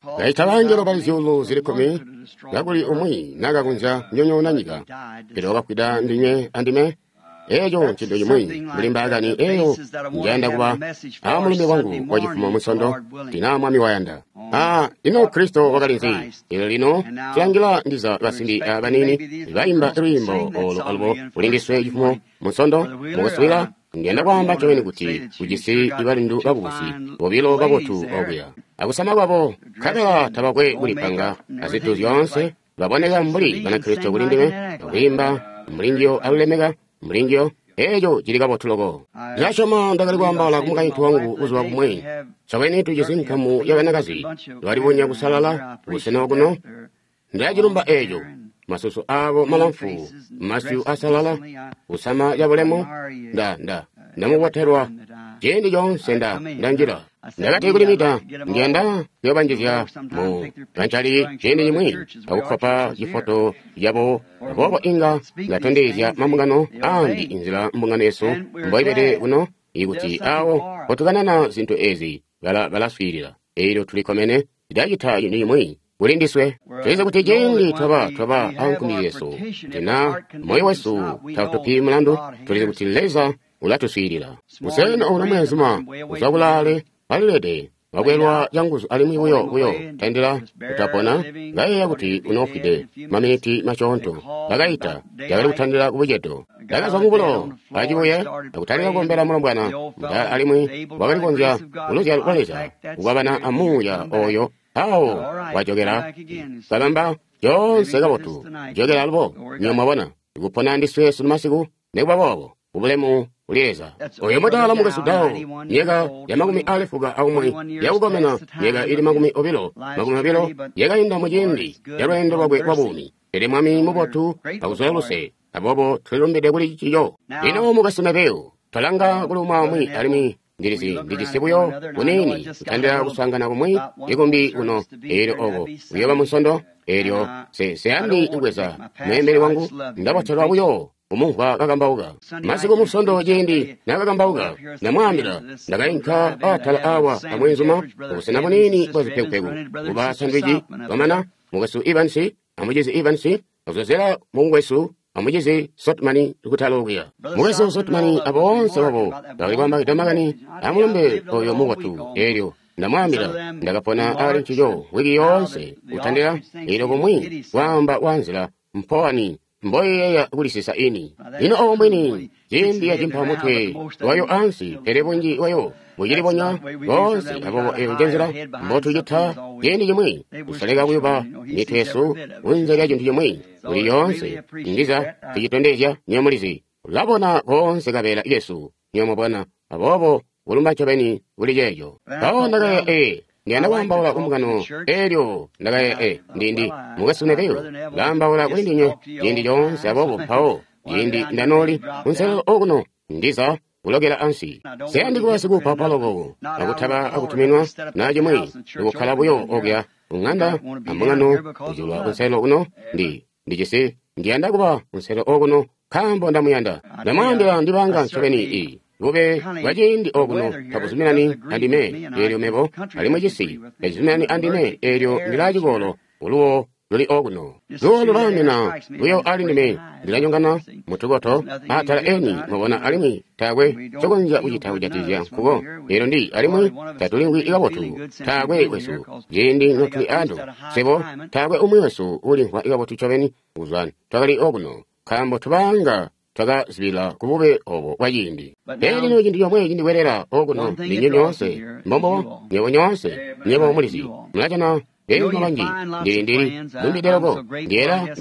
Kaita bangelo bali zyuulu zili kkumi, kakuli umwi nakakonzya kunyonyoona nyika, pele wakafwida ndinywe andime. Eeco ncintu cimwi mbuli mbaakani eyo njayanda kuba a mulumbe wangu wacifumo Munsondo, tina Mwami wayanda. Ino Kristo wakali nzi? Elyo lino tulangila ndiza basimbi abaniini baimba lwiimbo olo alubo kuli ndiswe cifumo Munsondo. Mukuswila, ndiyanda kwaamba ncobeni kuti ujisi balindu bakubusi bobilo babotu okuya. Akusama kwabo, nkabela tabakwe kulipanga azintu zyoonse, baboneka mbuli Banakristo kuli ndime, akwiimba mbuli njiyo alulemeka mbuli njiyo. Eeco cili kabotu loko. Ndasyoma ndakali kwaambaula ku mukaintu wangu buzuba bumwi. Ncobeni tujisi nkamu ya banakazi balibonya kusalala busena okuno. Ndilacilumba eeco. Masusu aabo malamfu, masyu asalala, kusama cabulemu. Ndamubotelwa ciindi coonse ndanjila. Ndakati kuli Mita, ndiyanda kuyobanjizya mu kancali ciindi cimwi akukkopa cifoto cabo, aboobo inga ndatondezya mambungano aambi inzila mbungano yesu mboibede kuno, ikuti awo mpotukanana zintu ezi balaswiilila. Elyo tulikkomene ndacita cintu cimwi kuli ndiswe. Tulizi kuti ciindi twaba ankumbi zyesu, tina moyo wesu tautupi mulandu, tulizi kuti Leza ulatuswiilila. Busena obuno mweenzuma kuzwa kulaale alilede wakwelwa canguzu alimwi buyo tandila kutapona, ngayeeya kuti unoofwide maminiti masyoonto. Bakaita cakali kutandila kubucedo. Ndakazwa mubulo acibuye akutandila kukombela mulombwana mudaala, alimwi wakali kukonzya kuluzyalo lwa Leza kukwabana amuuya oyo. Awo wajokela kabamba coonse kabotu, jokela alubo. Nywebo mwabona kupona ndiswe sunu masiku, nikuba boobo kubulemu kuli Leza. Oyo mudaala mukwesu Dao, myaka ya 91 yakukomena, myaka ili 20 yakainda muciindi ca lweendo lwakwe lwa buumi. Pele Mwami mubotu akuzula luse, aboobo tulilumbide kuli cico. Lino mukwesu Neville, twalanga kuli umwi alimwi ndilizi ndijisi buyo kuniini kutandila kuswaangana kumwi ikumbi kuno. Eelyo oko kuyooba Munsondo. Eelyo seyandi kubweza mweembeli wangu, ndabotelwa buyo kumumvwa kakambauka masiku Munsondo. Ciindi nakakambauka, ndamwaambila ndakainka atala awa amweenzuma kubusena buniini bwa zipekupeku kuba sandwici. Bamana mukwesu Evans amucizi Evans azozela mukwesu amucizi Sotman kutala okuya. Mukwesu Sotman aboonse babo bakali kwaamba makani amulumbe oyo mubotu. Eelyo ndamwaambila ndakapona ali ncico wiki yoonse kutandila eelyo kumwi kwaamba kwa nzila mpowani mboyeeya kulisisa ini. Lino obo mbwini ciindi yacimpa mutwe wayo ansi, pele bunji bwayo bucilibonya boonse. Aboobo eyo njenzila mbotucita ciindi cimwi, kusoleka kuyuba mitwe yesu kunze lya cintu cimwi kuli yoonse. Ndiza tucitondezya, nywebo mulizi, ulabona koonse kabeela kesu, nywebo mwabona. Aboobo kulumba ncobeni kuli ceeco. Mpawo ndakayeeya, ndiyanda kwaambaula kumbungano. Eelyo ndakayeeya, ndindi mukwesu Neville ndaambaula kuli ndinywe ciindi coonse. Aboobo mpawo ciindi ndanooli kunselelo okuno, ndiza kulokela ansi. Seyandi kuba sikuupaupa loko akutaba akutuminwa na cimwi, ndikukkala buyo okuya kung'anda ambungano kujulwa kunselelo kuno. Ndijisi ndiyanda kuba kunselelo okuno nkaambo ndamuyanda. Ndamwaambila ndibanga ncobeni bube bwa ciindi okuno tabuzuminani andime, eelyo mebo alimwi cisi tacizuminani andime. Eelyo ndilaa cikolo uluwo luli okuno, luwo lulaamena buyo ali ndime, ndilanyongana mutukoto atala eni, mwabona, alimwi taakwe ncokonzya kucita kujatikizya nkuko. Eelyo alimwi tatulimvwi kabotu, taakwe wesu ciindi notuli ando swebo, taakwe umwi wesu ulimvwa kabotu ncobeni kuzwa twakali okuno, nkaambo tubaanga twakazibila kubube obo bwa ciindi. Pele lino cintu comwe cindikwelela okuno ndinywe nyoonse, mbombo nywebo nyoonse, nywebo mulizi, mulajana beenzuma banji. Ndili lumbide loko, ndiyela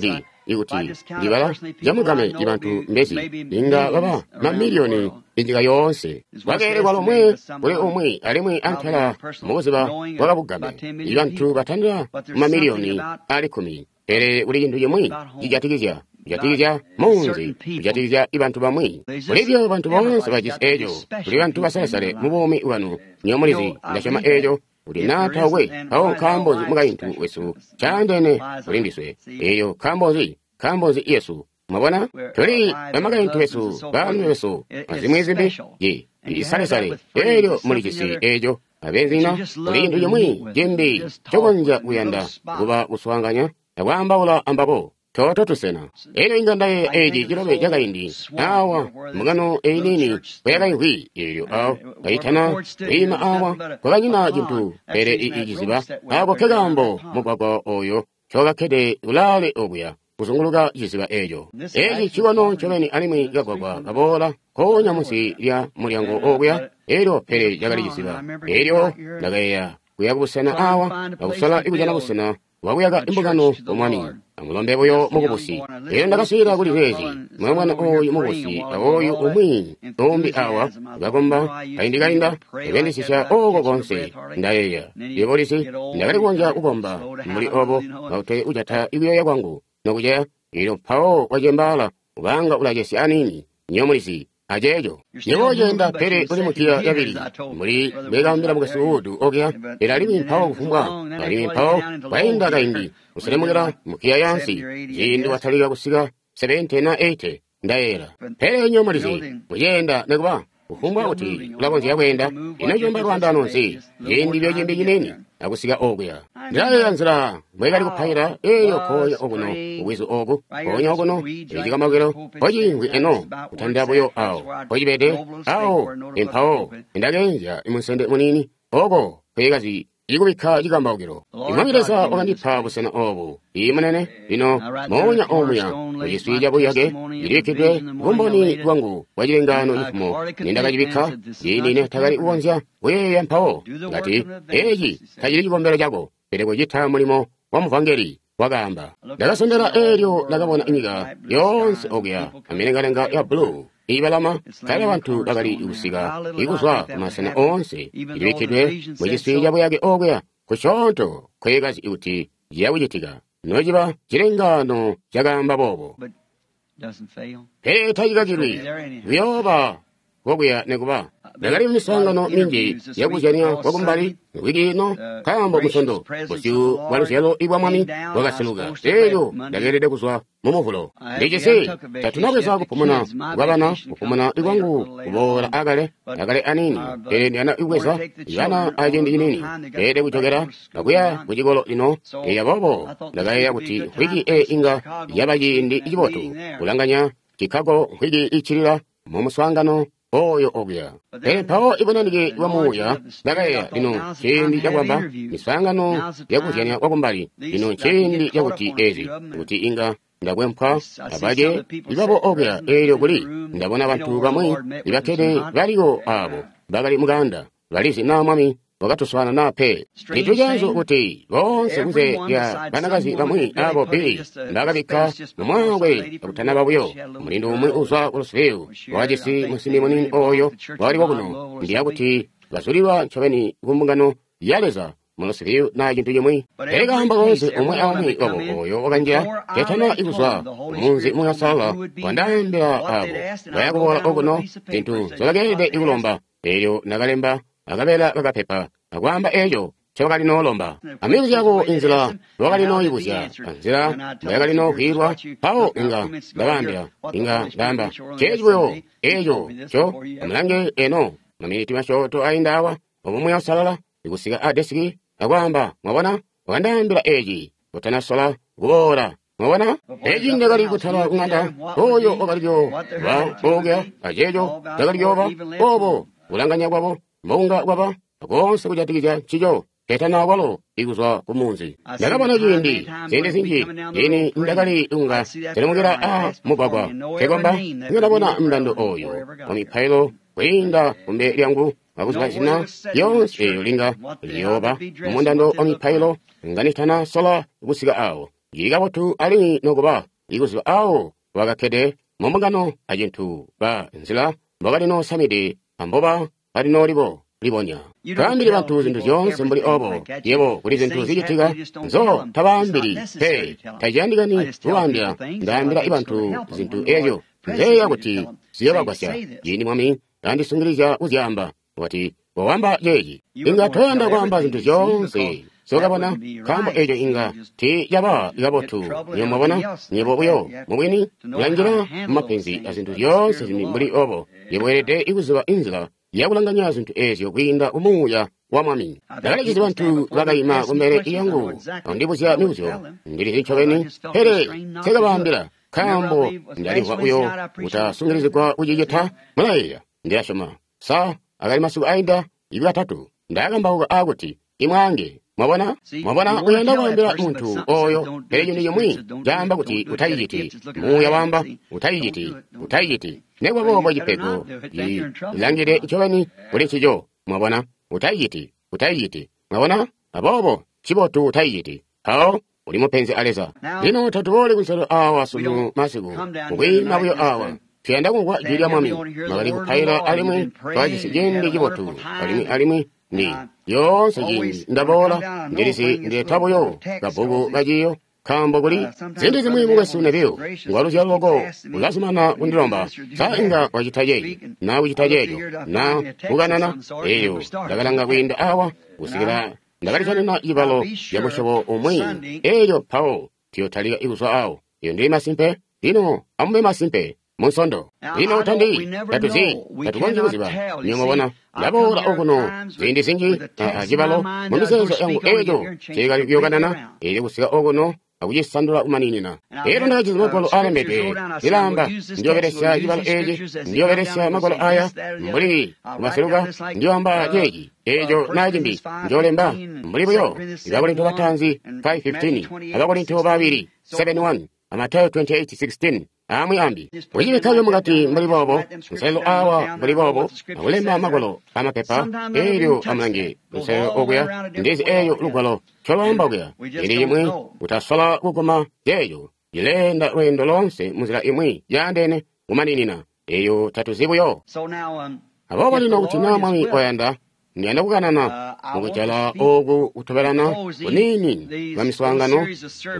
ikuti ndibala camugame bantu mbezi inga baba mamiliyoni inyika yoonse. Kwakeelekwa lomwe kuli umwi alimwi antela mubuzuba bwakabugame ibantu batandila mamiliyoni ali 10. Pele kuli cintu cimwi cijatikizya munzi, kujatikizya bantu bamwi. Kulibyo bantu boonse bajisi eeco, kuli bantu basalesale mu buumi bwanu. Nywebo mulizi, ndasyoma eeco kuti naa taukwe, mpawo nkaambo nzi mukaintu wesu caandeene kuli ndiswe? Eeyo nkaambo nzi yesu? Mwabona, tuli bamakaintu besu, baalumi besu, azimwi zimbi, isalesale. Eelyo mulijisi eeco. Abeenzina, kuli cintu cimwi cimbi ncokonzya kuyanda kuba kuswaanganya akwaambaula ambabo. Toto tusena. Elyo inga ndayeeya eci cilobe cakaindi awa mbungano eyi niini kweyakaimvwi eelyo awo kaitana kwiima awa kwakanyina cintu pele iciziba. Ako nkekaambo mugwagwa oyo ncowakakkede kulaale okuya kuzunguluka ciziba eco. Eci cikono ncobeni alimwi kagwagwa kaboola nkoonya munsi lya mulyango okuya, elyo pele cakali ciziba. Elyo ndakayeeya kuya kubusena awa akusola kujana busena bwakuyaka imbungano ku Mwami. Amulombe buyo mukubusi. Elyo ndakaswiilila kuli zeezi, mulombwana oyu mukubusi aoyu umwi umbi awa kakomba kaindi kainda, akuyandisisya oko konse. Ndayeeya, yebo ulizi, ndakali kukonzya kukomba mbuli obo, kakuti kujata kuyoya kwangu nokuceya. Elyo mpawo wacembaala, ubaanga ulacesya aniini, nywebo mulizi, aceeco. Yebo uceenda pele uli mugiya yabili, mbuli mbwekaambila mukwesu Wood okuya, pele alimwi mpawo kufumbwa, alimwi mpawo kwainda kaindi, kuselemukila mugiya yaansi, ciindi watalika kusika 70 na 80, ndayeeyela. Pele nywebo mulizi, muceenda nekuba, kufumbwa kuti ulakonzya kweenda, ino cibamba lwaandaano nzi, ciindi buyo cimbi ciniini, akusika okuya. Ndilayeeya nzila mbwekali kupaila eelyo nkoonya okuno kubwizu oku, nkoonya okuno ecikambaukilo mpociimvwi eno, kutandila buyo awo mpocibede awo, mpawo ndakeenzya munsende muniini oko nkweekazi ikubikka cikambaukilo. Mwami Leza wakandipa busena obu, ii munene, lino moonya omuya muciswi cabuyake cilibikkidwe bumboni bwangu bwa cilengaano cifumo nindakacibikka, ciindi netakali kukonzya kuyeeya mpawo ngati eci tacili cikombelo cako, pele kucita mulimo wa muvangeli, wakaamba. Ndakasondela eelyo ndakabona nyika yoonse okuya amilengalenga ya bbulu iibalama, nkabela bantu bakali kusika ikuzwa kumasena oonse. Ilibikkidwe muciswi cabuyake okuya kusyoonto nkweekazi kuti ciya kucitika, nociba cilengaano cakaamba boobo. Pele tacikakilwi, kuyooba kokuya nekuba. Ndakali mumiswaangano minji yakuzyanya kwakumbali wiki ino, nkaambo Musondo busyu bwa luzyalo ibwa Mwami bwakaseluka, eelyo ndakeelede kuzwa mu Muvulo. Ndijisi tatunabweza kupumuna kwabana, kupumuna kwangu kuboola akale akale aniini, pele ndiyanda kubweza bana aciindi ciniini, ndeelede kujokela akuya kucikolo lino. Elyo aboobo ndakayeeya kuti mvwiki eyi inga yaba ciindi cibotu kulanganya Chicago mvwiki iccilila mu muswaangano oyo okuya. Pele mpawo ibunanike bwa Muuya, ndakayeeya, lino nciindi cakwamba miswaangano yakuzyanya kwakumbali, lino nciindi cakuti ezi, kuti inga ndakwempwa abace ibabo okuya. Eelyo kuli ndabona bantu bamwi ibakkede baliko abo bakali mukaanda, balizi naa Mwami wakatuswaana naa pe. Cintu ceenzu kuti boonse kunze lya banakazi bamwi abo Billy mbakabikka mumwaakwe kakutanaba buyo, mulindu umwi uzwa ku Louisville wakajisi musimbi muniini oyo wakali kokuno, ndiya kuti bazulilwa ncobeni ku mbungano ya Leza mu Louisville naa cintu cimwi. Pele kaamba koonse umwi aumwi wabo oyo wakanjila ketana kuzwa kumunzi Muuya Uusalala wandaambila abo baya kuboola okuno zintu nzyobakeelede kulomba. Eelyo ndakalemba akabeela kakapepa akwaamba eeco ncobakali noolomba, amibuzyo yabo inzila mbobakali nooyibuzya anzila mboyakali noovwiilwa. Mpawo inga ndabaambila, inga ndaamba ceeci buyo eeco nco amulange eno maminiti masyoonto ainda awa, obo Muuya Uusalala kusika a desiki akwaamba, mwabona, wakandaambila eci kutanasola kuboola. Mwabona? Eci ndakali kutala kuŋanda, oyo wakali kuyooba okuya, aceeco cakali kuyooba obo, kulanganya kwabo mbokunga kwaba koonse kujatikizya ncico, ketana kwalo ikuzwa ku munzi. Ndakabona ciindi, ziindi zinji, ini ndakali kunga selemukila a mugwagwa, nkekomba, ndakabona mundando oyo wa mipailo kwiinda kumbele lyangu, akuziba zina lyoonse eelyo linga liyooba mumundando wa mipailo nganitana sola kusika awo. Cili kabotu alimwi nokuba ikuziba awo bakakkede mumbungano acintu ba nzila mbobalinoosamide amboba balinoolibo libonya. Taambili bantu zintu zyoonse mbuli obo. Yebo kuli zintu zicitika nzo tabaambili pe, taciyandikani kubaambila. Ndaambila bantu zintu ezyo nzeeya kuti ziyobagwasya. Ciindi Mwami andisungilizya kuzyaamba, wati, Kowamba ceeci. Inga toyanda kwaamba zintu zyoonse nzyokabona, nkaambo eco inga tiicaba kabotu. Nywebo mwabona, nywebo buyo mubwini mulanjila mumapenzi azintu zyoonse zimbi mbuli obo. Yebo weelede kuziba inzila yakulanganya zintu eezyo kwiinda ku Muuya wa Mwami. Ndakalizizi bantu bakaima kumbele yangu andibuzya mibuzyo, ndilizi ncobeni, pele nsekabaambila, nkaambo ndalimvwa buyo kutasungilizigwa kucicita. Mulayeeya, ndilasyoma sa akali masiku ainda ikatatu ndakambauka aakuti imwaange. Mwabona, mwabona, uyanda kwaambila muntu oyo, pele cintu cimwi caamba kuti utayiciti. Muuya waamba utayiciti, utayiciti. Nekuba boobo cipego cilangile ncobeni kuli ncico. Mwabona, utayiciti, utayiciti. Mwabona, aboobo ncibotu utayiciti. Mpawo uli mupenzi a Leza. Lino tatubooli kunselelo awa sunu masiku, mukwiima buyo awa. Tuyanda kumvwa jwi lya Mwami. Mwakali kupaila alimwi twakajisi ciindi cibotu, alimwi alimwi ndi lyoonse ciindi ndaboola ndilizi ndileta buyo kabbuku kaciyo, nkaambo kuli ziindi zimwi mukwesu Neville ngwaluzyalo loko ulazumana kundilomba sa inga wacita ceeci na kucita ceeco na kukanana. Eyo ndakalanga kwiinda awa kusikila ndakalijanina cibalo camusyobo umwi, elyo mpawo tuyotalika kuzwa awo. Iyo ndili masimpe. Lino amube masimpe Munsondo. Lino tandi tatuzi, tatukonzyi kuziba. Nywebo mwabona, ndaboola okuno ziindi zinji acibalo mu mizeezo yangu eeco nceekali kuyokanana, eelyo kusika okuno akucisandula kumaninina. Elyo ndakajisi magwalo aalembedwe lilaamba, ndiyoobelesya cibalo eeci, ndiyoobelesya magwalo aya mbuli kumaseluka, ndiyoamba ceeci, eeco naa cimbi, njoolemba mbuli buyo Abakorinto bataanzi 5:15, Abakorinto babili 7:1, Amatayo 28:16. Amwi ambi kucibikkayo mukati mbuli boobo, nselelo awa mbuli boobo, akulemba magwalo amapepa eelyo amulange nselelo okuya, ndizi eeyo lugwalo ncolwaamba kuya. Ciindi cimwi utasola kuguma ceeco, cileenda lweendo loonse munzila imwi yaandeene kumaninina, eeyo tatuzi buyo. Aboobo lino kuti naa Mwami wayanda, ndiyanda kukanana mukujala ooku kutobelana kuniini kwa miswaangano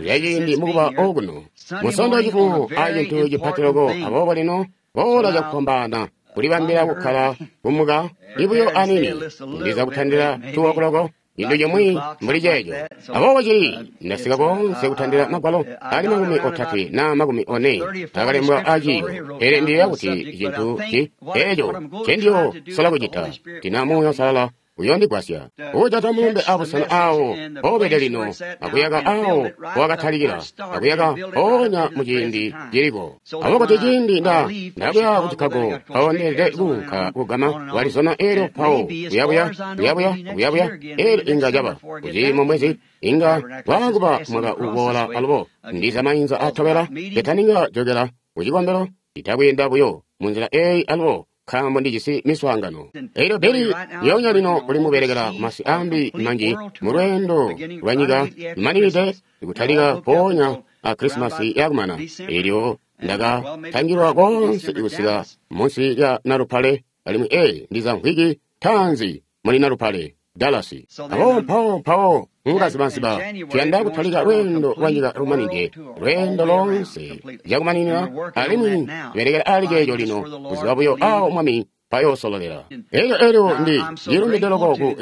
yaciindi mukuba okuno Munsondo yacifumo a cintu cipati loko. Aboobo lino boola cakufwambaana kulibambila kukkala kumuka ibuyo aniini, ndiza kutandila 2 o'clock, cintu cimwi mbuli ceeco. Aboobo cili ndasika koonse kutandila magwalo ali 30 na 40 akalembwa aciiyo, pele ndiyeeya kuti cintu ci eeco ncendiyo sola kucita tina Muuya Uusalala uyondigwasya kujata mulumbe abusena awo mpoobede lino, akuyaka awo mpowakatalikila, akuyaka mpoonya muciindi ciliko. Aboobo kuti ciindi ndakuya ku Chicago, mpawo ndeelede kuunka kugama ku Arizona, eelyo mpawo kuyabuya, kuyabuya, kuyabuya, eelyo inga caba kuti mumwezi inga waakuba mwaka uboola alubo ndiza mainza atobela ketaninga jokela kucikombelo, itakwiinda buyo munzila eeyi alubo, nkaambo ndijisi miswaangano. Elyo Billy lyoonya lino uli mubelekela kumasi ambi manji mulweendo lwanyika lumaninide kutalika mpoonya a Krisimasi yakumana. Elyo ndakatangilwa koonse kusika munsi lya Nalupale, alimwi ndiza mvwiki taanzi muli Nalupale, Dallas. Aboobo mpawo mpawo mukazibaziba tuyanda kutalika lweendo lwanyika lumanide, lweendo loonse lyakumaninina, alimwi tubelekela ali ceeco lino kuziba buyo awo Mwami mpayoosololela. Elyo elyo ndi ndilumbide loko ku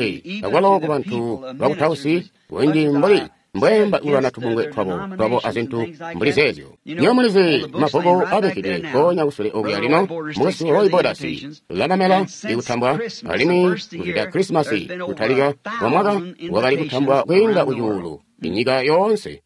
akwalo ku bantu bakutausi bunji mbuli mbwemba kulwana tubungwe twabo twabo azintu mbuli zeezyo. Nywebo mulizi mabbuku abikkidwe mpoonya kusule okuya lino, mukwesu Roy Borders ulamamela ikutambwa, alimwi kuzwida Krisimasi kutalika kwa mwaka wakali kutambwa kwiinda kucuulu inyika yoonse.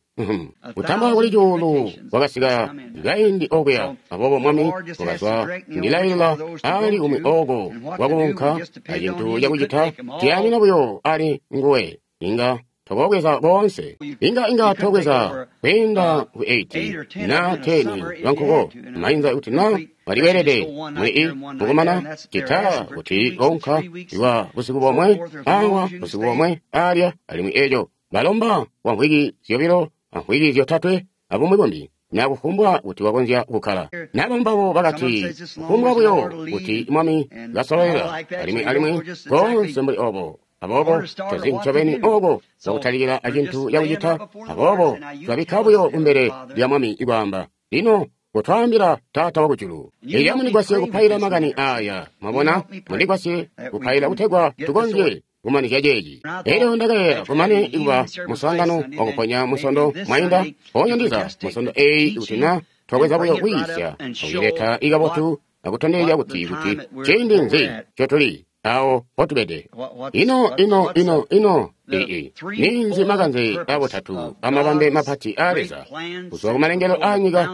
Kutambwa kuli cuulu kwakasika kaindi okuya. Aboobo Mwami wakazwa ndilailila ali umwi ooko wakuunka acintu cakucita, tuyaamina buyo ali nguwe. Inga tokobweza boonse, inga tobweza kwiinda ku 8 na 10 lwankuko mainza kuti na waliweelede muli i mukumana cita kuti kounka lwa busiku bomwe awa busiku bomwe alya, alimwi eeco balomba kwa mvwiki zyobilo amvwiki zyotatwe abumwi bumbi, na kufumbwa kuti wakonzya kukkala. Nabo mbabo bakati kufumbwa buyo kuti Mwami kasololela, alimwi alimwi koonse mbuli obo. Aboobo tuzi ncobeni ooko kwakutalikila acintu cakucita. Aboobo twabikka buyo kumbele lya Mwami kwaamba, lino kutwaambila Taata wakujulu. Elyo amundigwasye kupaila makani aaya. Mwabona, mundigwasye kupaila kutegwa tukonzye kumanizya ceeci. Elyo ndakayeeya kumane kuba muswaangano wakuponya Munsondo mwainda, mpoonya ndiza Munsondo eeyi kuti na twabweza buyo kwiisya akuyileta ikabotu akutondezya kuti kuti ciindi nzi ncotuli. Awo potubede. Ino ino ino ino ii ninzi makanze abutatu amabambe mapati a Leza kuzwa kumalengelo a nyika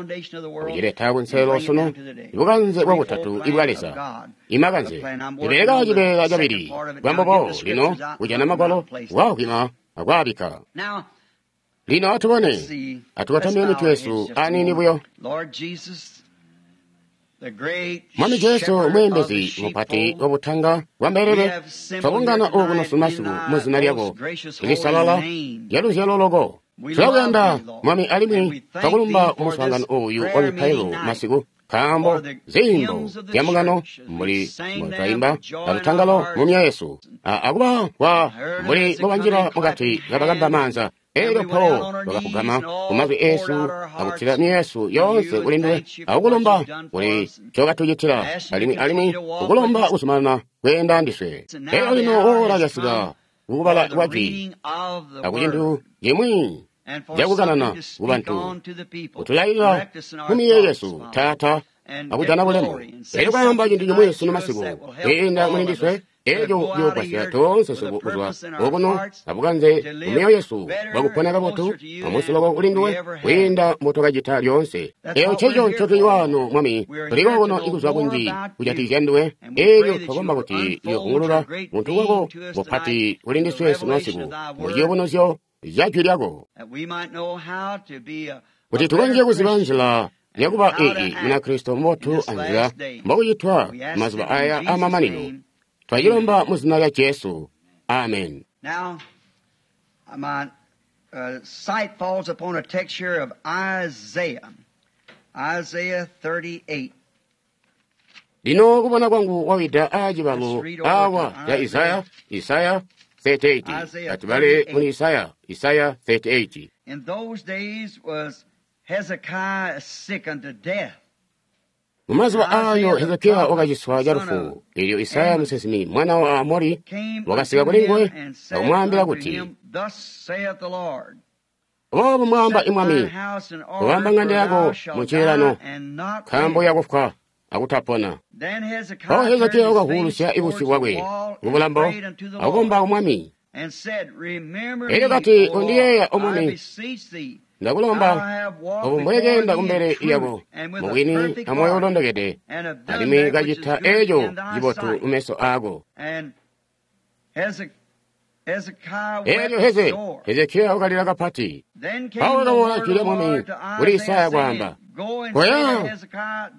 kucileta kunselelo sunu bukanze bwa butatu ibwa Leza imakanze ibeleka cibeela cabili bwambobo lino kujana magwalo wakwima akwaabika. Lino atubone atukatamye mitwe yesu aniini buyo. Mwami Jesu mweembezi mupati wabutanga bwa mbelele, twabungana okuno sunu mu zina lyako lisalala lya luzyalo loko. Tulakuyanda Mwami alimwi twakulumba kumuswaangano ooyu wa mipailo masiku, nkaambo ziimbo zya mbungano mbuli mbotwaimba alutangalo mu myoyo yesu, akuba kwa mbuli mbobanjila mukati kabakamba maanza. Elyo mpawo twakafugama kumazwi eesu akutila myoyo yesu yoonse kuli nduwe akukulumba kuli ncokatucitila alimwi alimwi kukulomba kuzumanana kweenda ndiswe. Elyo lino woola lyasika kukubala kwa jwi akucintu cimwi cakukanana kubantu kutulailila mu miyeeyo yesu Taata akujana bulemu. Elyo kwaamba cintu cimwi sunu masiku kwiinda muli ndiswe eco ciyoogwasya toonse swebo kuzwa okuno abukanze mu myoyo yesu bwakupona kabotu amusi loko kuli nduwe kwiinda mbotwakacita lyoonse. Eco nceco ncotuli waano Mwami, tuli kokuno ikuzwa kunji kujatikizya nduwe. Elyo twakomba kuti uyoovungulula buntu bwako bupati kuli ndiswe sunu masiku mu ciyubunuzyo ca jwi lyako, kuti tukonzye kuziba nzila yakuba ii Munakristo mubotu anzila mbokucitwa mazuba aya amamanino. Twacilomba mu zina lya Jesu. Amen. Now, my sight falls upon a text here of Isaiah. Isaiah 38. Lino kubona kwangu wawida aacibalo awa ya Isaya, Isaya 38. Atubale muli Isaya, Isaya 38. In those days was Hezekiah sick unto death. Mumazuba ayo Hezekiya wakaciswa calufu. Elyo Isaya musinsimi mwana wa Amori wakasika kuli nguwe akumwaambila kuti, Boobu mwaamba imwami, kubamba ŋanda yako mucilelano, nkaambo yakufwa akutapona. Mpawo Hezekiya wakavuulusya ibusyu bwakwe kubulambo akukomba kumwami. Elyo kati, Undiyeeya O Mwami, ndakulomba obu mbwekeenda kumbele lyako mubwini amoyo ulondokede, alimwi kacita eco cibotu mumeso aako. Elyo Hezekiya wakalila kapati. Mpawo wakaboola jwi lya Mwami kuli Isaya kwaamba, Koya,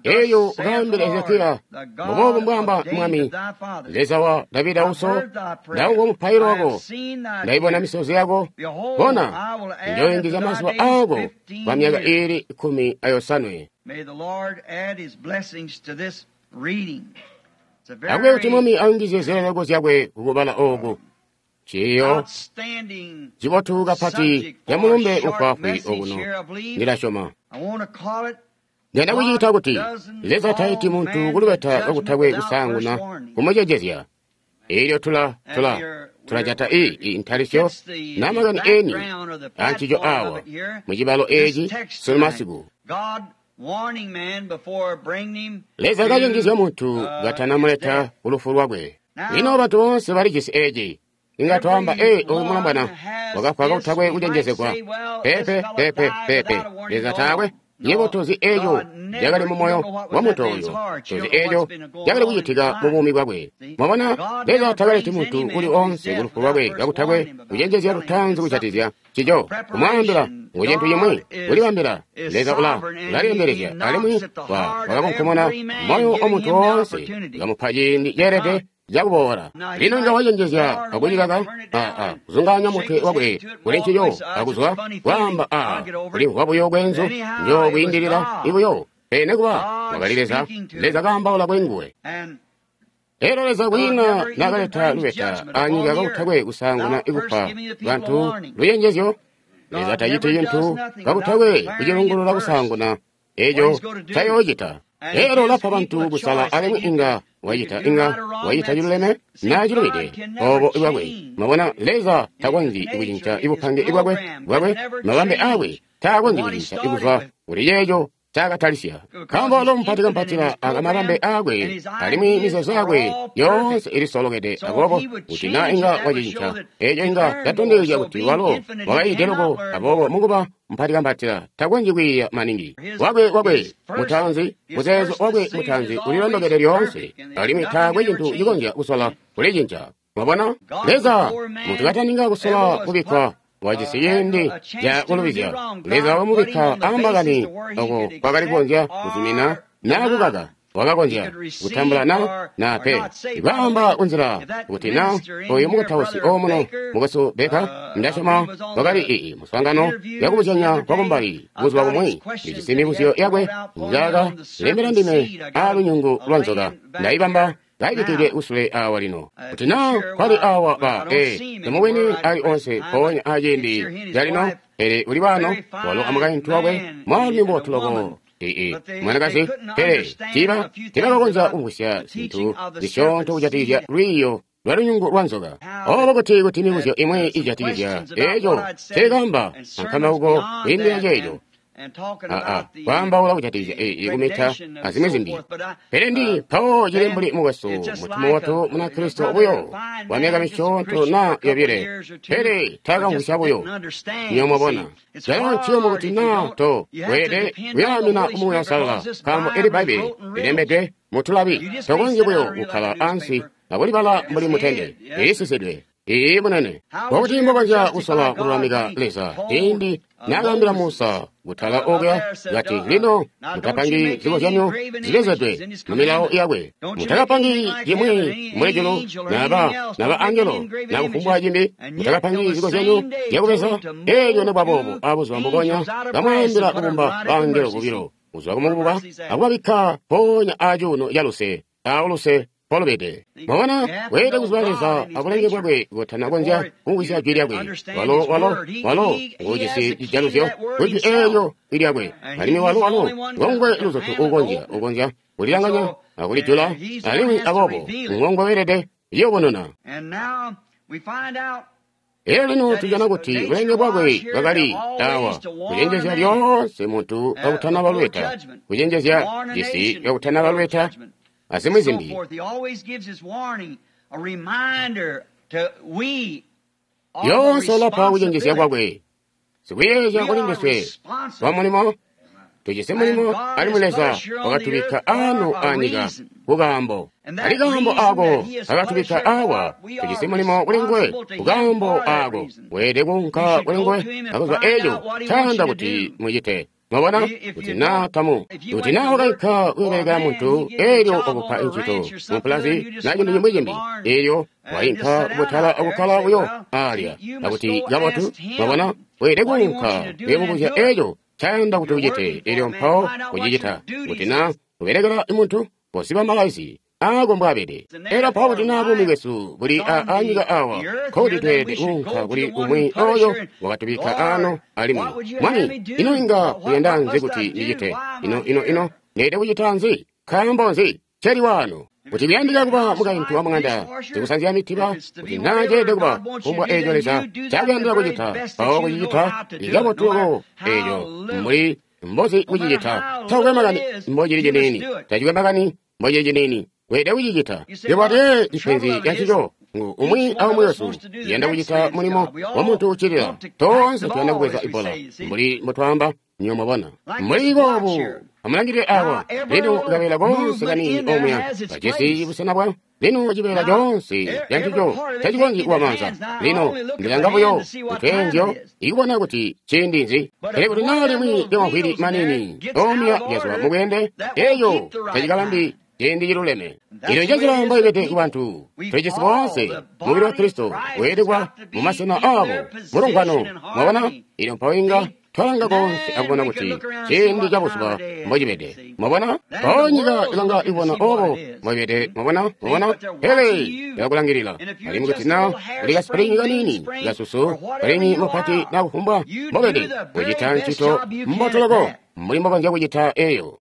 elyo ukaambile Hezekiya, mbuboobu mbwaamba Mwami, Leza wa Davida uso, ndawumvwa mupailo wako, ndayibona misozi yako. Bona, njoyungizya mazuba aako kwa myaka iili 17. Akube kuti Mwami ayungizye zileleko zyakwe kukubala ooku. Ciiyo cibotu kapati ca mulumbe ufwaafwi okuno, ndilasyoma. Ndiyanda kuciita kuti Leza taiti muntu kulubeta kakutakwe kusaanguna kumucenjezya. Elyo tulajata ii ntalisyo na makani eni ancico awa mucibalo eeci sunu masiku. Leza kacenjezya muntu katanamuleta kulufu lwakwe. Lino bantu boonse balijisi eeci. Inga twaamba, ee, oyu mulombwana wakafwa kakutakwe kucenjezegwa. Peepe, peepe, peepe. Leza taakwe. Yebo tozi eco cakali mumoyo wa muntu oyo, tozi eco cakali kucitika mu buumi bwakwe. Mwabona, Leza takaleti muntu uli oonse kulufu lwakwe kakutakwe kucenjezya lutaanzi kujatikizya ncico, kumwaambila ngu cintu cimwi, kulibambila. Leza ulalyendelezya alimwi wakakonkomona moyo wa muntu woonse, kamupa ciindi ceelede cakuboola. Lino inga wacenjezya akucikaka, kuzungaanya mutwe wakwe kuli ncico, akuzwa kwaamba kulimvwa buyo kweenzu, njo kwiindilila ibuyo. Pele nekuba wakali Leza, Leza kaambaula kuli nguwe. Elyo Leza kwiina naakaleta lubeta anyika kakutakwe kusaanguna ikupa bantu lucenjezyo. Leza taciti cintu kakutakwe kucilungulula kusaanguna eco ncayoocita. Elyo ulapa bantu kusala alimwi inga wacita inga wacita ciluleme naa cilubide obo bwakwe. Mwabona, Leza takonzyi kucinca ibupange bwakwe, mabambe aakwe taakonzyi kucinca kuzwa kuli ceeco ncaakatalisya. Nkaambo walo mupati kampatila akamabambe aakwe, alimwi mizeezo yakwe yoonse ilisolokede. Aboobo kuti naa inga wacicinca, eeco inga catondezya kuti walo wakayiide loko. Aboobo mukuba mupati kampatila takonzyi kwiiya maningi. Wakwe mutaanzi, muzeezo wakwe mutaanzi ulilondokede lyoonse, alimwi taakwe cintu cikonzya kusola kulicinca. Mwabona? Leza, muntu kataninga kusola kubikkwa, wajisi ciindi ca kulubizya. Leza wakamubikka ambakani oko kwakali kukonzya kuzumina naa kukaka. Wakakonzya kutambula na pe. Kwaamba kunzila kuti na oyu mukutausi omuno mukwesu Baker, ndasyoma wakali ii muswaangano yakubuzyanya kwakumbali buzuba bumwi. Ndijisi mibuzyo yakwe njaaka lembela ndime aalunyungu lwa nzoka. Ndaibamba kaibikidwe kusule awa lino. Kuti naa kwali awa ba temubwini ali onse mpoonya aciindi calino, pele uli wano walo amukaintu wakwe mwaalumi mubotu loko. Mwanakazi, pele tiibakakonzya kumvwisya zintu zisyoonto kujatikizya lwiiyo lwa lunyungu lwa nzoka. Obo kuti mibuzyo imwi ijatikizya eeco nceekaamba ankambauko kwiindila ceeco. Kwaambaula kujatikizya kumita azimwi zimbi. Pele ndi mpawo cili mbuli mukwesu mutu mubotu Munakristo buyo wa myaka misyoonto naa yobile, pele taakamvwisya buyo. Nywebo mwabona, calo nciyumu kuti naa to weelede kuyaamina Muuya Uusalala, nkaambo eli Bbaibbele lilembedwe mutulabi. Tokonzyi buyo kukkala ansi akulibala mbuli mutende, lilisisidwe. Ii munene, mbokuti mbokonzya kusola kululamika Leza ciindi naakaambila Musa kutala okuya kati, lino mutapangi zikozyanyo zilezedwe mu milawo yakwe, mutakapangi cimwi mbuli julu naba angelo na kufumbwa cimbi, mutakapangi zikozyanyo zyakubeza. Eelyo nikuba abuzuba mbubonya kamwaambila kubumba bangelo bobilo kuzwa kumukuba akubabikka mpoonya acuuno caluse auluse polubede. Mwabona, weelede kuziba Leza abulenge bwakwe kutana konzya kumvwisya jwi lyakwe. Walo nguujisi cijaluzyo kujwi eelyo lyakwe, alimwi walo ngongwe luzutu uukonzya kulilanganya akulijula, alimwi aboobo ngongwe weelede liyubununa. Elyo lino tujana kuti bulenge bwakwe bwakali awa kucenjezya lyoonse muntu kakutanaba lubeta, kucenjezya cisi kakutanaba lubeta, azimwi zimbi. Lyoonse ulapa kucenjezya kwakwe, sikuyeezya kuli ndiswe wa mulimo. Tujisi mulimo, alimwi Leza wakatubikka ano anyika kukaambo. Ali kaambo ako akatubikka awa, tujisi mulimo kuli nguwe kukaambo ako. Weelede kuunka kuli nguwe akuzwa eeco ncayanda kuti mucite. Mwabona, kuti naa tamu, kuti naa wakainka kuyobelekela muntu, eelyo wakupa ncito mupulazi na cintu cimwi cimbi, eelyo wainka kubutala akukkala buyo alya, akuti kabotu. Mwabona, weelede kuunka kuyobubuzya eeco ncayanda kuti ucite, eelyo mpawo kucicita. Kuti naa ubelekela muntu, koziba malaisi aako mbwaabede. Elyo mpawo kuti naa buumi bwesu buli anyika awa, nkokuti tweelede kuunka kuli umwi oyo wakatubikka ano alimwi. Mwami, ino inga uyanda nzi kuti ndicite? Ino ndeelede kucita nzi? Nkaambo nzi nceli waano? Kuti kuyandika kuba mukaintu wa muŋanda, sikusanzya mitiba, kuti naa ceelede kuba kufumbwa eeco Leza ncakuyandila kucita, mpawo kucicita ikabotu loko eeco mbuli mbozi kucicita. Takukwe makani mbocili ciniini, tacikwe makani mbocili ciniini, weelede kucicita. Yebo ate ipenzi lyancico ngu umwi aumwi wesu uyanda kucita mulimo wa muntu uccilila. Toonse tuyanda kubweza ibola mbuli mbotwaamba. Nywebo mwabona, mbuli boobu amulangilile awa lino kabeela koonse kaniini omuya kajisi busena bwa lino cibeela coonse cancico tacikonzyi kuba maanza. Lino ndilanga buyo kutweenzyo ikubona kuti ciindi nzi, pele kuti naa limwi lyamavwili maniini omuya lyazwa mubweende, eeco tacikabambi ciindi ciluleme. Ino njenjila mboibede kubantu. Tulijisi boonse mubili wa Kristo weelede kuba mumasena aabo mulungwano. Mwabona, ino mpawo inga twalanga koonse akubona kuti ciindi cabuzuba mbocibede. Mwabona, mpawo nyika ilanga ibona obo mbocibede. Mwabona, pele yakulangilila. Alimwi kuti naa uli kasipulingi kaniini kasusu kalini mupati na kufumbwa mbobede, kucita ncito mbotu loko mbuli mbokonzya kucita eeyo.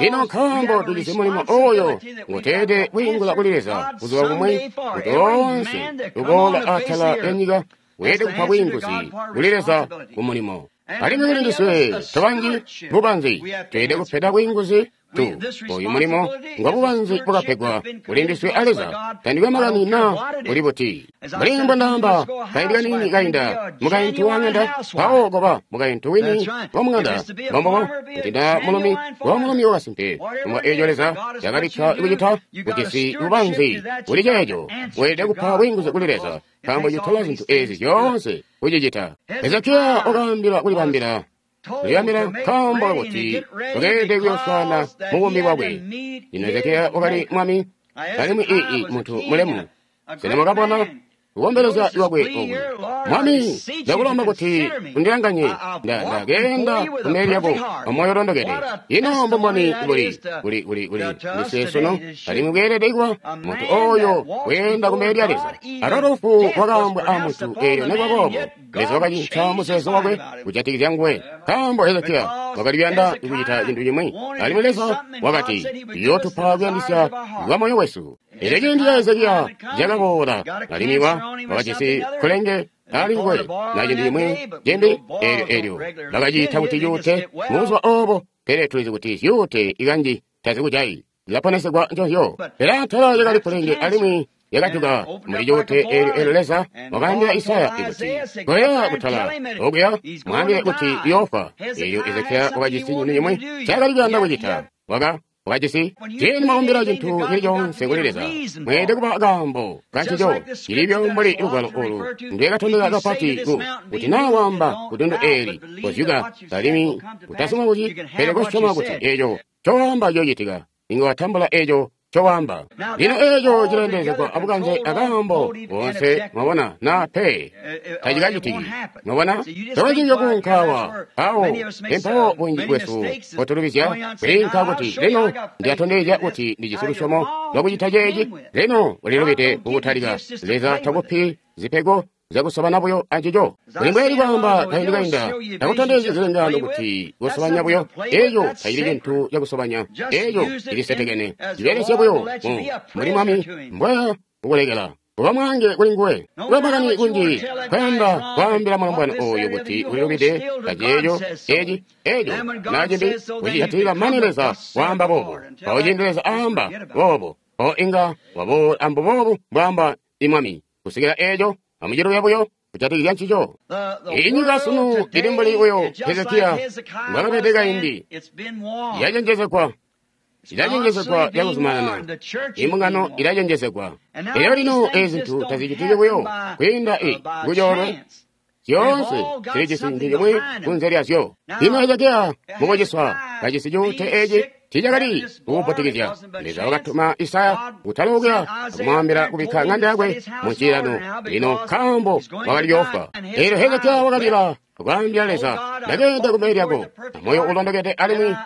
Lino nkaambo tujisi mulimo oyo nguteelede kwiingula kuli Leza buzuba bumwi, kuti oonse uboola atala lyanyika weelede kupa bwiinguzi kuli Leza kumulimo. Alimwi kuli ndiswe tobanji bubanzi tweelede kupeda bwiinguzi tu oyu mulimo ngwa bubanzi bwakapegwa kuli ndiswe a Leza. Tandikwe makani na uli buti. Mbuli mbondaamba kaindi kaniini kainda, mukaintu wa ng'anda mpawo koba mukaintu wini wa mung'anda, mbombobo kuti nda mulumi wa mulumi wakasimpe. Mbwa eeco Leza yakabikka kucita kujisi bubanzi kuli ceeco, weelede kupa bwiinguzi kuli Leza, nkaambo citola zintu eezi zyoonse kucicita. Hezekiya wakaambila kulibambila nkaambo kakuti wakeelede kuyooswaana mubuumi bwakwe. Lino Hezekiya wakali mwami, alimwi ii muntu mulemu. Sena mwakabona kukombelezya kwakwe oku? Mwami, ndakulomba kuti undilanganye. Ndakeenda kumbele lyako amoyo ulondokede. Ino mbumboni buli ndiswe sunu, alimwi bweelede kuba muntu oyo weenda kumbele lya Leza. Alo lufu lwakaambwa a muntu eelyo nikuba boobo Leza wakacinca muzeezo wakwe kujatikizya nguwe, nkaambo Hezekiya wakali kuyanda kucita cintu cimwi, alimwi Leza wakati uyootupa kuyandisya kwa moyo wesu. Elyo ciindi ca Hezekiya cakaboola, alimwi wakajisi kkulenge ali nguwe na cintu cimwi cimbi, eelyo bakaciita kuti cuute mubuzuba oobo, pele tulizi kuti zyuute ikanji tazikujayi, zilaponesegwa nconzyo. Pele atala lyakali kkulenge alimwi yakajuka muli cuute eelyo Leza wakaambila Isaya kuti, koya kutala okuya mwaambile kuti uyoofa. Eelyo Hezekiya wakajisi cintu cimwi ncaakali kuyanda kucita. Wakajisi ciindi mwakumbila cintu cili coonse kuli Leza, mweelede kuba kaambo kancico cilibyo mbuli lugwalo olu ndwekatondeka kapati kuti naa waamba kudundu eeli kozyuka, alimwi utasoma kuti, pele kosyoma kuti eeco cowaamba ciyoocitika, inga watambula eeco cowaamba. Lino eeco cileendelezegwa abukanze akaambo boonse, mwabona, naa pe tacikacitiki. Mwabona, tokonzyi kuunka awo empawo bunji bwesu potulubizya kwiinka kuti lino ndiyatondezya kuti ndijisi lusyomo lwakucita ceeci. Lino ulilubide kukutalika. Leza takupi zipego zyakusobana buyo ancico. Kuli mbweeli kwaamba kaindi kainda, takutondezyi zilengaano kuti kusobanya buyo. Eeco tacili cintu cakusobanya, eeco cilisetekene. Cibelesye buyo mbuli Mwami mbwaya kukulekela kuba mwaange kuli nguwe. Kuba makani kunji kwayanda kwaambila mulombwana oyo kuti ulilubide kaceeco eci eeco na cimbi kucijatilila mane Leza waamba boobo. Mpawo ciindi Leza aamba boobo, mpawo inga waboola ambuboobu mbwaamba Mwami kusikila eeco amuciluya buyo kujatikizya ncico. Inyika sunu ili mbuli buyo Hezekiya mbwakabede kaindi, yacenjezegwa, ilacenjezegwa cakuzumanana, imbungano ilacenjezegwa. Elyo lino eezi zintu tazicitiki buyo kwiinda kucoolwe, zyoonse zilijisi cintu cimwi kunze lyazyo. Lino Hezekiya mukuciswa kajisi cuute eeci tiicakali kukuputikizya. Leza wakatuma Isaya kutala okuya akumwaambila kubikka ng'anda yakwe muncilano lino nkaambo wakali yoofwa. Eelyo Hezekiya wakalila kwaambila Leza, ndakeenda kumbele lyako amoyo ulondokede alimwi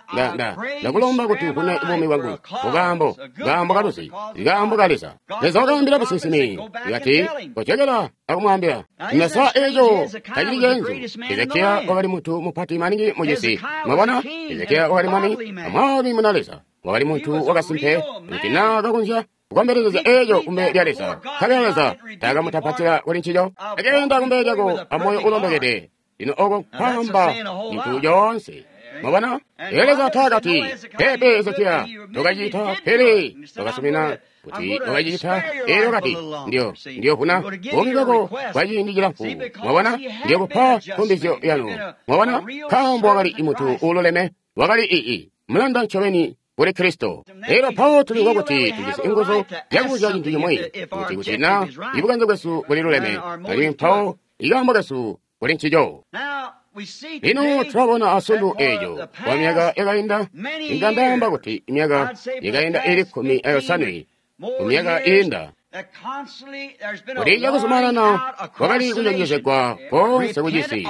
ndakulomba kuti uvune buumi bwangu kukaambo kaambo kaluzi, kaambo ka Leza. Leza wakaambila businsimi kati, kojokela akumwaambila. Lino sa eeco tacili ceenzu. Hezekiya wakali muntu mupati maningi mucisi. Mwabona, Hezekiya wakali mwami, amwami muna Leza. Wakali muntu wakasimpe kuti naa kakonzya kukombelezya eeco kumbele lya Leza, nkabela Leza taakamutapatila kuli ncico. Akeenda kumbele lyako amoyo ulondokede. Lino oko kwaamba cintu coonse. Mwabona, Leza taakati, pepe Hezekiya tokacita, pele wakasumina kuti wakacita. Eelyo kati, ndiyovuna buumi bwako kwa ciindi cilamfu. Mwabona, ndiyokupa nkumbizyo yanu. Mwabona, nkaambo wakali muntu uululeme, wakali mulanda ncobeni kuli Kristo. Elyo mpawo tulimvwa kuti tujisi inguzu zyakubuzya cintu cimwi, kuti naa ibukanze bwesu buliluleme, alimwi mpawo ikaambo kesu kuli ncico. Lino tulabona asundu eeco kwa myaka yakainda, inga ndaamba kuti myaka yakainda ili 17 kumyaka iinda, kuti cakuzumanana kwakali kucenjezegwa koonse kucisi,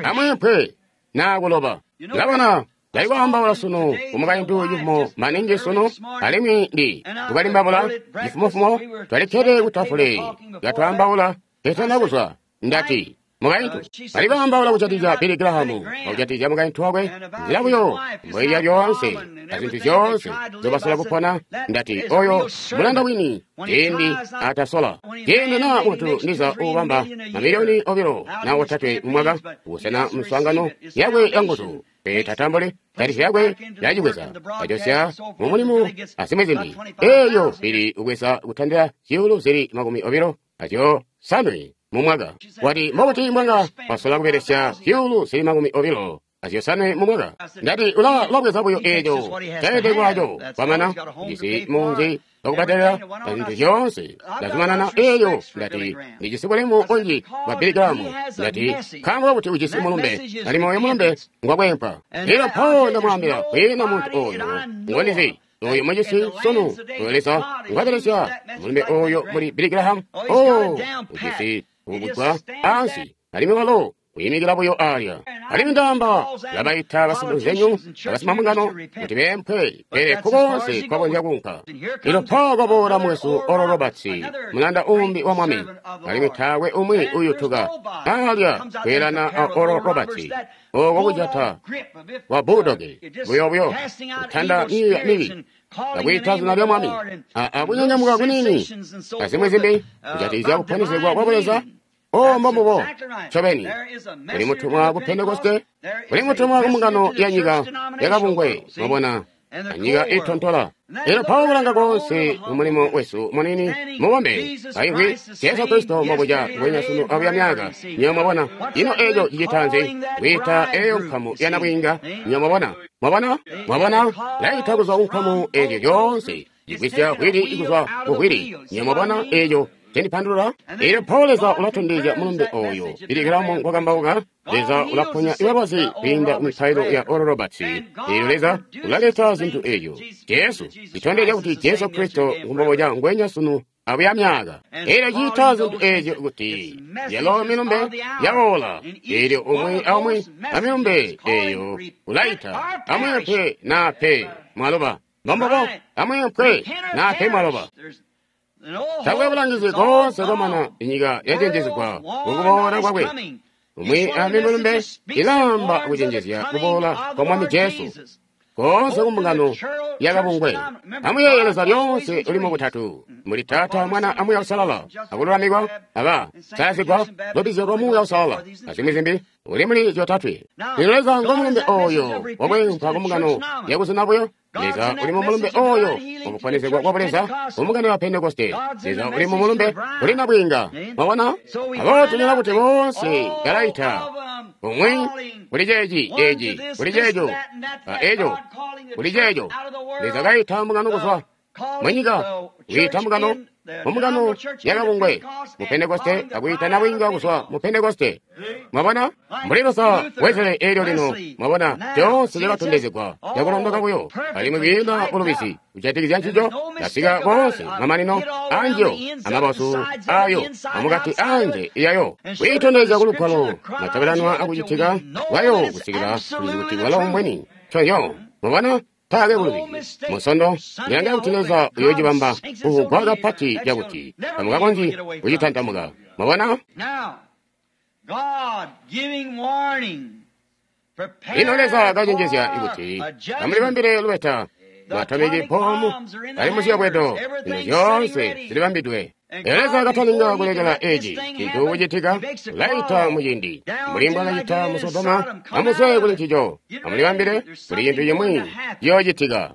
amweempwe naa kuloba. Ndabona ndali kwaambaula sunu kumukaintu cifumo maningi sunu, alimwi ndi kukalimbabula cifumofumo twalikkede kutafule katwaambaula tetana kuzwa. Ndati, Mukaintu bali kwaambaula kujatikizya Billy Graham, kujatikizya mukaintu wakwe, nzila buyo mboilya lyoonse azintu zyoonse nzobasola kupona. Ndati oyo mulanda wini ciindi atasola ciindi na muntu ndiza uubamba mamiliyoni 2 na 3 mumwaka kusena mswaangano yakwe yanguzu, pele tatambuli tarisi yakwe yacibweza ajosya mu mulimu azimwi zimbi. Eyo ili ubweza kutandila zyuulu zili 25 mumwaka. Wati mbobuti mbwanga wasola kubelesya zyuulu zili 25 mumwaka? Ndati ulabweza buyo eeco caelede kwaco kwamana jisi munzi wakubbadelela azintu zyoonse. Ndazumanana eeyo. Ndati ndijisi bulemu bunji bwa Billy Graham. Ndati nkaambo kakuti ujisi mulumbe, alimwi oyo mulumbe ngwakwempa. Elyo mpawo ndamwaambila kwiina muntu oyo ngondizi oyo mujisi sunu oyo Leza ngwabelesya mulumbe oyo muli Billy Graham. Oh, ujisi kubugwa ansi, alimwi walo kuyimikila buyo alya. Alimwi ndaamba labaita basilunzenyu abasimambungano kuti beempwe, pele kukonse kwakonzya kuunka. Lino mpawo kwaboola mwesu Oral Roberts, mulanda umbi wa Mwami, alimwi taakwe umwi uyutuka alya kweelana a Oral Roberts, oko kujata kwa budoge buyobuyo kutanda miiya mibi akwiita zina lya Mwami akunyanyamuka kunini azimwi zimbi kujatikizya kuponesegwa kwa Buleza. O mbombubo ncobeni kuli mutumwa ku Pentekoste, kuli mutumwa ku mbungano ya nyika yakabungwe, mwabona, anyika itontola. Elyo mpawo kulanga koonse mu mulimo wesu munini mubombe kaimvwi Jesu Kristo mbobuca nguwenya sunu abuya myaka. Nywebo mwabona, ino eco cicita nzi? Kwiita eyo nkamu ya nabwiinga. Nywebo mwabona, mwabona, mwabona, laita kuzwa ku nkamu ezyo zyoonse, igwisya hwili kuzwa ku hwili. Nywebo mwabona eco cendipandulula? Elyo mpawo Leza ulatondezya mulumbe oyo Billy Graham ngwakambauka. Leza ulaponya ibalwazi kwiinda mu mipailo ya Oral Roberts. Elyo Leza ulaleta zintu eyo Jesu itondezya kuti Jesu Kristo ngumboboca ngwenya sunu abuya myaka. Elyo ciita zintu ezyo kuti yalo milumbe yaola. Elyo umwi aumwi amilumbe eyo ulaita amweempwe na pe mwaloba. Mbombobo amweempwe na pe mwaloba. Takwe bulangizi koonse kwamana inyika yacenjezegwa kukuboola kwakwe. Umwi amimulumbe ilaamba kucenjezya kuboola kwa Mwami Jesu koonse kumbungano yakabungwe. Amuyeeye Leza lyoonse uli mubutatu, muli Taata, Mwana a Muuya Uusalala, akululamikwa, aba salazigwa, lubbizyo lwa Muuya Uusalala, azimwi zimbi, uli muli zyotatwe. Lino Leza ngo mulumbe oyo wakwempwa kumbungano yakuzina buyo. Leza uli mu mulumbe oyo wakuponesegwa kwa Buleza kumbungano ya Pentekoste. Leza uli mu mulumbe uli nabwiinga. Mwabona? Aboobo tunyona kuti boonse balaita umwi kuli ceeci, eci kuli ceeco, a eco kuli ceeco. Leza kaita mbungano kuzwa munyika, kwiita mbungano mu mbungano yakabungwe mu Pentekoste, akwiita nabwiinga kuzwa mu Pentekoste. Mwabona? Mbuli Luther, Wesley eelyo lino, mwabona, zyoonse zyakatondezegwa cakulondoka buyo, alimwi kwiina bulubizi kujatikizya ncico. Kasika koonse mamanino anjiyo, amabazu ayo, amukati anze yayo, kwiitondezya kulugwalo matabelanwa akucitika kwayo kusikila tulizi kuti walo mbweni nconzyo. Mwabona? Taakwe bulubizi. Musondo ndilangila kuti Leza uyoocibamba kuvugwa kapati cakuti tamukakonzyi kucitantamuka. Mwabona? Lino Leza kacenjezya kuti amulibambile lubeta, matomiki bomu ali muziyobwedo, zintu zyoonse zilibambidwe. Leza katalinga kulekela eci cintu kucitika, ulaita muciindi mbuli mbwakacita mu Sodoma. Amuzwe kuli ncico, amulibambile kuli cintu cimwi ciyoocitika.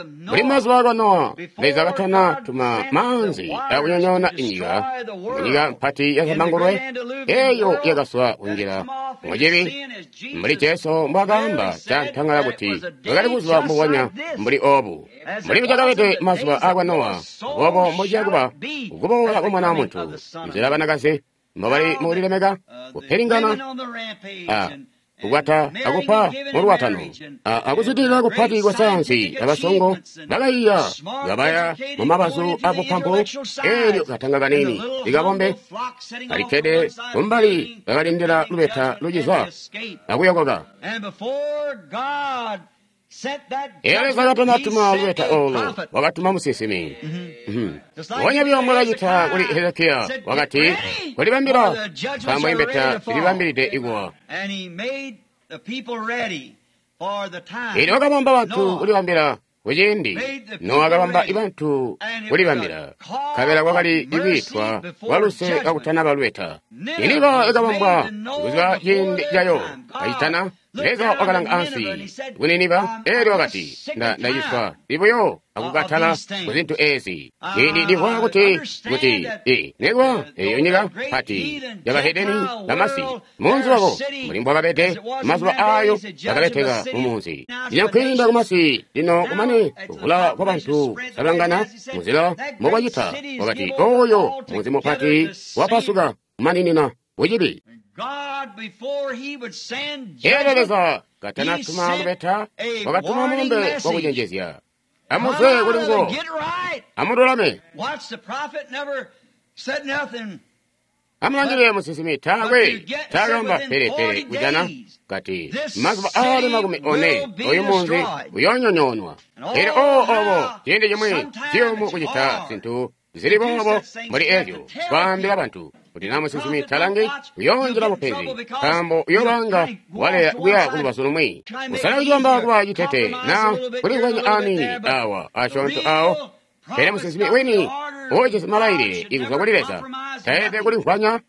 Mbuli mazuba akwa Nowa, Leza katana tuma maanzi akunyonyoona inyika, munyika mpati ya zambangulwe eyo yakaswa kunjila mucibi, mbuli Jesu mbwakaamba cantangala kuti bwakali buzuba mbubonya mbuli obu. Mbuli bucakabede mazuba akwa Nowa, obo mbociya kuba kukuboola kwa Mwana wa Muntu. Nzila banakazi mbobali mukulilemeka, kupelingana, kukwata akupa mulwatano, akuzwidilila kupati kwa sayansi, abasongo bakaiya ngabaya mu mabazu abupampu. Elyo katanga kanini likabombe kalikkede kumbali kakalindila lubeta lucizwa akuyokoka. Elyo Leza katanatuma lubeta olo, wakatuma musinsimi. Mbubonya buyo mbwakacita kuli Hezekiya, wakati, "Kolibambila, nkaambo imbeta zilibambilide ikuwa." Elyo wakabamba bantu kulibambila kuciindi Nowa wakabamba bantu kulibambila, nkabela kwakali kwiitwa kwa luse kakutanaba lubeta. Niniva yakabambwa kuziba ciindi cayo kacitana. Leza wakalanga ansi ku Niniva, elyo wakati, Ndaciswa buyo akukatala ku zintu ezi. Ndimvwa kuti nekuba eyo nyika mpati yabahedeni bamasi, munzi wabo mbuli mbwakabede mazuba ayo bakabeteka mumunzi. Lino kwiinda kumasi, lino kumane kuvula kwa bantu salangana muzila mbokwacita, wakati oyo munzi mupati wapasuka kumaninina kucibi. Elyo Leza katanatuma lubeta, wakatuma mulumbe wakucenjezya. Amuzwe kuli nguwo, amululame. Amulangilile musinsimi taakwe taakamba pelepele kujana kati mazuba aali 40 oyu munzi uyoonyonyoonwa. Pele obo ciindi cimwi ciyumu kucita zintu zili boobo mbuli ezyo kwaambila bantu kuti na musinsimi talangi uyoonjila bupenzi, nkaambo uyoolanga waleya kuya kulubazu lumwi. Usala kucibamba kuba citete na kulikwanya aniini awa asyoonto awo. Pele musinsimi wini uujisi malailile ikuzwa kuli Leza taelede kulimvwanya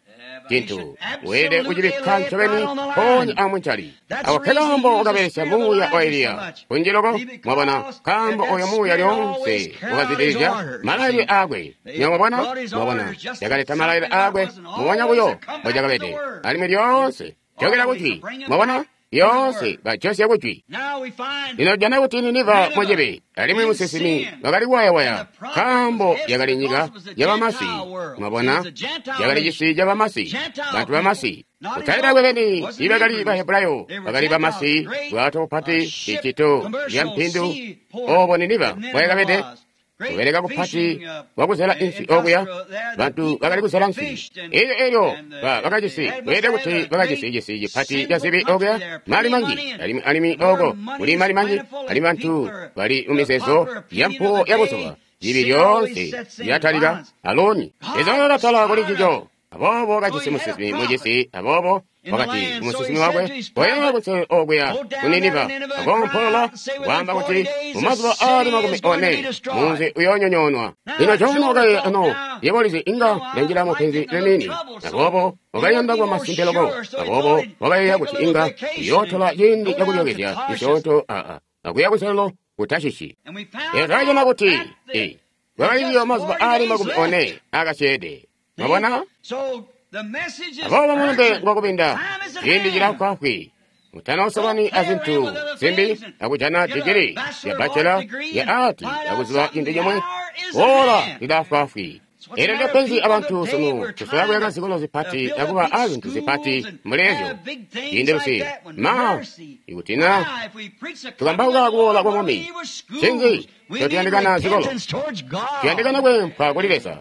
cintu, weelede kucibikka ncobeni mpoonya amuncali. Ako nkekaambo wakabelesya muuya wa Eliya kunji loko, mwabona, nkaambo oyo muuya lyoonse wakazwidilizya malailile aakwe. Mwabona, mwabona, yakaleta malailile aakwe mubonya buyo mbocakabede, alimwi lyoonse jokela kujwi, mwabona, lyoonse bajosya kujwi. Lino jana kuti Niniva mucibi, alimwi musinsimi wakali kuwayawaya, nkaambo yakali nyika yabamasi. Mwabona, yakali cisi cabamasi, bantu bamasi. Kutali bakwe beni ibakali Bahebrayo, bakali bamasi, bwato bupati, icito lya mpindu. Obo Niniva mbwayakabede, kubeleka kupati kwakuzela inswi okuya, bantu bakali kuzela nswi. Elyo bakajisi, kweelede kuti bakajisi cisi cipati ca zibi okuya, mali manji, alimwi oko kuli mali manji, alimwi bantu bali mumizeezo ya mpuwo ya buzuba. Zibi lyoonse lyatalika aloni. Leza wakatala kuli ncico. Aboobo wakajisi musinsimi mucisi, aboobo wakati kumusinsimi wakwe, "Koya kunselelo okuya ku Niniva, akoompolola kwaamba kuti mumazuba aali 40 munzi uyoonyonyoonwa." Lino Jona wakayeeya, "Ano, yebo ulizi inga ndanjila mupenzi liniini." Aboobo wakayanda kuba masimpe loko. Aboobo wakayeeya kuti inga uyootola ciindi cakulyookezya cisyoonto akuya kunselelo ku Tashishi. Lino twakajana kuti kwakali buyo mazuba aali 40 aakasyeede. Mwabona? Aboobo mulumbe ngwakubinda, ciindi cilafwaafwi. Mutanosobani azintu zimbi akujana digiri ya bachelor ya ati akuziba cintu cimwe. Ola lilafwaafwi. Elyo ndepenzi abantu sunu tusola kuyaka zikolo zipati akuba azintu zipati mbuli ezyo. Ciindi lusi ma ikuti na tukambauka kuboola kwa Mwami, ncinzi ncotuyandikana zikolo? Tuyandikana kweempwa kuli Leza.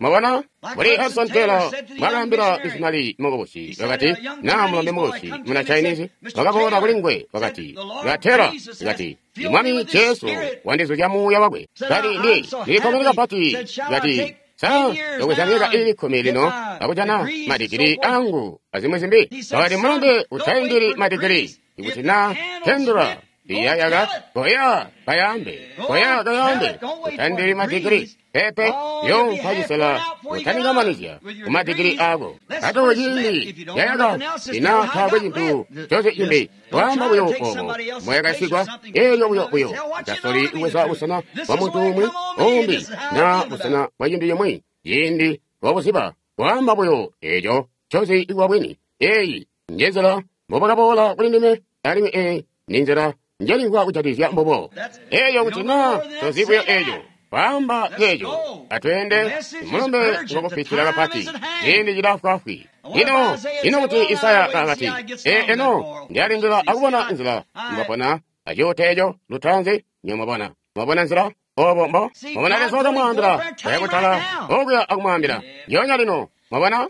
Mwabona, mbuli Hudson Taylor mwakaambila misionari mukubusi, wakati, na mulombe mukubusi muna Chinese wakaboola kuli nguwe, wakati, "Ba Taylor," wakati, "Mwami Jesu wandizuzya muuya wakwe." Kati, ndilikkomene kapati. Kati, "Sa ndobweza myaka iili 10 lino akujana madigiri angu azimwi zimbi." Wakati, "Mulombe, utaindili madigiri ikuti na tendula iyayaka, koya kayambe, koya kayambe, utandili madigiri pepe yompa cisela utanikamanizya kumadigiri ako. Ate ciindi yayaka ina taakwe cintu conse cimbi, kwaamba buyo obo moyakasigwa, elyo buyo buyo utasoli kubweza busena bwa muntu umwi umbi na busena bwa cintu cimwi ciindi wabuziba, kwaamba buyo eco ncozi kuba bwini. Eyi njenzila mbobakaboola kuli ndime, alimwi eyi ninzila njelimvwa kujatikizya mbubo. Eyo kuti na tozi buyo eco, kwaamba ceeco, atweende mulumbe ngwakupitila kapati, ciindi cilafwaafwi. Ino ino kuti Isaya kakati, eno ndiyalindila akubona nzila mbwapona acuute eco lutaanzi, nyomwabona. Mwabona nzila obo mbo mwabona Leza wakamwaambila, koya kutala okuya akumwaambila ndyoonya lino. Mwabona?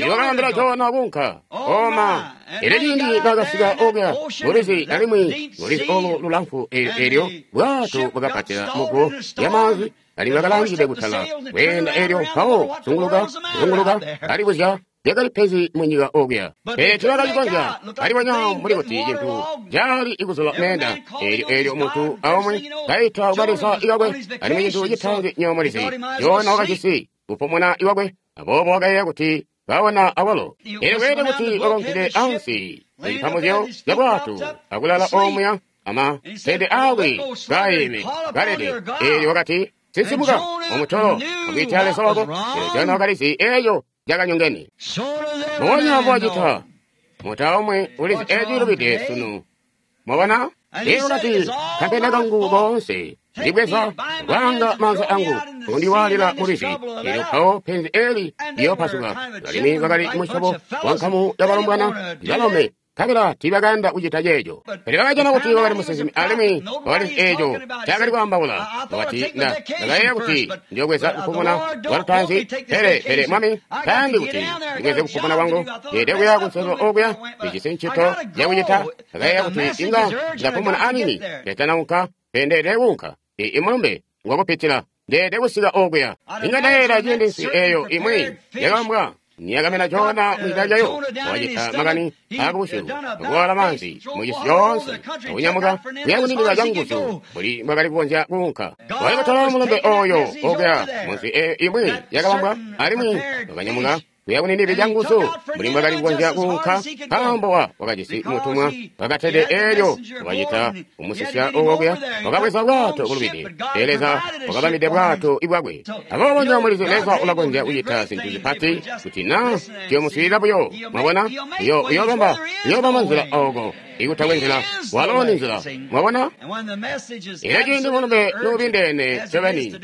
Wakaambila Jona kuunka. Oma. Elyo ciindi nakasika okuya mulwizi, alimwi mulwizi olu lulamfu elyo bwato bwakapatila muguwo lyamaanzi, alimwi bakalangide kutala kweenda elyo mpawo zunguluka zunguluka alibuzya lyakali penzi munyika okuya. Pele teebakacikonzya. Alibonya mbuli kuti cintu cali ikuzula meenda. Elyo elyo muntu aumwi kaita kubaleza ikakwe, alimwi cintu citaanzi nywebo mulizi, Jona wakajisi kupumuna iwakwe, aboobo wakayeeya kuti kaona awalo. Elyo kweelede kuti wakaunkide ansi mucipambuzyo ca bwato akulala omuya amatende aakwe kaayeme kalede. Elyo wakati, Sinsimuka, omutolo, akwiita Leza wako. Elyo Jona wakalizi eeco cakanyongene. Mbubonya mbwacita muntu aumwi ulizi eco cilubide sunu. Mwabona? Elyo wakati, Kampenda kangu koonse ndibweza kwaanga maanza angu kundiwaalila mulwizi, elyo mpawo penzi eli liyoopasuka. Alimwi bakali musyobo wa nkamu ya balombwana balome, nkabela tiibakayanda kucita ceeco. Pele bakajana kuti wakali musinsimi alimwi wakalizi eeco ncaakali kwaambaula. Wakati, Ndakayeeya kuti ndiyobweza kupumuna kwa lutaanzi, pele, pele Mwami tayandi kuti ndibweze kupumuna kwangu. Ndeelede kuya kunselelo okuya, ndijisi ncito yakucita. Ndakayeeya kuti inga ndapumuna aniini ndetanaunka, pele ndeelede kuunka. I mulumbe ngwakupitila. Ndeelede kusika okuya. Inga ndayeeya ciindi nswi eeyo imwi yakabambwa niyakamena Jona mwida lyayo, wakacita makani aakubusyu, akuwaala maanzi mucisi coonse, akunyamuka kuya kunindila canguzu mbuli mbwakali kukonzya kuunka. Wakali kutola mulumbe ooyo okuya munswi eeyo imwi yakabambwa, alimwi wakanyamuka kuya kunindila canguzu mbuli mbwakali kukonzya kuunka, nkaambo wakajisi mutumwa wakatede eelyo wakacita kumusisya okuya, wakabweza bwato bulubide. Pele Leza wakabambide bwato bwakwe. Aboobo nywebo mulizi Leza ulakonzya kucita zintu zipati kuti na tuyomuswiilila buyo. Mwabona? Uyoobamba nzila ooko ikutakwe nzila. Walo ni nzila. Mwabona? Elyo ciindi mulumbe nuubindeene ncobeni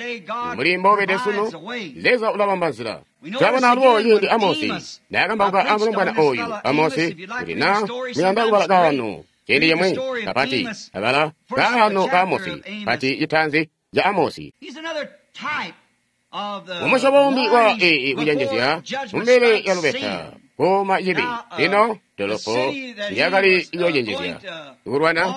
mbuli mboubede sunu, Leza ulabamba nzila. Twabona alubo ciindi Amosi naakambauka amulombwana oyu Amosi, kuti na muyanda kubala kaano ciindi cimwi kapati, abala kaano ka Amosi, pati citaanzi ca Amosi. Umusyobo umbi wa kucenjezya mumbele ya lubeta kuuma cibi. Lino dolopo lyakali kuyocenjezya kulwana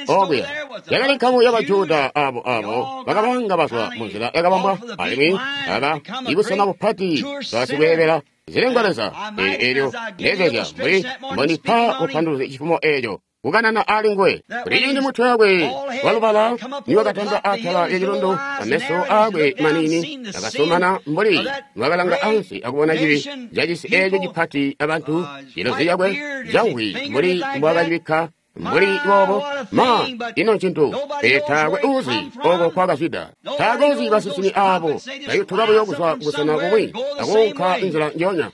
okuya yakali nkamu ya Bajuda abo bakabanga bazwa munzila yakabambwa, alimwi aba ibusena bupati basikweebela zilengwa leza. Elyo ndezezya mbuli mbondipa bupanduluzi cifumo eeco kukanana ali nguwe. Kuti ciindi mutwe wakwe walubala niwakatanta atala lyacilundu, ameso aakwe maniini akasomana mbuli wakalanga ansi akubona cibi cacisi eeco cipati abantu, cilozi cakwe cangwi mbuli mbwakacibikka mbuli boobo. Ma, ino ncintu! Pele taakwe uuzi oko kwakazwida. Taakwe uuzi basinsimi aabo bayutuka buyo kuzwa kubusena bumwi akuunka inzila njoonya.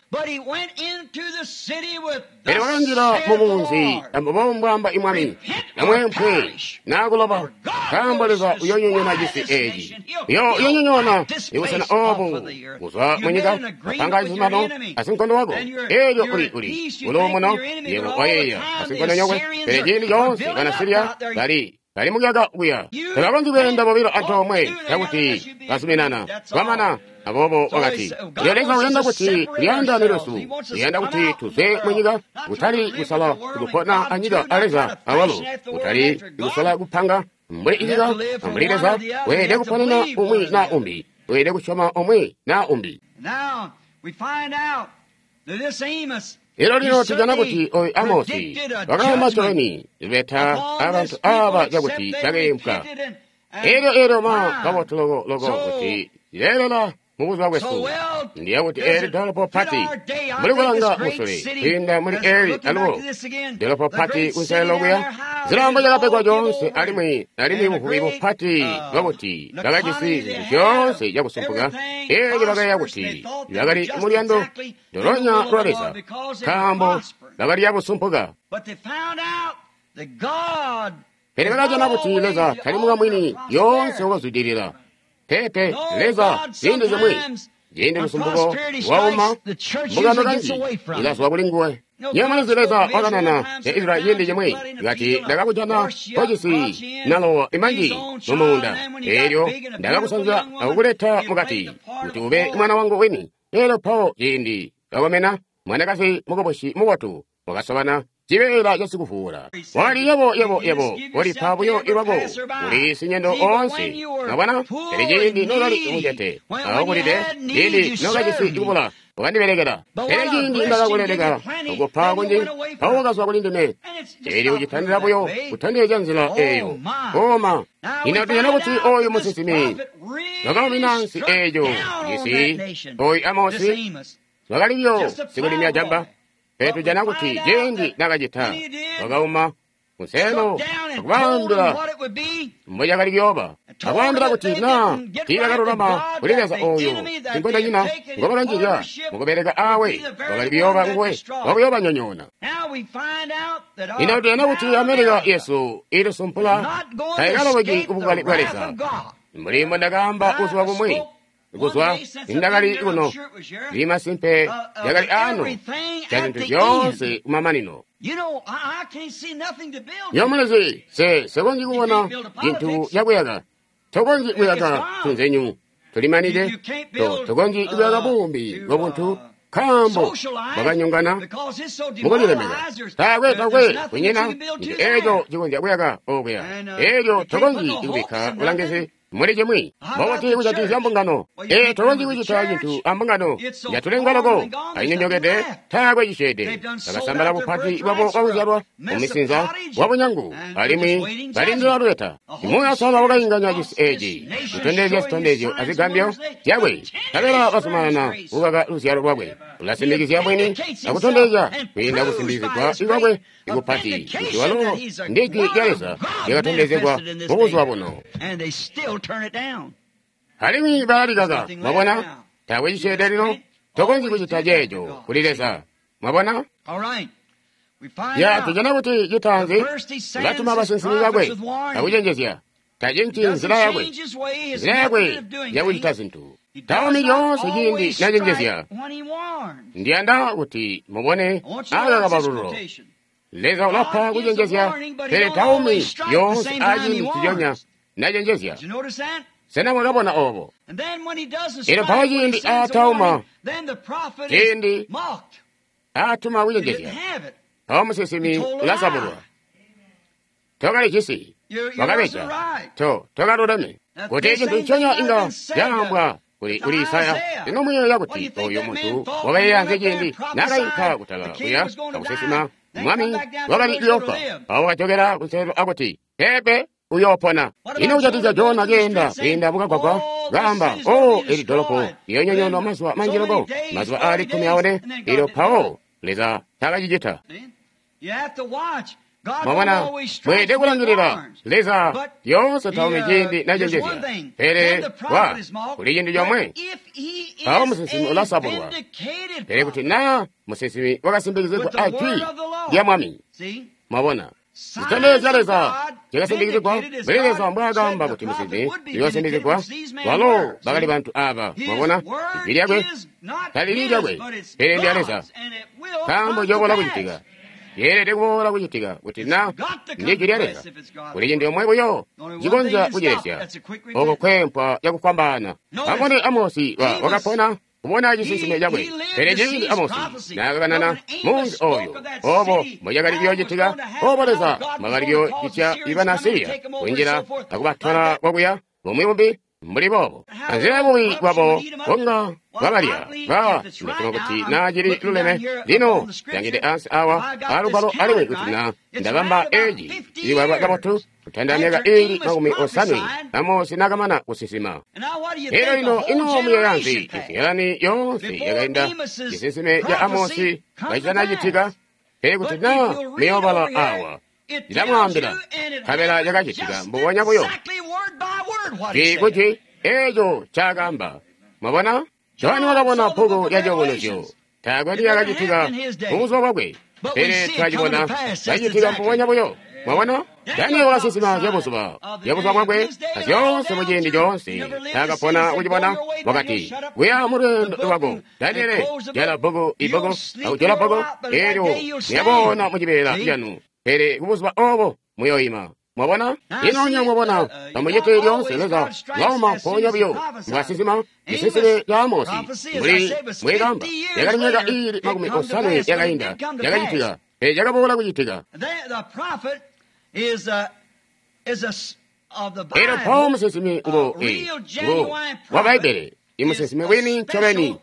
Pele wakanjila mumunzi ambubo mbwaamba imwami, namweempwe naakuloba, nkaambo Leza uyoonyonyoona cisi eeci. Uyoonyonyoona ibusena oobu kuzwa munyika, apanga cizuminano asinkondo wako. Eelyo uli uluumuno, yebo wayeeya asinkondonyokwe, pele ciindi coonse bana Siriya bali mukuyaka kuya. Tabakonzyi kweenda bobilo antoomwe cakuti bazuminana kwamana. Aboobo wakati, Lyo Leza uyanda kuti tulyaandaane lwesu, uyanda kuti tuzwe munyika, kutali kusala kupona anyika a Leza awalo, kutali kusala kupanga mbuli inyika mbuli Leza. Weelede kuponena umwi na umbi, weelede kusyoma umwi na umbi. Elyo lino tujana kuti oyu Amosi wakaamba ncobeni lubeta abantu aba cakuti bakeempwa. Elyo ma kabotu loko loko kuti zileelela mubuzuba bwesu. Ndiya kuti eli dolopo pati mbuli kulanga musule kwiinda muli eli alubo dolopo pati kunselelo kuya zilambo cakapegwa coonse, alimwi buvubi bupati bwakuti bakajisi zintu zyoonse cakusumpuka. Elyo bakayeeya kuti bakali muluyando dolonya lwa Leza nkaambo bakali cabusumpuka. Pele bakajana kuti Leza tali mukamwini lyoonse wakazwidilila. Pepe, Leza ziindi zimwi ciindi lusumpuko lwauma mbungano kanji ilazwa kuli nguwe. Nywebo mulizi Leza wakanana ya Israyeli ciindi cimwi kati, ndakakujana kojisi nalowa imanji mumuunda, eelyo ndakakusanzya akukuleta mukati kuti ube mwana wangu wini. Eelyo mpawo ciindi Kakomena, mwanakazi mukubusi mubotu, wakasobana cibeela casikuvuula. Wakati, yebo, yebo, yebo, kolipa buyo lwako kuli sinyendo oonse. Mwabona? Pele ciindi nokali mucete, akulide, ciindi nokajisi kubula, wakandibelekela. Pele ciindi ndakakuleleka, okupa kunji, mpawo wakazwa kuli ndime. Eelyo ucitandila buyo kutondezya nzila eyo. Koma. Ino tujana kuti oyu musinsimi wakaumina nsi eeyo cisi, oyu Amosi, wakali buyo sikulimya jamba. Pele tujana kuti ciindi nakacita, wakauma kunselo akubaambila mbocakali kuyooba, akwaambila kuti naa tiibakalulama kuli Leza ooyo sinkondonyina ngobakanjizya mukubeleka awe, wakali kuyooba nguwe wakuyoobanyonyoona. Ino tujana kuti Amerika yesu ilisumpula taikalobeki kubukali bwa Leza. Mbuli mbondakaamba buzuba bumwi, kuzwa nindakali kuno, ndi masimpe yakali ano ca zintu zyoonse kumamanino. Nyomulizi, sekonzyi kubona cintu cakuyaka. Tokonzyi kuyaka tunzenyu tulimanide. Tokonzyi kuyaka buumbi bwabuntu nkaambo bwakanyongana mukulilemeka. Taakwe takwe kunyina cintu eeco cikonzya kuyaka okuya. Eelyo tokonzyi kubikka bulangizi muli cimwi. Mbobuti kujatikizya mbungano? Ee, tokonzyi kucita cintu ambungano yatulengwa loko, ainyonyokede, taakwe cisyeede. Bakasambala bupati bwabo bwakuzyalwa mumisinza wabunyangu, alimwi balindila lubeta. Muuya Uusalala wakainganya cisi eeci, kutondezya zitondezyo azigambyo zyakwe, nkabela bazumanana kukaka luzyalo lwakwe. Ulasimikizya bwini akutondezya kwiinda kusimbikizigwa kwakwe kupati kuti walo ndi Jwi lya Leza lyakatondezegwa mubuzuba buno. Alimwi balalikaka. Mwabona? Taakwe cisyeede lino. Tokonzyi kucita ceeco kuli Leza. Mwabona? Ya, tujana kuti citaanzi ulatuma basinsimi bakwe akucenjezya. Tacinci nzila yakwe, nzila yakwe yakucita zintu. Taumi lyoonse ciindi nacenjezya. Ndiyanda kuti mubone aka kabalululo. Leza ulapa kucenjezya, pele taumi lyoonse aciindi nciconya nacenjezya. Sena mwakabona obo? Elyo mpawo ciindi aatauma, ciindi aatuma kucenjezya, mpawo musinsimi ulasabulwa. Tokalijisi, wakabeja, tokaluleme. Kuti cintu nconya inga caambwa kuli Isaya. Lino muyeeya kuti oyo muntu wakayeeyanze ciindi naakayinka kutala kuya akusinsima mwami wakali kuyoofa, mpawo wakajokela kunselelo akuti, peepe, uyoopona. Ino kujatikizya Jona keenda kwiinda mukagwagwa kaamba, o, eli dolopo liyoonyonyoonwa mazuba manji loko, mazuba aali 14, elyo mpawo Leza taakacicita. Mwabona, mweelede kulangilila. Leza lyoonse taumi ciindi nacenjezya, pele wa kuli cintu comwe, mpawo musinsimi ulasabulwa. Pele kuti naa musinsimi wakasimbikizigwa a Jwi lya Mwami, mwabona, zitondezyo zya Leza zyakasimbikizigwa mbuli Leza mbwaakaamba kuti musinsimi uyoosimbikizigwa, walo bakali bantu aaba. Mwabona, Ijwi lyakwe talili lyakwe, pele ndya Leza, nkaambo ciyoobola kucitika. Yeelede kuboola kucitika kuti na ndi Jwi lya Leza. Kuli cintu comwe buyo cikonzya kucilesya, oko kwempwa cakufwambaana. Amubone Amosi wakapona kubona cisinsime cakwe. Pele ciindi Amosi naakakanana munzi oyo, obo mbocakali kuyoocitika, obo Leza mbwakali kuyoocitya ibana Siriya kunjila akubatola kwakuya bumwi bumbi mbuli boobo. Anzila yabubi bwabo bunga bwabalya ba ndasyoma kuti naa cili luleme. Lino ndangide ansi awa alugwalo alimwi kuti naa ndabamba eeci cilibalwa kabotu kutandila myaka iili 50 Amosi naakamana kusinsima. Elyo lino ino muyeeya nzi? Izyalani yoonse yakainda cisinsime ca Amosi kacitanacitika. Pele kuti naa muyoobala awa, ndilamwaambila, nkabela cakacitika mbubonya buyo. Jwi kujwi eeco ncaakaamba. Mwabona? Johani wakabona bbuku lya Ciyubunuzyo. Taakwe lyakacitika mubuzuba bwakwe, pele twacibona cacitika mbubonya buyo. Mwabona? Daniel wakasinsima zyabuzuba bwakwe azyoonse muciindi coonse taakapona kucibona. Wakati, kuya mulweendo lwako, Daniele, jala bbuku ibbuku akujola bbuku eelyo muyabona mucibeela canu, pele kubuzuba obo muyoima. Mwabona? Ino nyo mwabona, amucite lyoonse Leza lauma mpoonya buyo mbwasinsima cisinsime ca Amosi mbuli mbwekamba yakali myaka iili 50 yakainda yakacitika, pele cakaboola kucitika. Elyo mpawo musinsimi ngo ngo wa Bbaibbele, imusinsimi wini ncobeni,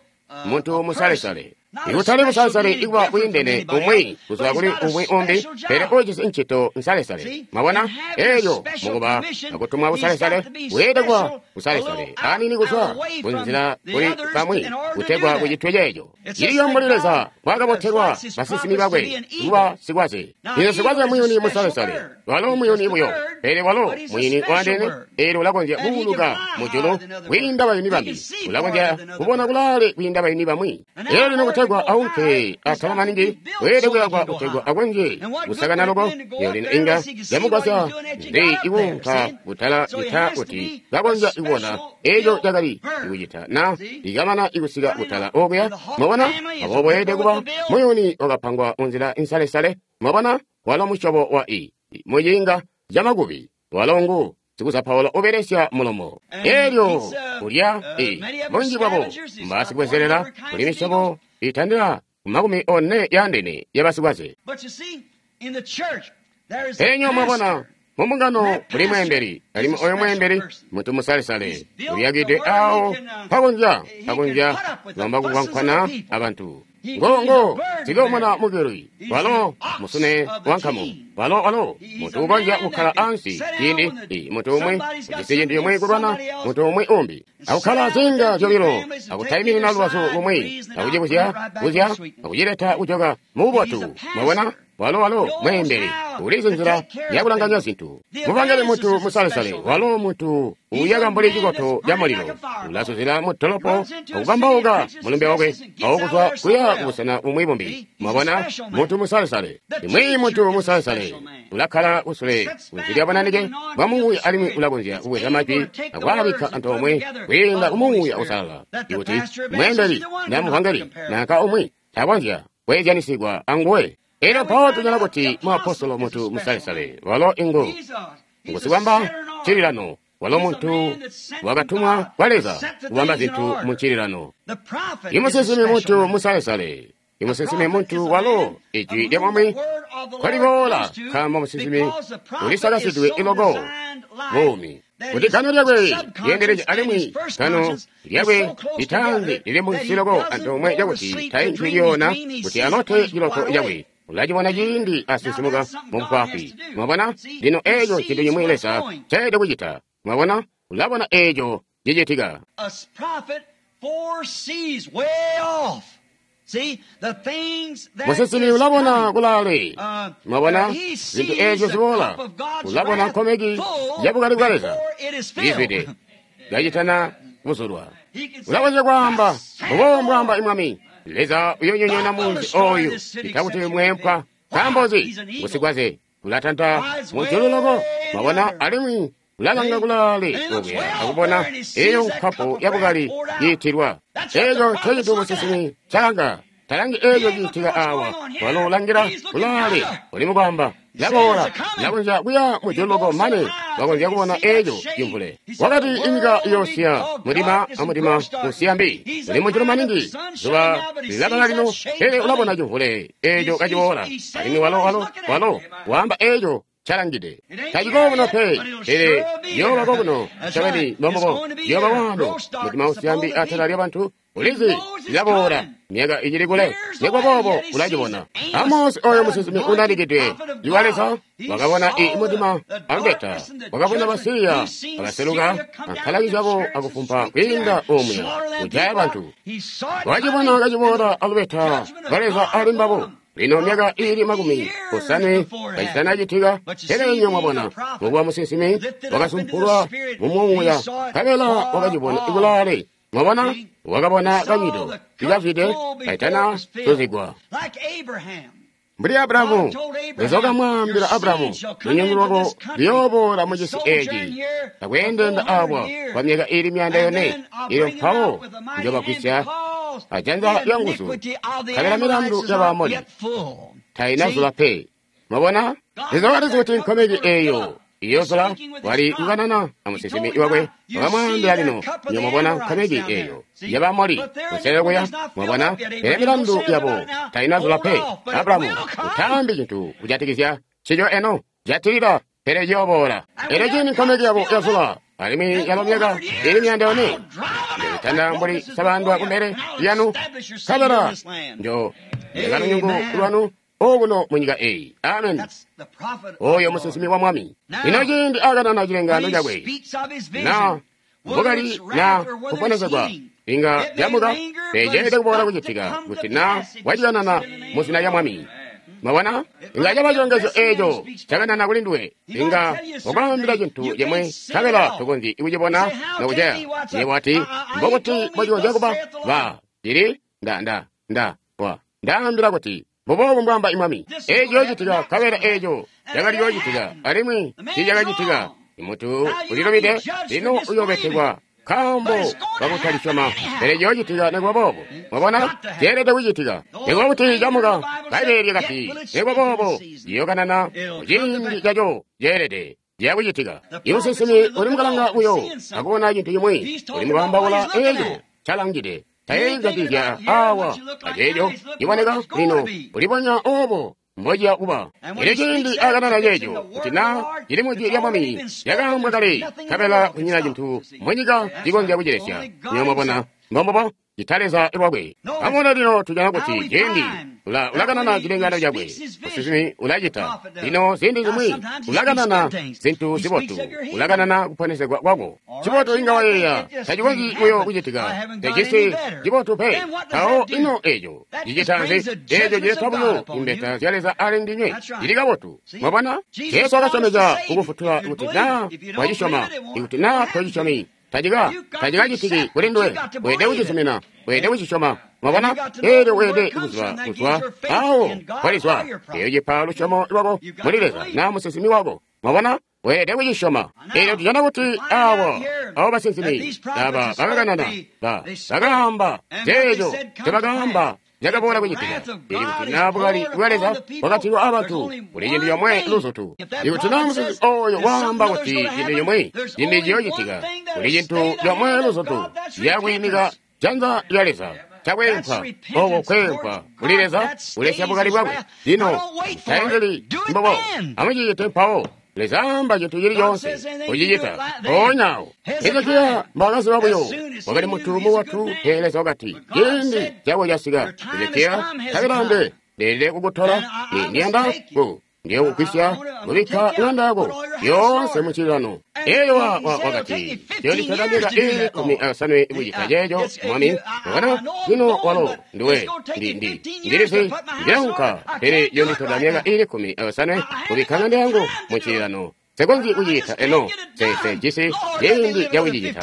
muntu musalesale. Ikutali busalesale ikuba bwiindene umwi kuzwa kuli umwi umbi, pele ujisi ncito nsalesale. Mwabona? Elyo mukuba akutumwa busalesale, weelede kuba busalesale anini kuzwa kunzila kuli bamwi kutegwa kucitwe ceeco. Iliyo mbuli Leza mbwaakabotelwa basinsimi bakwe kuba sikwaze. Lino sikwaze muyuni musalesale, walo muyuni buyo, pele walo muyuni waandeene, eelyo ulakonzya kuuluka mujulu kwiinda bayuni bambi, ulakonzya kubona kulaale kwiinda bayuni bamwi. Elyo lino kutegwa aunke atala maningi, weelede kuyakwa kutegwa akonzye kusakana loko. Elyo lino inga yamugwasya nzi ikuunka kutala cita kuti kakonzya kubona eco cakali ikucita na ikamana ikusika kutala okuya. Mwabona? Aboobo weelede kuba muyuni wakapangwa munzila insalesale. Mwabona? Walo musyobo wa i muciinga camakubi, walo ngu sikuzapaula ubelesya mulomo. Elyo kulya i bunji bwabo mbasikubwezelela kuli misyobo itandila 40 yaandeene yabasikwaze. Enyo mwabona, mumbungano muli mweembeli, alimwi oyo mweembeli muntu musalesale uliyakide awo pakonzya kulomba kukwankwana abantu. Ngo sikomona mukeli, walo musune wankamu, walo muntu ukonzya kukkala ansi ciindi muntu umwi ujisi cintu cimwi kulwana muntu umwi umbi, akukkala zinga zyobilo, akutaiminina lubazu lumwi, akucibuzya buzya, akucileta kujoka mububotu. Mwabona? Walo mweembeli ulizi nzila yakulanganya zintu. Mubangeli muntu musalesale, walo muntu uyaka mbuli cikoto ca mulilo, ulazuzila mudolopo akukambauka mulumbe wakwe awukuzwa kuya kubusena bumwi bumbi. Mwabona? Muntu musalesale, imwi muntu musalesale ulakkala kusule kunzi lya bunanike bwa Muuya, alimwi ulakonzya kubweza majwi akwaabikka antoomwe kwiinda ku Muuya Uusalala. Ikuti mweembeli na muvangeli nanka umwi takonzya kweezyanisigwa anguwe. Elyo mpawo tujana kuti muapostolo muntu musalesale, walo ingu ngusikwamba ncililano, walo muntu wakatumwa kwa Leza kubamba zintu mu ncililano. Imusinsimi muntu musalesale, imusinsimi muntu walo ijwi lya Mwami kwaliboola, nkaambo musinsimi ulisakasidwe iloko buumi kuti gano lyakwe lyeendelezye, alimwi gano lyakwe litaanzi lili munsi loko antoomwe cakuti taintwi lyoona kuti alote ciloto cakwe. Ulacibona ciindi asinsimuka mubufwaafwi. Mwabona? Lino eeco cintu cimwi Leza ncaelede kucita. Mwabona? Ulabona eeco cicitika. Musinsimi ulabona kulaale. Mwabona? Zintu eezyo ziboola. Ulabona nkomeki yabukali bwa Leza izwide kacitana kuzulwa. Ulakonzya kwaamba, mbubo mbwaamba Mwami Leza uyonyonyoona munzi oyu itakuti mweempwa. Nkaambo nzi? Ngusikwaze ulatanta mujulu loko. Mwabona? Alimwi ulalanga kulaale okuya akubona eyo nkapu yabukali yiitilwa. Eeco ncecintu musinsimi calanga. Talangi eeco ciitika awa, walo ulangila kulaale uli mukwaamba laboola, lakonzya kuya mujulu loko mane wakonzya kubona eeco cimvule. Wakati inyika iyoosiya mudima amudima usiya mbi, uli mujulu maningi, zuba lilabala lino, pele ulabona cimvule eeco kaciboola, alimwi walo waamba eeco calangide. Taciko kuno pe, pele yooba kokuno ncobeni mbombubo, yooba waano mudima usiya mbi atala lyabantu. Ulizi lilaboola myaka icili kule, nikuba boobo ulacibona. Amosi oyo musinsimi unanikidwe iwa Leza wakabona i mudima alubeta, wakabona Basiriya bakaseluka ankalaki zyabo akufumpa kwiinda omuya kujaya bantu. Wacibona kaciboola alubeta lwa Leza ali mbabo. Lino myaka iili 50 kacitanacitika, pele inywe mwabona mukuba musinsimi wakasumpulwa mumuuya, nkabela wakacibona kulaale. Mwabona? Wakabona kanyito ikazwide kaitana tuzigwa. Mbuli Abrahamu, Leza wakamwaambila Abrahamu, lunyungu lwako luyooboola mucisi eeci, akweendenda awa kwa myaka iili 400, ilyo mpawo njobagwisya ajanza lya nguzu, nkabela milandu ya Baamoli tainazula pe. Mwabona? Leza wakalizi kuti nkomeki eeyo Iyozula wali kukanana amusinsimi wakwe, wakamwaambila lino, nyomubona nkomeki eyo yabamoli kuselelo kuya, mwabona, pele milandu yabo tainazula pe. Abrahamu, utaambi cintu kujatikizya ncico eno, jatilila, pele ciyoboola. Elyo ciindi nkomeki yabo yazula, alimwi yalo myaka ili 400, njoitanda mbuli sabandwa kumbele lyanu, nkabela njo leka lunyungu lwanu okuno mu nyika eyi. Amen. Oyo musinsimi wa Mwami. Lino ciindi akanana cilengaano cakwe, na bukali na kuponesegwa inga lyamuka, pele kuboola kucitika kuti na wacikanana mu zina lya Mwami. Mwabona? Inga caba cilongezyo eeco cakanana kuli nduwe. Inga wakwaambila cintu cimwe, nkabela tokonzyi kucibona nokuceya. Yebo wati, mbokuti mbocikonzya kuba? Ba, cili, nda, wa. Ndaambila kuti, mbuboobu mbwaamba Mwami. Eeco ciyoocitika, nkabela eeco cakali ciyoocitika, alimwi tiicakacitika. Imuntu ulilubide, lino uyoobetekwa nkaambo kakutalisyoma, pele ciyoocitika nikuba boobo. Mwabona, ceelede kucitika. Nikuba kuti camuka, Bbaibbele lyakati, nikuba boobo ciyookanana muciindi caco ceelede. Ciyakucitika. Imusinsimi uli mukalanga buyo akubona cintu cimwi, uli mukwaambaula eeco calangide. Tayeeyi awa aceeco ciboneka lino ulibonya oobo mbociya kuba. Elyo ciindi akanana ceeco kuti na cili mujwi lya Mwami lyakaambwa kale, nkabela kunyina cintu munyika cikonzya kucilesya. Nywebo mwabona, mbombubo, cita Leza lwakwe. Amubone lino tujana kuti ciindi ulakanana cilengaano cakwe, musinsimi ulacita. Lino ziindi zimwi ulakanana zintu zibotu, ulakanana kuponesegwa kwako. Cibotu inga wayeeya tacikonzyi buyo kucitika, tecisi cibotu pe. Mpawo ino eeco cicita nzi? Eeco cileta buyo imbeta zya Leza ali ndinywe. Cili kabotu. Mwabona, Jesu wakasyomezya kukufutula kuti na wacisyoma, ikuti na tocisyomi, tacikacitiki kuli nduwe. Weelede kucisumina, weelede kucisyoma. Mwabona, eelyo weelede kuziba kuzwa awo kwalizwa. Eeyo cipa lusyomo lwako muli Leza na musinsimi wako. Mwabona, weelede kucisyoma. Eelyo tujana kuti awo abo basinsimi aba bakakanana, bakaamba zeeco nzebakaamba zyakaboola kucitika. Ili kuti na bukali bwa Leza bwakatilwa abantu, kuli cintu comwe luzutu. Ikuti na musinsimi oyo waamba kuti cintu cimwi cimbi ciyoocitika, kuli cintu comwe luzutu, ciyakwiimika janza lya Leza. Cakwempwa, oko kwempwa kuli Leza kulesya bukali bwakwe. Lino taindili mbobo, amucicite mpawo. Leza amba cintu cili coonse, kucicita mpoonya awo. Hezekiya mbwaakaziba buyo, wakali muntu mubotu, pele Leza wakati, ciindi cako casika, Hezekiya, nkabela ndeelede kukutola, ndiyanda ndiyokugwisya kubikka ŋanda yako yoonse mucililano. Eelyo wakati, ciyonditola myaka ili 15 kucita ceeco, Mwami. Mwabona, lino walo nduwe, ndilizi ndilaunka, pele ciyonditola myaka ili 15 kubikka ŋanda yangu mucililano. Nsekonzyi kucicita eno, jisi ciindi cakucicita.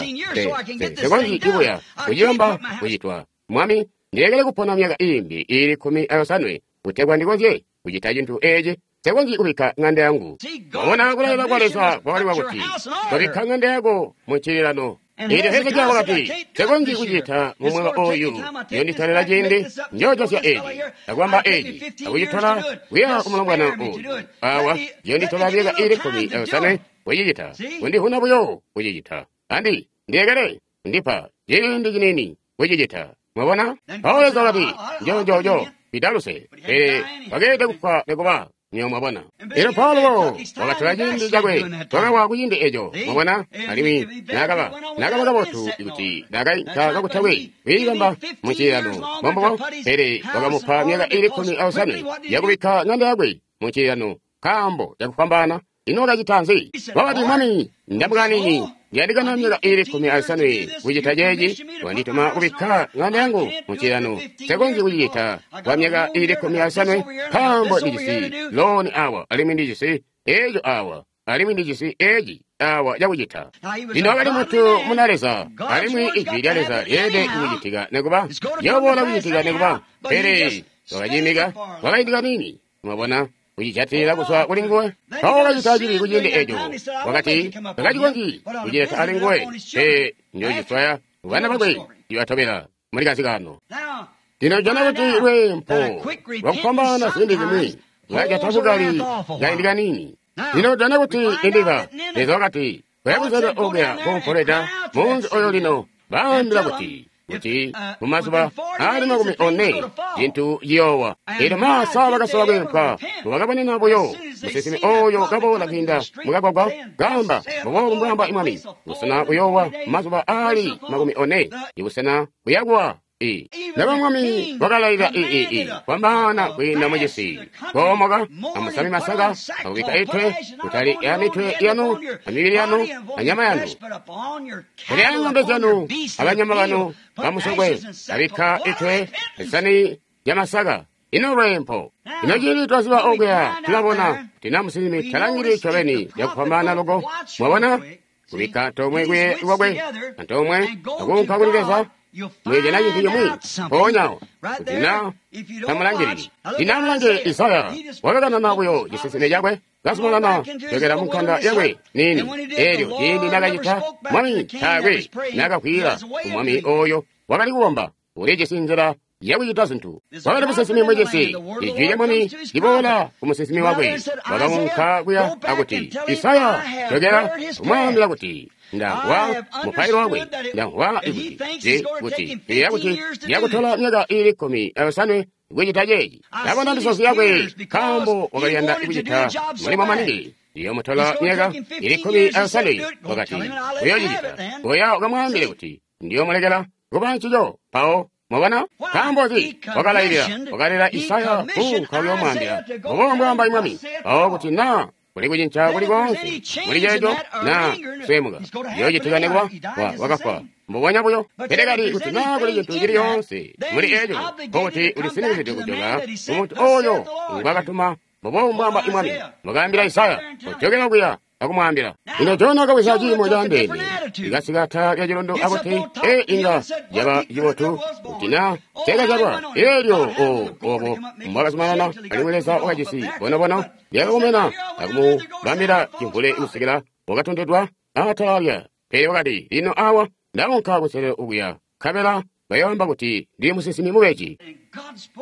Nsekonzyi kubuya kucibamba kucitwa. Mwami, ndilekele kupona myaka iimbi ili 15 kutegwa ndikonzye kucita cintu eeci. Nsekonzyi kubikka ŋanda yangu. Wabona kulailila kwa Leza kwakali kwakuti, kubikka ŋanda yako mucililano. Eelyo Hezekiya wakati, nsekonzyi kucita mu mwaka oyu, yonditolela ciindi, njoojosya eeci, akubamba eeci, akucitola kuya kumulombwana oyu. Awa, yonditola myaka ili 15 kucicita, kundivuna buyo kucicita. Andi, ndilekele, ndipa ciindi ciniini kucicita. Mwabona? Mpawo Leza wakati, njo, pitaluse, pele wakeelede kufwa nikuba. Nywebo mwabona. Elyo Paulo wakatola ciindi cakwe, wakawa kuciindi eco, mwabona, alimwi nakaba kabotu kuti nakainka kakutakwe kwiibamba mucililano, mbombubo, pele wakamupa myaka ili 15 yakubikka ŋanda yakwe mucililano, nkaambo cakufwambaana. Ino wakacita nzi? Wakati, Mwami, ndamukanini, ndiyandikana myaka ili 15 kucita ceeci, wandituma kubikka ŋanda yangu mucililano. Nsekonzyi kucicita kwa myaka ili 15, nkaambo ndijisi looni awa, alimwi ndijisi eeco awa, alimwi ndijisi eeci awa cakucita. Lino wakali muntu muna Leza, alimwi ijwi lya Leza lyeelede kucitika nikuba, lyooboola kucitika nikuba, pele wakacimika kwakaindi kaniini. Mwabona, kucijatilila kuzwa kuli nguwe. Mpawo wakacita cibi kuciindi eco. Wakati takacikonzyi kucileta ali nguwe, pe njociswaya bana bakwe cibatobela muli kazikano. Lino jana kuti lweempo lwakufwambaana ziindi zimwi lwajata bukali kaindi kaniini. Lino tujana kuti Nineva, Leza wakati, koya kunselelo okuya kumpolweda munzi oyo lino, baambila kuti, kuti mumazuba aali 40 cintu ciyoowa. Elyo masa bakasola kweempwa, mbubakabonena buyo musinsimi oyo kaboola kwiinda mukagwagwa, kaamba mbuboobu mbwaamba Mwami, busena buyoowa mumazuba aali 40, ibusena buyakuwa. Naba Mwami wakalailila kwambaana kwiinda mucisi, koomoka amusame masaka akubikka itwe kutali ya mitwe yanu amibili yanu anyama yanu, pele ya ng'ombe zyanu abanyama banu bamusokwe, abikka itwe zisani zyamasaka. Ino lweempo! Ino ciindi twaziba okuya tulabona kuti na musinsimi talangili ncobeni cakufwambaana loko. Mwabona? Kubikka antoomwe kuye kwakwe antoomwe akuunka kuli Leza. Muyojana cintu cimwi mpoonya awo kuti na tamulangilili. Lino amulange Isaya wakakanana buyo cisinsime cakwe kazumanana jokela munkanda yakwe niini. Elyo ciindi nakacita, Mwami taakwe nakavwiila kumwami oyo wakali kukomba. Ulijisi nzila yakucita zintu. Wakali musinsimi mucisi. Ijwi lya Mwami liboola ku musinsimi wakwe. Wakaunka kuya akuti, Isaya, jokela kumwaambila kuti ndamvwa mupailo wakwe, ndamvwa ikuti kuti kuti yakutola myaka iili 15 kucita ceeci. Ndabona misozi yakwe nkaambo wakaliyanda kucita mulimo maningi. Iyomutola myaka iili 15. Wakati uyoocicita. Koya ukamwaambile kuti ndiyomulekela kuba ncico. Mpawo mwabona? Nkaambo nzi? Wakalailila, wakalela Isaya kuunka kuyoomwaambila mbuboobu mbwaamba Mwami. Mpawo kuti naa kuli kucinca kuli koonse muli ceeco naa sweemuka, ciyoocitika nekuba wakafwa mbubonya buyo. Pele kali kuti naa kuli cintu cili coonse muli eeco, nkokuti ulisinikizidwe kujoka kumuntu oyo ngwaakatuma mbuboobu mbwaamba Mwami. Wakaambila Isaya, kojokela kuya akumwaambila. Lino Jona wakabweza ciimo caandeene, ikasika atala lya cilundu akuti, ee, inga caba cibotu kuti na teekazyalwa. Elyo obo mbwakazumanana, alimwi Leza wakajisi bonobono lyakakomena akumubambila cimvule kusikila wakatontedwa atala lya. Pele wakati, lino awa ndaunka kunselelo okuya, nkabela bayoomba kuti ndili musinsimi mubeji.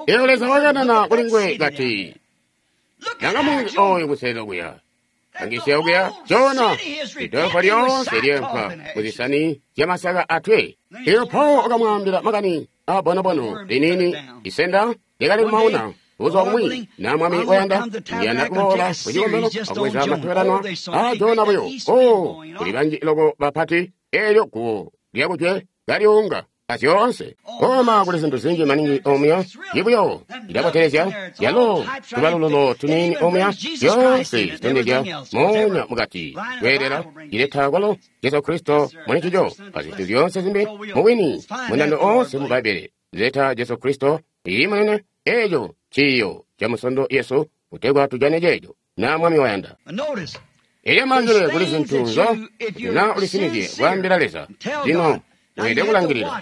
Elyo Leza wakanana kuli nguwe kati, langa munzi oyo kunselelo okuya. Angisya okuya Jona, idolopo lyoonse lyeempwa muzisani zyamasaka atwe. Elyo Paul wakamwaambila makani aabonobono liniini isenda lyakali kumauna. Buzuba bumwi na Mwami wayanda, ndiyanda kuboola kucikombelo akubweza matobelanwa aa Jona buyo. Oh, kuli banji loko bapati, elyo guwo lyakujwe kalyuunga azyoonse. Koma kuli zintu zinji maningi omuya, ibuyo lilabotelezya, yalo tubalululo tuniini omuya, zyoonse zitondezya moonya mukati kweelela cileta kwalo Jesu Kristo muli ncico, azintu zyoonse zimbi mubwini mundando oonse mu Bbaibbele zileta Jesu Kristo. Iyi munene, eeco ciiyo ca musondo yesu kutegwa tujane ceeco na Mwami wayanda. Elyo malangilile kuli zintu nzo kuti na ulisinizye kwaambila Leza. Lino weelede kulangilila.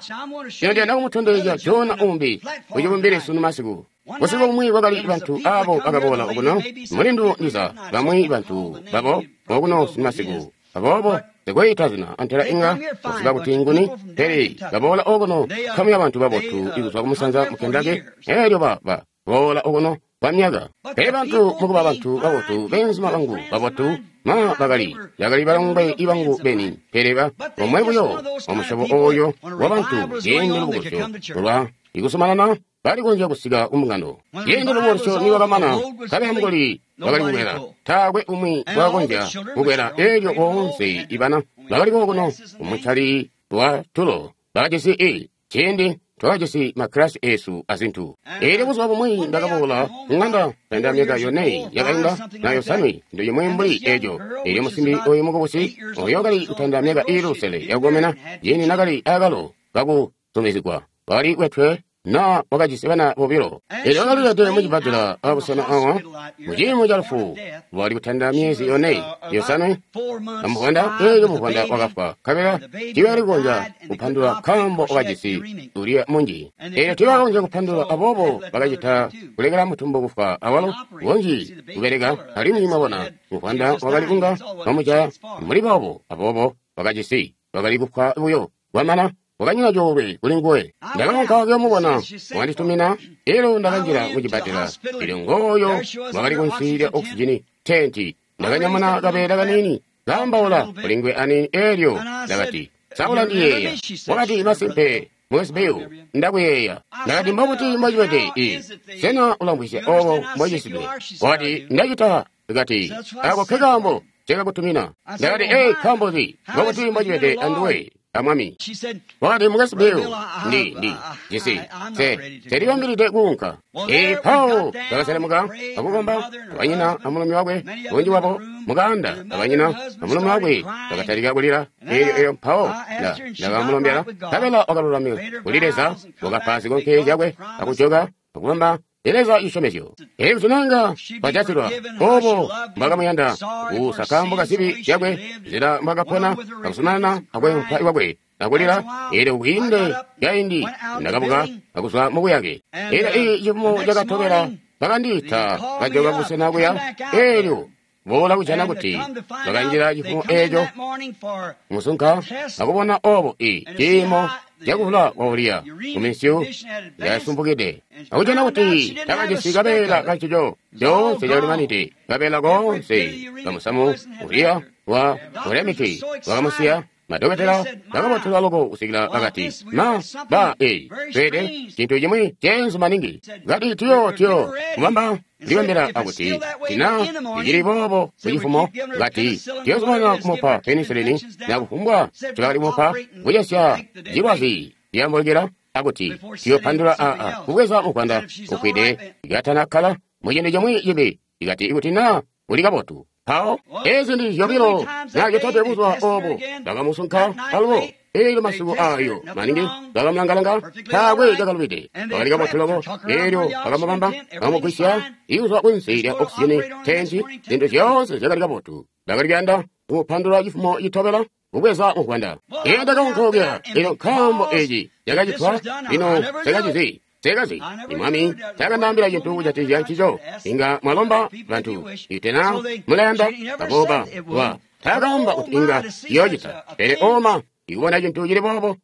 Lino ndiyanda kumutondezya Jona umbi kucibumbili sunu masiku. Busiku bumwi kwakali bantu abo bakaboola okuno, mulindu ndiza bamwi bantu babo okuno sunu masiku. Aboobo sikwiita zina antela inga kuziba kuti nguni, pele baboola okuno nkamu ya bantu babotu ikuzwa kumusanza mu Kentucky, elyo ba boola okuno kwa myaka. Pele bantu mukuba bantu babotu, beenzuma bangu babotu, ma bakali balongwe bangu beni, pele ba omwe buyo wamusyobo oyo wa bantu ciindi lubukulusyo lwa ikuzumanana balikonzya kusika kumbungano. Ciindi lubukulusyo nilwakamana, nkabela mukuli bakali kukwela, taakwe umwi wakakonzya kukwela. Elyo boonse ibana bakali kokuno kumuncali wa tulo bakajisi ciindi twakajisi makkilasi eesu azintu. Elyo buzuba bumwi ndakaboola kuŋanda kainda myaka 4 yakainda na 5, cintu cimwi mbuli eco. Elyo musimbi oyu mukubusi oyo wakali kutanda myaka iili 6 yakukomena, ciindi nakali akalo kakuzumizigwa, wakali kwetwe na wakajisi bana bobilo. Elyo wakalilede mucibbadela abusena awa muciimo ca lufu, lwali kutanda myezi 4 5 amuvwanda. Elyo muvwanda wakafwa, nkabela tiibakali kukonzya kupandula nkaambo wakajisi uliya munji. Elyo tiibakakonzya kupandula, aboobo bakacita kulekela mutumbu kufwa awalo bunji kubeleka. Alimwi mwabona muvwanda wakali kunga wamujaya mbuli boobo, aboobo wakali kufwa buyo kwamana. Wakanyina coolwe kuli nguwe. Ndakaunka kuyoomubona, wanditumina, elyo ndakanjila mucibbadela. Elyo ngooyo wakali kunsi lya oxygen tenti. Ndakanyamuna kabeela kaniini, kaambaula kuli nguwe aniini, eelyo ndakati, sa ulandiyeeya? Wakati, masimpe, Mukwesu Bill, ndakuyeeya. Ndakati, mbobuti mbocibede? Sena ulamvwisya obo mbocisidwe? Wakati, ndacita. Kati, ako nkekaambo cakakutumina. Ndakati, ee, nkaambo nzi? Mbobuti mbocibede anduwe, a Mwami? Wakati, Mukwesu Bill, ndi jisi nselibambilide kuunka. Ee, mpawo bakaselemuka akukomba abanyina amulumi wakwe, bunji bwabo mukaanda abanyina amulumi wakwe bakatalika kulila. Eelyo mpawo ndakamulombela, nkabela wakalulamika kuli Leza, wakapa zikonke zyakwe akujoka akubamba Leza cisyomezyo. Eelyo tunanga bajatilwa obo mbwakamuyanda kuusa kaambo kazibi zyakwe, nzila mbwakapona akuzumanana akwempwa kwakwe akulila. Eelyo kwiinde kaindi ndakabuka akuzwa mubuyake. Eelyo cifumo cakatobela bakandiita kajoka busena kuya. Eelyo boola kujana kuti bakanjila cifumo eeco musunka akubona obo ciimo cakuvula kwa Uriya kuminsyu yasumpukide, akujana kuti takajisi kabeela kancico coonse cakalimanide, kabeela koonse kamusamu Uriya wa ulemiti wakamusiya. Madokotela bakabotelwa loko kusikila bakati, ma ba tweede cintu cimwi ceenzu maningi. Kati tiyo kubamba ndibambila akuti tina icili boobo kucifumo. Kati tiyozumanana kumupa penisilini na kufumbwa cakali kumupa kucesya cilwazi liyambukila, akuti tiyopandula aa kubweza muvwanda ufwide ikatanakkala muciindi cimwi cibi. Ikati ikuti na uli kabotu. Mpawo ezi ndi zyobilo na zyotatwe buzuba obo bakamusunka alubo. Eelyo masiku ayo maningi bakamulangalanga, taakwe cakalubide, wakali kabotu loko. Eelyo bakamubamba, bakamugwisya ikuzwa kunsi lya oxygen tenti, zintu zyoonse zyakali kabotu. Bakali kuyanda kumupandula cifumo citobela kubweza muvwanda. Eelyo ndakaunka okuya, eelyo nkaambo eci cakacitwa, lino sekacizi. Sekazi, Mwami takandaambila cintu kujatikizya ncico. Inga mwalomba bantu, itena mulayanda baboba wa takaamba kuti inga yoocita, pele oma ikubona cintu cili boobo.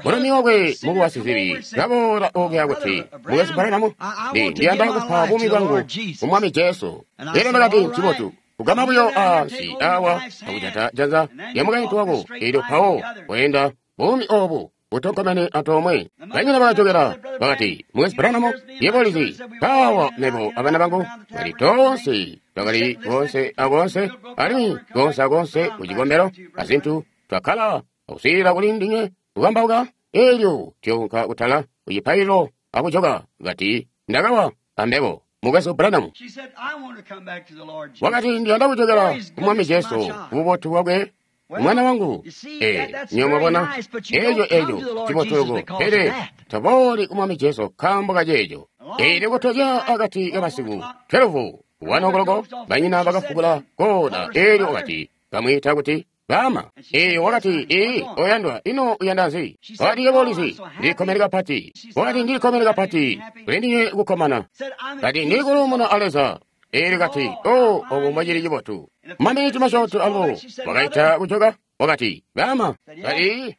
Mulumi wakwe mukuwa sizibi kaboola okuya kuti, Mukwesu Branham, ndiyanda kupa buumi bwangu ku Mwami Jesu. Elyo ndakati, ncibotu. Kugama buyo ansi awa akujata janza lya mukaintu wako, eelyo mpawo weenda buumi obu butonkomene antoomwe. Banyina bakajokela bakati, Mukwesu Branham, yebo ulizi, mpaawa mebo abana bangu bali toonse twakali koonse akoonse, alimwi koonse akoonse ku cikombelo azintu, twakkala akuswiilila kuli ndinywe kukambauka, eelyo tuyounka kutala ku cipaililo akujoka. Kati, ndakawa ambebo, Mukwesu Branham. Wakati, ndiyanda kujokela ku Mwami Jesu kububotu bwakwe. Mwana wangu, nyo mwabona, eeco cibotu loko, pele tobooli ku Mwami Jesu nkaambo kaceeco. Eelyo kutozya akati kamasiku 12 1:00, banyina bakafukula koona. Eelyo wakati, kamwiita kuti baama. Eelyo wakati, ee, oyandwa, ino uyanda nzi? Wakati, yebo ulizi, ndilikkomene kapati. Wakati, ndilikkomene kapati, kuli ndinywe kukkomana. Kati, ndili kuluumuna a Leza. Eelyo kati, o, obo mbocili cibotu. Maminiti masyoonto alubo wakaita kujoka, wakati, baama. Kati,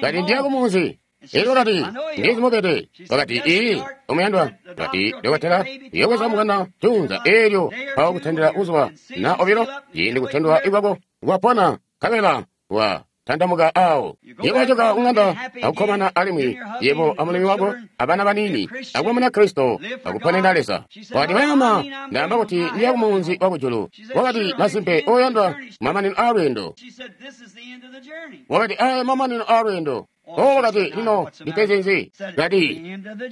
kati ndiya kumunzi. Eelyo wakati, ndizi mubede. Wakati, ee, omuyandwa. Kati, dokotela, uyobweza mwana tunza. Eelyo mpawo kutandila buzuba na obilo, ciindi kutandwa ikwako kwapona, nkabela wa tandamuka awo. Yebo wajoka kung'anda akukkomana alimwi, yebo amulumi wako abana baniini, akuba muna Kristo, akuponena Leza. Wakati, baama, ndaamba kuti ndiya kumunzi wa kujulu. Wakati, masimpe, oyandwa, mamanino aalweendo. Wakati, aya mamanino aalweendo. O, wakati, lino ndipeze nzi? Kati,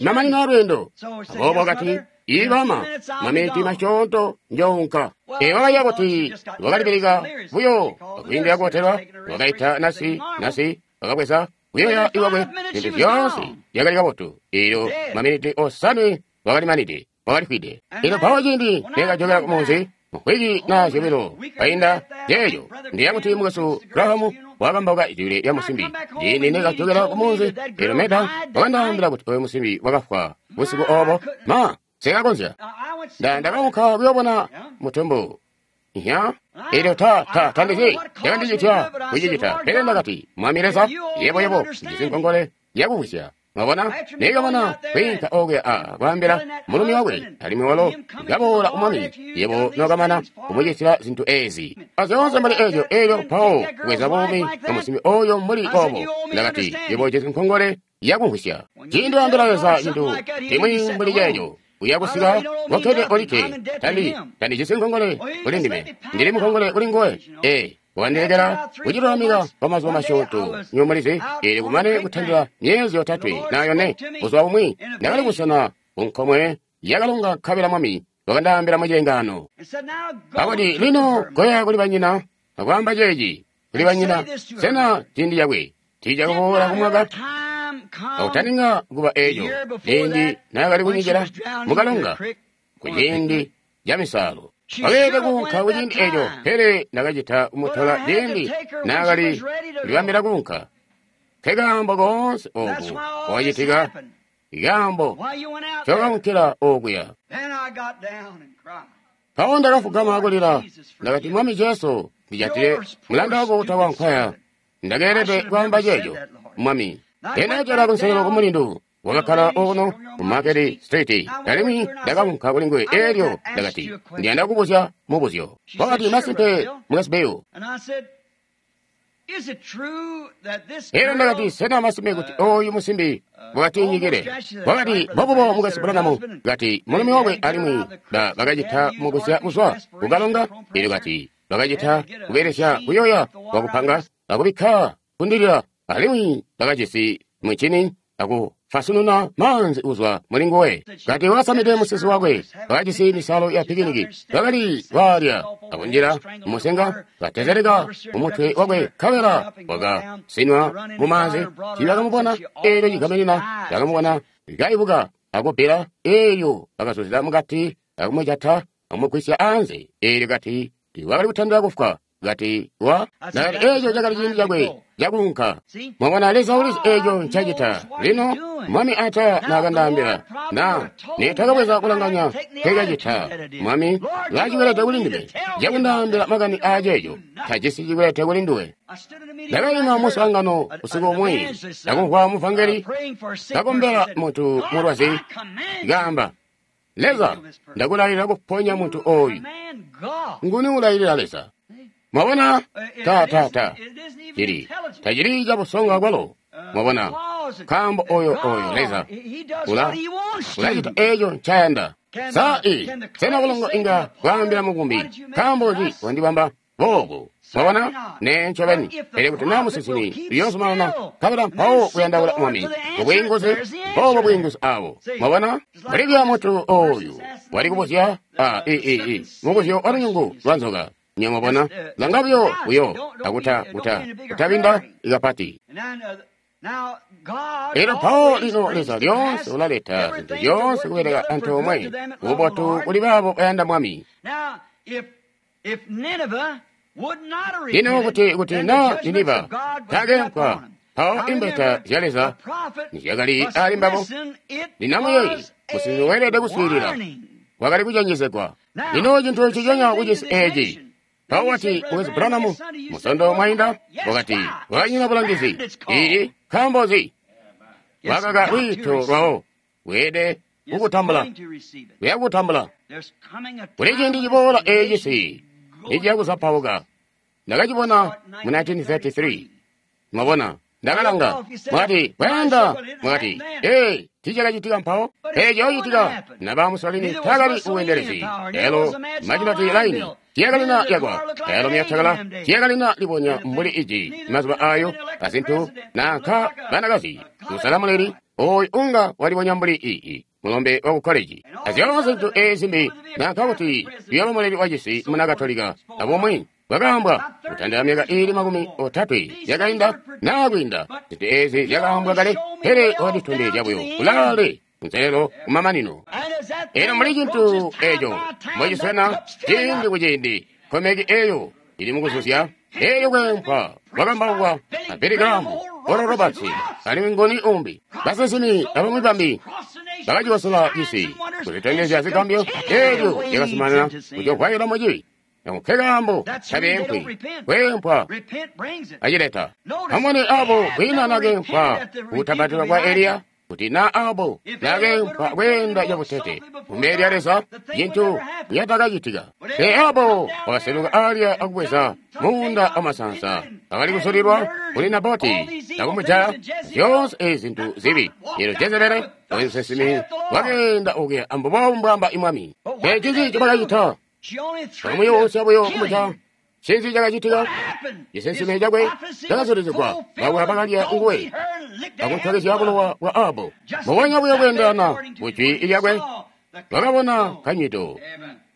mamanino aalweendo. Aboobo wakati, ii baama, maminiti masyoonto njounka. Ee, wakaiya kuti wakalibilika buyo akwiindila kubotelwa. Wakaita nasi, wakabweza kuyoya iwakwe, zintu zyoonse zyakali kabotu. Eelyo maminiti 5 wakalimanide, wakalifwide. Eelyo mpawo ciindi nekajokela kumunzi, mvwiki na zyobilo kainda ceeco, ndiya kuti Mukwesu Graham wakambauka ijwi lya musimbi. Ciindi nekajokela kumunzi, eelyo Meda wakandaambila kuti oyo musimbi wakafwa busiku obo. Ma, sekakonzya. Ndakaunka kuyoobona mutumbu. Ya, eelyo tandizi cakandicitya kucicita, pele ndakati, Mwami Leza, yebo jisi nkongole yakuvwisya. Mwabona? Nekamana kwiinka okuya a kwaambila mulumi wakwe, alimwi walo kaboola ku Mwami, yebo nokamana kumucitila zintu ezi. Azyoonse mbuli ezyo, elyo mpawo kubweza buumi bwa musimbi oyo mbuli boobo. Ndakati, yebo ujisi nkongole yakumvwisya. Ciindi waambila Leza cintu cimwi mbuli ceeco, uya kusika kokkede olikke. Tandi jisi nkongole kuli ndime, ndili munkongole kuli nguwe. Ee, wandilekela kucilulamika kwa mazuba masyoonto, nywebo mulizi, eelyo kumane kutandila myezi 3 na 4, buzuba bumwi ndakali kusena ku nkomwe yakalonga nkabela Mwami wakandaambila mu cilengaano. Akuti, lino koya kuli banyina, akwaamba ceeci kuli banyina, sena ciindi cakwe tiicakaboola kumwaka? Akutaninga kuba eeco, ciindi naakali kunyikila mukalonga ku ciindi ca misaalo. Wakeelede kuunka ku ciindi eeco, pele ndakacita kumutola ciindi naakali kulibambila kuunka. Nkekaambo koonse ooku kwakacitika, ikaambo ncokaunkila okuya. Mpawo ndakafugama akulila, ndakati, Mwami Jesu, ndijatile mulanda wako utakwa nkwaya. Ndakeelede kwaamba ceeco, Mwami. Ndakajala kunselelo kumulindu wakakkala okuno ku Market Street, alimwi ndakaunka kuli nguwe. Eelyo ndakati, ndiyanda kubuzya mubuzyo. Wakati, masimpe, Mukwesu Bill. Eelyo ndakati, sena masimpe kuti oyu musimbi wakatiinyikile? Wakati, mbobubo, Mukwesu Branham. Kati, mulumi wakwe alimwi bakacita mugusya kuzwa kukalonga. Eelyo kati, bakacita kubelesya kuyoya kwakupanga akubikka kundilila, alimwi bakajisi muncini akufasununa maanzi kuzwa muli nguwe. Kati wakasamide musisi wakwe, wakajisi misalo ya pikiniki, bakali waalya akunjila mumusenga, katezeleka umutwe wakwe, nkabela wakasinwa mumaanzi. Tiibakamubona eelyo cigamenina, bakamubona kaibuka akubbila, eelyo bakazuzila mukati akumujata akumugwisya anze. Eelyo kati wakali kutandila kufwa. Kati wa ndakati eeco cakali ciindi cakwe cakuunka. Mwabona, Leza ulizi eeco ncacita. Lino Mwami ata naakandaambila, na nitakabweza kulanganya nkekacita. Mwami laacikwelete kuli ndime cakundaambila makani aaceeco, tajisi cikwelete kuli nduwe. Ndakaima muswaangano usiku umwi, ndakumvwa muvangeli kakombela muntu mulwazi, kaamba, Leza, ndakulailila kuponya muntu oyu. Nguni ulailila Leza? Mwabona? Ta. Cili. Tacili cabusongo akwalo. Mwabona? Nkaambo oyo Leza ulacita eeco ncayanda. Sa sena bulongo inga bwaambila mukumbi, nkaambo nzi wandibamba boobu? Mwabona? Nee ncobeni. Pele kuti naa musinsimi uyoozumanana nkabela mpawo kuyandaula Mwami mubwiinguzi, boobo bwiinguzi aabo. Mwabona? Mbuli muntu oyu wali kubuzya mubuzyo wa lunyungu lwa nzoka. Nyamwabona, langa buyo buyo akutabinda ikapati. Elyo mpawo lino Leza lyoonse ulaleta zintu zyoonse kubeleka antoomwe kububotu kuli baabo bayanda Mwami. Lino kuti na Niniva takeempwa, mpawo imbeta zya Leza nizyakali ali mbabo. Lino amuyeeye, musinsimi weelede kuswiilila, wakali kucenjezegwa. Lino cintu nciconya kucisi eeci. Mpawo wati, Mukwesu Branham, musondo mwainda, wakati, wakanyina bulangizi. Ii, nkaambo nzi? Wakaka lwiito lwawo, weelede kukutambula. Uya kukutambula. Kuli ciindi ciboola eeci niciya kuzapauka. Ndakacibona mu 1933. Mwabona, ndakalanga, mwakati, kwayanda, mwakati, ee, tiicakacitika mpawo. Eeco citika, naba Mussolini taakali ubweendelezi. Elo Maginot Line tiyakalina yakwa, elo myatakala tiyakalina libonya mbuli iji mazuba ayo azintu nanka banakazi. Kusala muleli, oyu unga walibonya mbuli ii mulombe wa ku college. Azyoonse zintu eezi mbi nanka kuti uyaba muleli wacisi muna Katolika abumwi. Bwakaambwa kutandila myaka iili 30 yakainda naa kwiinda. Zintu eezi zyakaambwa kale, pele wakatitondezya buyo kulaale kunselelo kumamanino. Eno muli cintu eeco mbociswena ciindi kuciindi, nkomeki eeyo ili mukuzuzya eelyo kweempwa kwakambaukwa a Billy Graham, Oral Roberts, alimwi nguni umbi. Basinsimi abamwi bambi bakacikosola cisi kuzitondezya zigambyo, eelyo lyakazumanana kucovwaila mucibi. Nkekaambo tabeempwi, kweempwa acileta. Amubone abo kwiina nakeempwa kutapatila kwa Eliya. Kuti na Ahabu nakeempwa kweenda cabutete kumbele lya Leza, cintu nyatakacitika. Pele Ahabu wakaseluka alya akubweza muunda wamasansa akali kusulilwa kuli Naboti akumujaya zyoonse ezi zintu zibi. Elyo Jezebele oyo musinsimi wakeenda okuya ambubo mbwamba imwami. Pele ncinzi ncobakacita? Bakamuyosya buyo kumujaya. Ncinzi cakacitika? Cisinsime cakwe cakazulizigwa bakwe bakalya nguwe akuntwakezya bulowa bwa Ahabu. Mbubonya buyo kweendelana kujwi lyakwe bakabona kanywido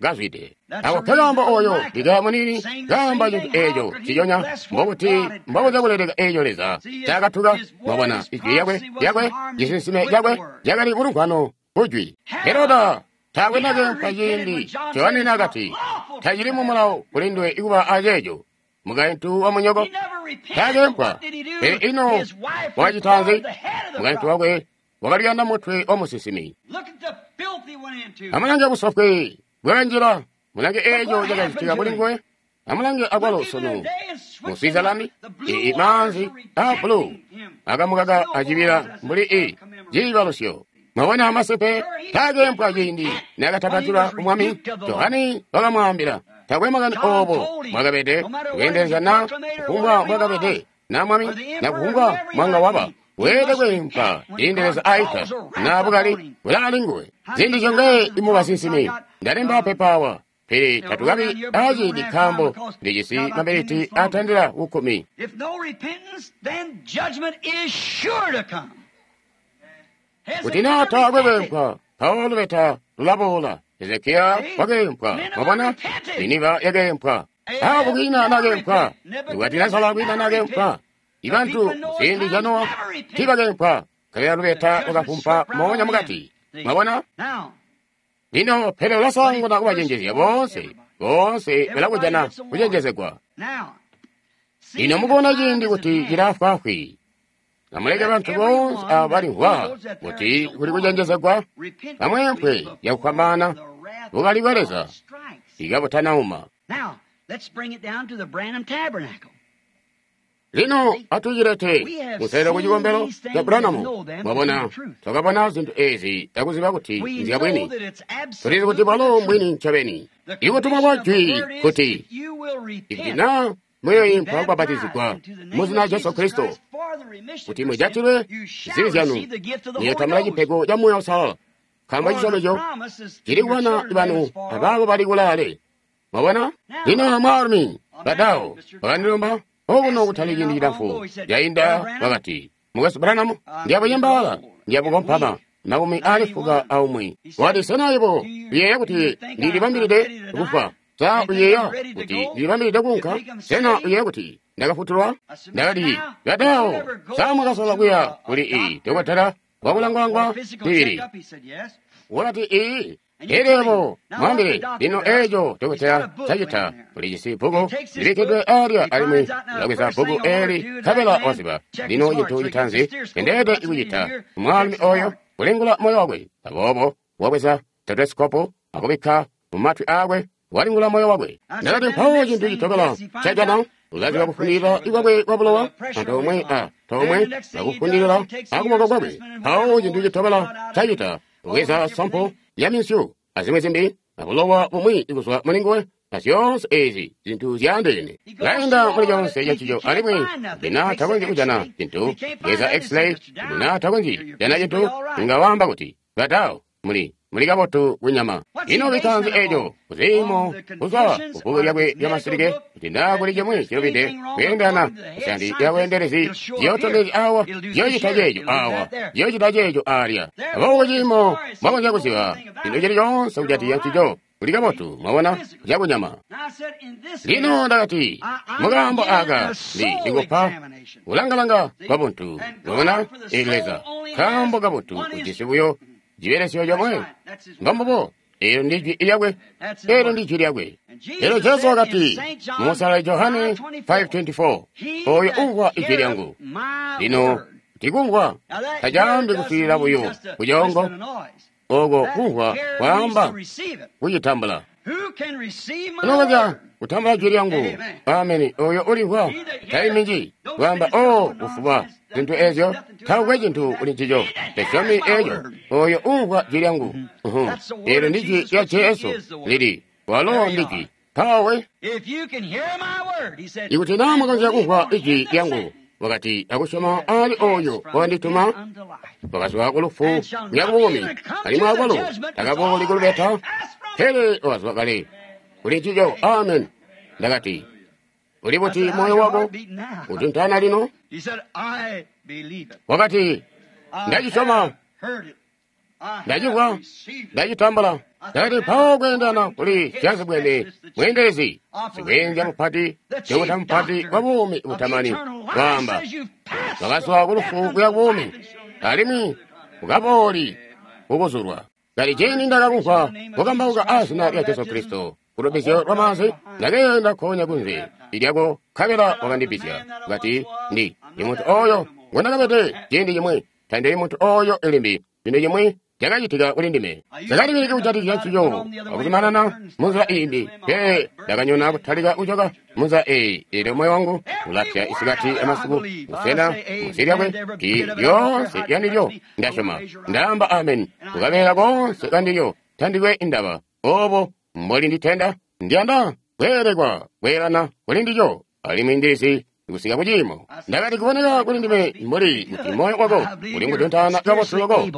kazwide. Ako nkakaambo oyo Mikaya muniini kaamba cintu eeco nciconya mbokuti mbokuza kuleleka eeco Leza ncaakatuka. Mwabona ijwi lyakwe cisinsime cakwe cakali kulumvwano kujwi. Heroda taakwe nakeempwa ciindi Johane naakati tacili mumulawo kuli nduwe ikuba aceeco mukaintu wa munyoko. Taakeempwa. Pele ino wakacita nzi? Mukaintu wakwe wakaliyanda mutwe wa musinsimi. Amulange busofwe bwakanjila, mulange eeco cakacitika kuli nguwe. Amulange akwalo sunu mu Switzerland, ii maanzi aa bulu akamukaka acibila mbuli i ciibalusyo. Mwabona masimpe taakeempwa ciindi naakatapatula umwami. Johane wakamwaambila takwe makani oobo mwakabede kweendelezya na kufumbwa mwakabede na mwami na kufumbwa mwanga waba weelede kweempwa ciindi Leza aita na bukali bulaali nguwe. Ziindi zyongaye imubasinsimi ndalemba pepa awa, pele tatukabi aciindi nkaambo ndijisi maminiti atandila ku 10. If no repentance, then judgment is sure to come. Kuti naa taakwe kweempwa, mpawo lubeta lulaboola. Hezekiya wakeempwa, mwabona, Niniva yakeempwa, Ahabu kwiina nakeempwa, Nebukadinezara kwiina nakeempwa. Ibantu muziindi zya Nowa tiibakeempwa, nkabela lubeta lwakafumpa moonya mukati. Mwabona? Now, Lino pele ulasaanguna kubacenjezya boonse, boonse balakujana kucenjezegwa. now, Lino mukubona ciindi kuti cilaafwaafwi, amuleke bantu boonse aabo balimvwa kuti kuli kucenjezegwa, bamweempwe cakufwambaana bukali bwa Leza ikabutanauma. Now, let's bring it down to the Branham Tabernacle. Lino atucilete kuselelo ku cikombelo ca Branham. Mwabona, twakabona zintu ezi akuziba kuti We nzya know bwini. that it's Tulizi kuti absolutely bwalo the truth. mbwini ncobeni. The Ikutumwa condition kwa of the jwi word is kuti if you will ikuti repent, na muyoimpwa kubabatizigwa into the name mu zina of lya Jesu Jesus Kristo Christ for the remission kuti of your mujatilwe sin, you shall zibi zyanu, receive the gift of the Holy muyotambula Ghost. cipego ca Muuya Uusalala. Nkaambo For the cisyomezyo promise is to cili your kubana children banu as far off. abaabo bali kulaale. Mwabona? Lino mwaalumi badawo bakandilomba okuno kutali ciindi cilamfu cainda bakati, Mukwesu Branham, ndiyabuyembaala, ndiyabukompama, 91. Wati, sena yebo uyeeya kuti ndilibambilide kufa? Sa uyeeya kuti ndilibambilide kuunka? Sena uyeeya kuti ndakafutulwa? Ndakati, badawo, sa mwakasola kuya kuli iyi dokotela wakulangwalangwa Physical mibili? checkup, he said yes. Wakati iyi elebo mwambile lino eeco dokotela cacita ulijisi bbuku libikkidwe alya alimwi ulabweza bbuku eeli nkabela waziba lino cintu citaanzi endeede ikucita mwaalumi oyo kulingula moyo wakwe. Aboobo wabweza stethoscope akubikka mumatwi aakwe walingula moyo wakwe. Ndakati mpawo cintu citobela cajana ulaziba kufundilila kwakwe kwa bulowa antoomwe a toomwe akufundilila akuboko kwakwe. Mpawo cintu citobela cacita ubweza sampo ya minsyu azimwi zimbi abulowa bumwi kuzwa mulinguwe azyoonse ezi zintu zyaandeene. Laenda muli conse cancico alimwi ndina takonzyi kujana cintu. Bweza x-ray ndina takonzyi kujana cintu. Inga waamba kuti badawo muli kabotu kunyama. Ino bikanze eeco kuziimo kuzwa kubbuku lyakwe lyamasilike kuti naa kuli cimwi cilubide kweendana kusandi lyabweendelezi ziyotondezya awa ziyocita ceeco awa ziyocita ceeco alya. Aboobo ciimo mwakonzya kuziba cintu cili coonse kujatikizya ncico kuli kabotu, mwabona, cakunyama. Now I said, in this Lino case, ndakati mukaambo aka ndikupa kulangalanga kwabuntu, mwabona, ili Leza kaambo kabuntu ujisi buyo cibelesyo comwe. Mbambubo, eelyo ndi jwi lyakwe, eelyo ndi jwi lyakwe. Elyo Jesu wakati mumusala Johane 5:24, oyo umvwa ijwi lyangu. Lino tikumvwa tacaambi kuswiilila buyo kucoongo, oko kumvwa kwaamba kucitambula. Unokonzya kutambula jwi lyangu. Ameni. Oyo ulimvwa taiminji kwaamba, o kufuba zintu ezyo taukwe cintu kuli ncico. Tasyomi eco. Oyo umvwa jwi lyangu. Eelyo ndi jwi lya Jesu lili walo ndi jwi. Mpawe ikuti naa mwakonzya kumvwa ijwi lyangu, wakati akusyoma ali oyo wandituma, wakazwa ku lufu kuya ku buumi, alimwi akwalo takabooli ku lubeta, pele wakazwa kale kuli ncico. Amen. Ndakati, uli buti moyo wako utuntana lino? Wakati, ndacisyoma, ndacimvwa, ndacitambula. Ndakati, mpawo kweendana kuli syazibwene mweendelezi sikweenzya mupati, dokota mupati wa buumi butamani, waamba wakazwa ku lufu kuya buumi, alimwi ukabooli kukuzulwa. Kali ciindi ndakakumvwa kukambauka azina lya Jesu Kristo kulubizyo lwa maanzi, ndakeenda nkoonya kunze lyako, nkabela wakandibbizya. Kati, ndi muntu oyo ngondakabede ciindi cimwi, tandili muntu oyo limbi. Cintu cimwi cakacitika kuli ndime. Ndakalibilika kujatikizya ncico akuzumanana munzila iimbi, pele ndakanyona kutalika kucoka munzila eyi. Eelyo moyo wangu ulapya isikati amasiku, busena munsi lyakwe ti lyoonse lyandilyo ndasyoma. Ndaamba amen kukabeela koonse kandilyo, tandikwe indaba obo mboli nditenda. Ndiyanda kweelekwa kweelana kuli ndilyo, alimwi ndilizi kusika kuciimo. Ndakati, kuboneka kuli ndime mbuli kuti moyo wako uli ngutuntaana kabotu loko.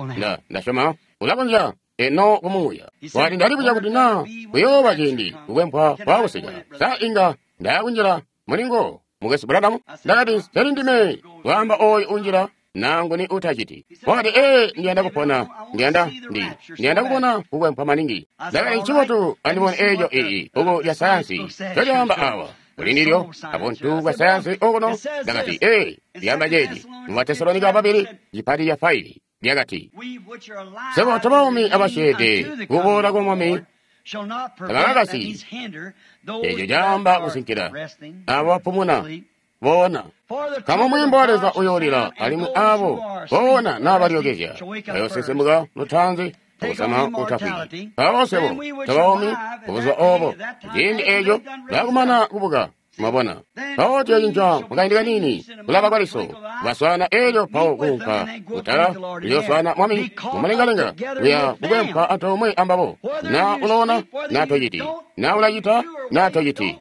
Ndasyoma ulakonzya eno kumuuya. Wati, ndalibuzya kuti naa kuyooba ciindi kukwempwa kwaakusika, sa inga ndayakunjila mulingo mukwesu Branham? Ndakati, seli ndime kwaamba oyo unjila naa nguni utaciti. Wakati, ee, ndiyanda kupona, ndiyanda kubona kukwempwa maningi. Ndakati, ncibotu andibone eeco ii bbuku lya sayansi ncolyaamba awa kuli ndilyo abuntu bwa sayansi okuno. Ndakati, ee, lyamba ceeci mu Batesalonika babili cipati ca 5 lyakati, sebo tobaumi abasyeede kuboola kwa Mwami tabakakasi. Eeco caamba kusinkila abo bapumuna boona. Nkaambo mweembo wa Leza uyoolila, alimwi abo boona naabalyokezya bayoosinsimuka lutaanzi akusama utafwiki. Mpawo swebo tobaumi kubuzuba obo, ciindi eeco baakumana kubuka, mwabona. Mpawo tuyocinca mukaindi kaniini kulaba kwaliso, kubaswaana eelyo mpawo kuunka kutala tuyooswaana Mwami mumulengalenga kuya kukwempwa antoomwe ambabo. Naa uloona naa tociti, naa ulacita naa tociti,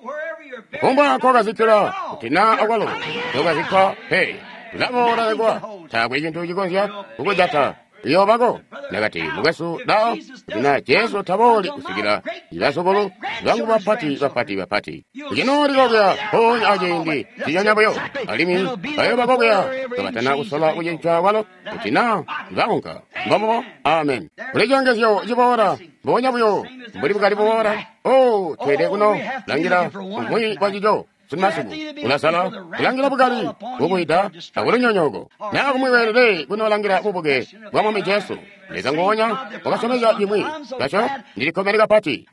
kufumbwa nkokazikkila kuti naa akwalo tokazikkwa pe, ulaboola lekwa, taakwe cintu cikonzya kukujata. Uyoobako. Ndakati, mukwesu lao, kuti naa Jesu tabooli kusikila ibazukulu bangu bapati bapati bapati kucinooli kokuya mpoonya aciindi ciconya buyo, alimwi bayoobako kuya kabatana kusola kucinca kwalo kuti naa baunka. Mbombubo. Amen. Kuli cilongezyo ciboola mboonya buyo mbuli bukali buboola. O, tweelede kuno langila umwi wancico. Sunu masiku ulasala kulangila bukali bukwita akulunyonyooko, naa kumwi weelede kunolangila bubuke bwa Mwami Jesu. Leza nguonya wakasyomezya cimwi kaco. Ndilikkomene kapati.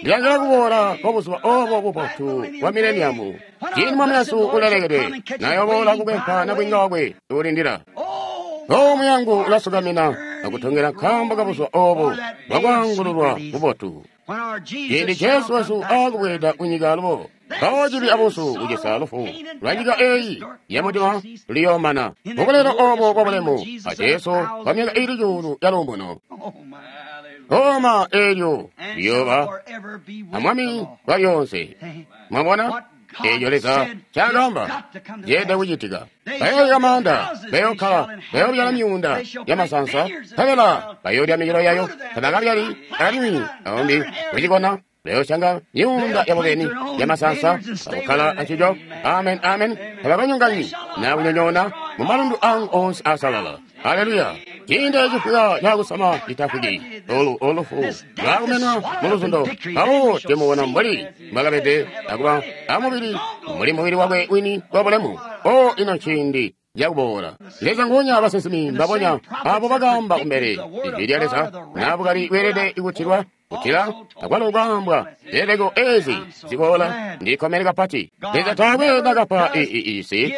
Ndilangila kuboola kwa buzuba obo bubotu bwa mileniamu, ciindi Mwami Yesu ulelekedwe nayoboola kukwempwa nabwiinga wakwe uulindila. O, muyangu ulasukamina akutongela nkaambo kabuzuba obo bwakwaangululwa bubotu, ciindi Jesu wesu aakubweeda kunyika alubo. Mpawo cibi abuusu kucisa lufu lwa nyika eeyi yamudima luyoomana mubulelo obo bwabulemu a Jesu kwa myaka iili cuulu ya luumuno. Oma, eelyo liyooba amwami kwa lyoonse. Mwabona eeco Leza ncaakaamba ceelede kucitika. Bayoolya maanda, bayookkala, bayoobyala myuunda yamasansa, nkabela bayoolya micelo yayo. Tabakabyali alimwi aumbi kucikona. Bayoosanga myuunda yabo beni yamasansa akukkala ancico. Amen, amen. Tabakanyonganyi naa kunyonyoona mumalundu angu oonse aasalala. Haleluya. Ciindi ecifwika cakusama citafwiki, olu olufu lwaakumenwa muluzundo. Mpawo timubona mbuli mbwakabede akuba amubili mbuli mubili wakwe wini wabulemu. O, ino ciindi cakuboola. Leza nguonya abasinsimi mbabonya abo bakaamba kumbele ijwi lya Leza naa bukali bweelede kutilwa. Kutila akwalo kwaambwa zileleko ezi ziboola. Ndikkomene kapati. Leza taakwe nakapa isi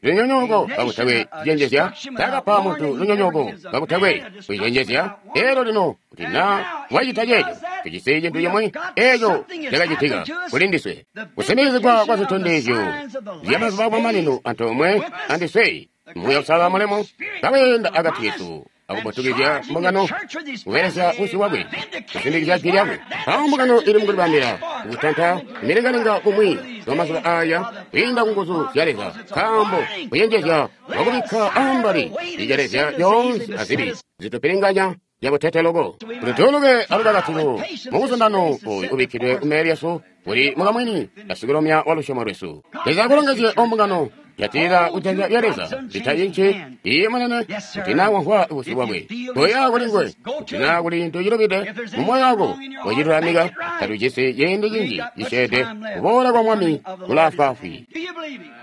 lunyonyooko kakutakwe kucenjezya. Taakapa muntu lunyonyooko kakutakwe kucenjezya. Elyo lino kuti na wacita ceeco, tujisi cintu cimwi eco cakacitika kuli ndiswe. Kusimikizigwa kwa zitondezyo zya mazuba amamanino antoomwe andiswe. Muuya Uusalala mulemu kaweenda akati kesu akubotukizya mbungano kubelesya busyu bwakwe kusindikizya jwi lyakwe. Mpawo mbungano ili mukulibambila kutanta milengalenga kumwi kwa mazuba aya kwiinda ku nguzu zya Leza, nkaambo kuyenjezya wakubikka ambali icelezya lyoonse azibi zitupilinganya zyabutete loko kuti tuuluke alukakatilo mukuzundano oyu ubikkidwe kumbele lyesu kuli mukamwini kasikulomya wa lusyomo lwesu. Leza akulongezye ombungano. Jatilila kujanza lya Leza litayinci iye munene kuti na wamvwa busyu bwakwe koya kuli nguwe kuti na kuli cintu cilubide mu moyo wako wecilulamika. Tatujisi ciindi cinji cisyeede, kuboola kwa Mwami kulaafwaafwi.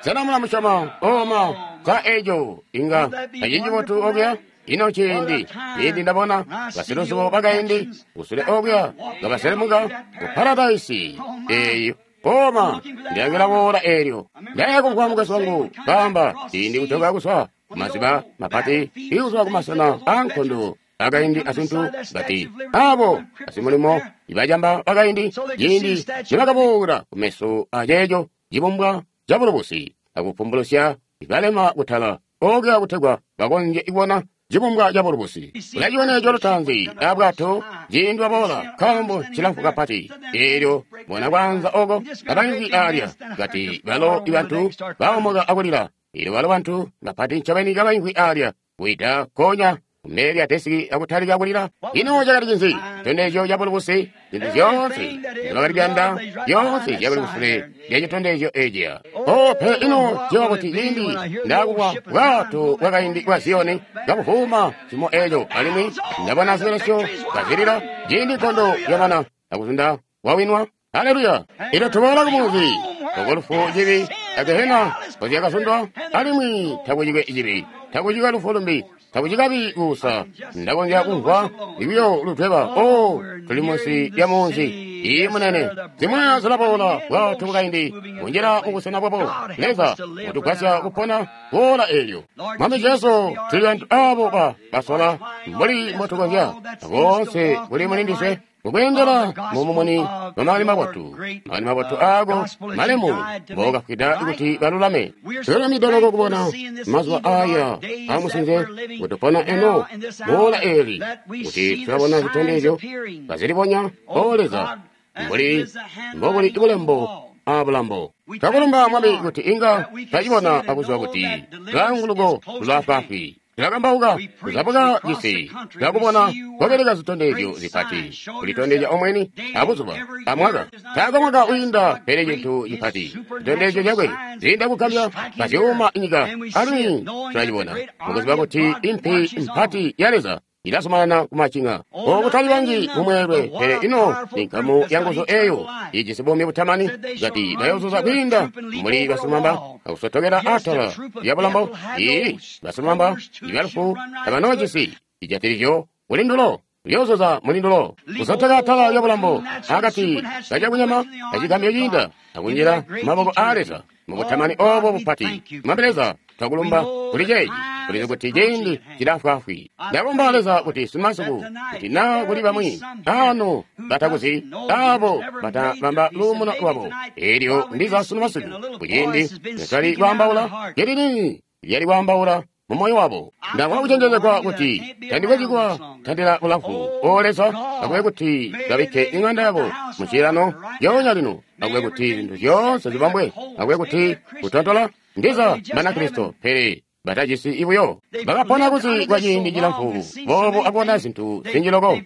Sena mulamusyoma? Oma sa eco inga tacili cibotu okuya? Ino ciindi ciindi ndabona basiluzubo bakaindi kusule okuya kabaselemuka ku paradaisi eeyo. Oma ndiyangila boola eelyo. Ndaya kumvwa mukwesu wangu kaamba ciindi kujoka kuzwa kumaziba mapati ikuzwa kumasena aankondo akaindi azintu ngati abo basimulimo ibajamba bakaindi ciindi nibakabuula kumeso aceeco cibumbwa cabulubusi akupumbulusya ibalema kutala okuya kutegwa bakonzye kubona cibumbwa cabulubusi. Ulaciona eco lutaanzi abwato ciindi waboola, nkaambo cilamfu kapati. Eelyo bona kwaanza oko kabaimvwi alya kati balo ibantu baomoka akulila. Eelyo balo bantu bapati ncobeni kabaimvwi alya kuita konya kumbele lya desiki akutalika kulila. Ino cakali cinzi? Citondezyo cabulubusi. Zintu zyoonse nzyobakali kuyanda zyoonse zyakali kusule lya citondezyo eciya. O pele ino ciwa kuti ciindi ndakubwa bwato bwakaindi bwa Ziyoni kabuvuuma cimo eco, alimwi ndabona zibelesyo kazilila ciindi nkondo yamana akuzunda wawinwa. Haleluya! Ilo tuboola kumuzi oko lufu, cibi agehena kozyakazundwa, alimwi takucikwe cibi, takucikwe lufu lumbi, takucikabi kuusa. Ndakonzya kumvwa ikuyo lutweba. O tuli munsi lya munzi iyi munene. Zimwi zilaboola bwato bwakaindi kunjila mubusena bwabo. Leza utugwasya kupona boola eelyo. Mwami Jesu, tuli bantu abo basola mbuli mbotukonzya boonse kuli mulindiswe mukweendela mumumuni wa makani mabotu, makani mabotu aako malemu mbokafwida kuti balulame. Tululamide loko kubona mazuba aya amusinze kutupona eno boola eeli kuti tulabona zitondezyo kazilibonya. O Leza, mbuli mbobuli bulembo abulambo. Twakulumba Mwami kuti inga twacibona akuziba kuti lwaanguluko lulaafwaafwi. Tulakambauka kuzabuka cisi, tulakubona kwabeleka zitondezyo zipati, kulitondezya omweni abuzuba amwaka. Taakwe mwaka wiinda pele cintu cipati citondezyo cakwe ziinda kugambya kazyuuma nyika, alimwi tulacibona mukuziba kuti impi mpati ya Leza ilazumanana kumacinga. Okutali banji mumweelwe, pele ino ninkamu ya nguzu eyo ijisi buumi butamani ngati bayozuza kwiinda muli basilumamba akusotokela atala lya bulambo. Ii basilumamba ibalufu tabanoojisi cijatilizyo kulindulo, lyozuza mulindulo kusotoka atala lya bulambo akati kacakunyama kacigambyo ciinda akunjila maboko aa Leza mubutamani obo bupati. Mwami Leza, twakulumba kuli ceeci. Tulizi kuti ciindi cilaafwaafwi. Ndakomba Leza kuti simasiku kuti na kuli bamwi ano batakuzi abo batabamba luumuno lwabo. Eelyo ndiza sunu masiku kuciindi netwali kwaambaula lyelini lyali kwaambaula mu moyo wabo. Ndamvwa kucenjezegwa kuti tandikwecikwa tandila bulamfu. O Leza, akube kuti babikke iŋanda yabo mucilano lyoonya lino. Akube kuti zintu zyoonse zibambwe. Akube kuti kutontola ndiza Banakristo pele batajisi ibuyo bakapona kuzi kwa ciindi cilamfu boobo akubona zintu zinji loko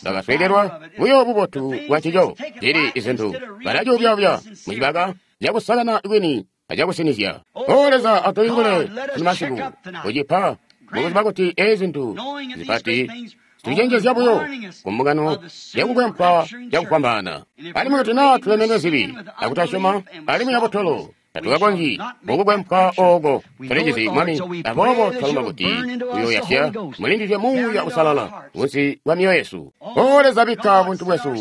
bakaswekelwa buyo bubotu bwa ncico. Zili izintu balacuubyaubya mucibaka cakusakana kwini acakusinizya. O Leza, atulingule sunu masiku kucipa mukuziba kuti ezi zintu zipati tucenjezya buyo kumbungano yakukwempa cakufwambaana. Alimwi kuti naa tulemenwe zibi akutasyoma alimwi abutolo Tatukakonzyi kukukwempwa ooko. Tulicizi, Mwami, aboobo twalomba kuti uyoyasya mulindizye Muuya Uusalala kunsi kwa myoyo yesu. O Leza, bikka buntu bwesu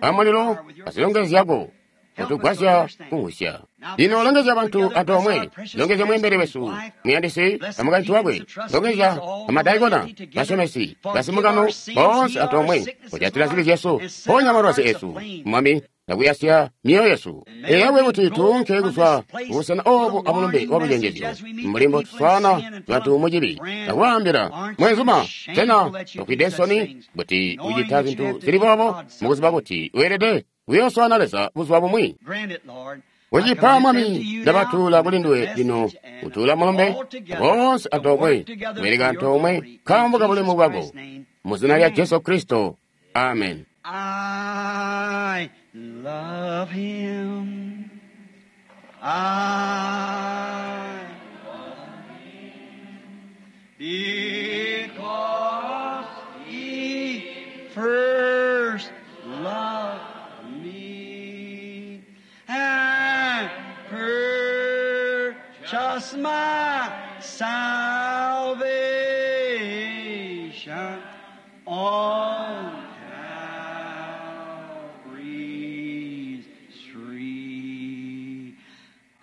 amulilo azilongezyo zyako, kutugwasya kumvwisya. Lino longezya bantu antoomwe, longezya mweembeli wesu muyandisi amukaintu wakwe, longezya amadaikona, basyomesi, basimukano boonse antoomwe, kujatila zibi zyesu, ponya malwazi esu, Mwami, nakuyasya myoyo yesu. Eyakwe kuti tuunke kuzwa kubusena obu amulumbe wa bucenjezyo, mbuli mbo tuswaana bantu mucibi, akwaambila mwenzuma, sena tofwide nsoni kuti ucita zintu zili boobo, mukuziba kuti weelede kuyooswaana Leza buzuba bumwi? Kucipa, Mwami, ndabatuula kuli nduwe lino, kutuula mulumbe boonse antoomwe, kubeleka antoomwe nkaambo ka bulemu bwako, mu zina lya Jesu Kristo, amen. I love him. I love him because he first loved me and purchased my salvation on Calvary's tree.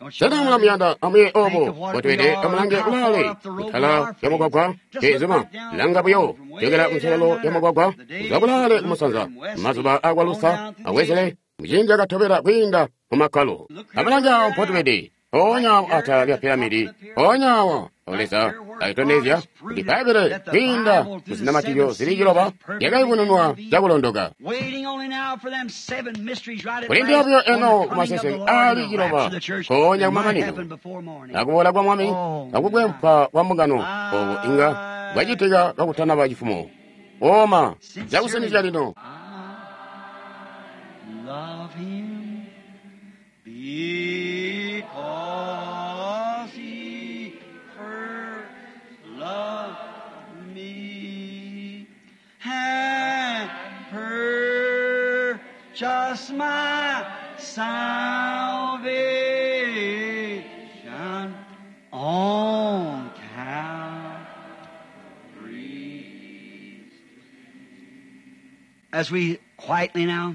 Don't you Sena love mulamuyanda amuye Think obo of what botwede we are, amulange how far kulaale up the road kutala we are ya mugwagwa from Just ezuma look back down langa the buyo road from way jokera down kunselelo ya yonder. mugwagwa The days kuzwa kulaale of kumusanza Luther and Wesley, mazuba akwa on Lusa down through the awezele ages. muciindi akatobera kwiinda mumakkalo. Look here Amulange where awo we're at. mpotubede, mpoonya awo Right here atala at lya the top of piramidi, the pyramid. mpoonya awo Right Leza here where God akitondezya has kuti proved it Bbaibele that the kwiinda Bible through the muzinamatizyo seven zili seals ciloba is perfectly yakayubununwa revealed. cakulondoka. Waiting only now for them seven mysteries right at Kulindila last buyo on the eno coming of the kumaseseke Lord and aali the rapture ciloba of the church mpoonya that might kumamanino happen before morning. akuboola kwa Mwami Oh my. akukwempwa kwa mbungano obo inga bwacitika kakutanaba cifumo. Oma Sincerely, cakusinizya lino. I love him because he first loved me and purchased my salvation on Calvary. As we quietly now,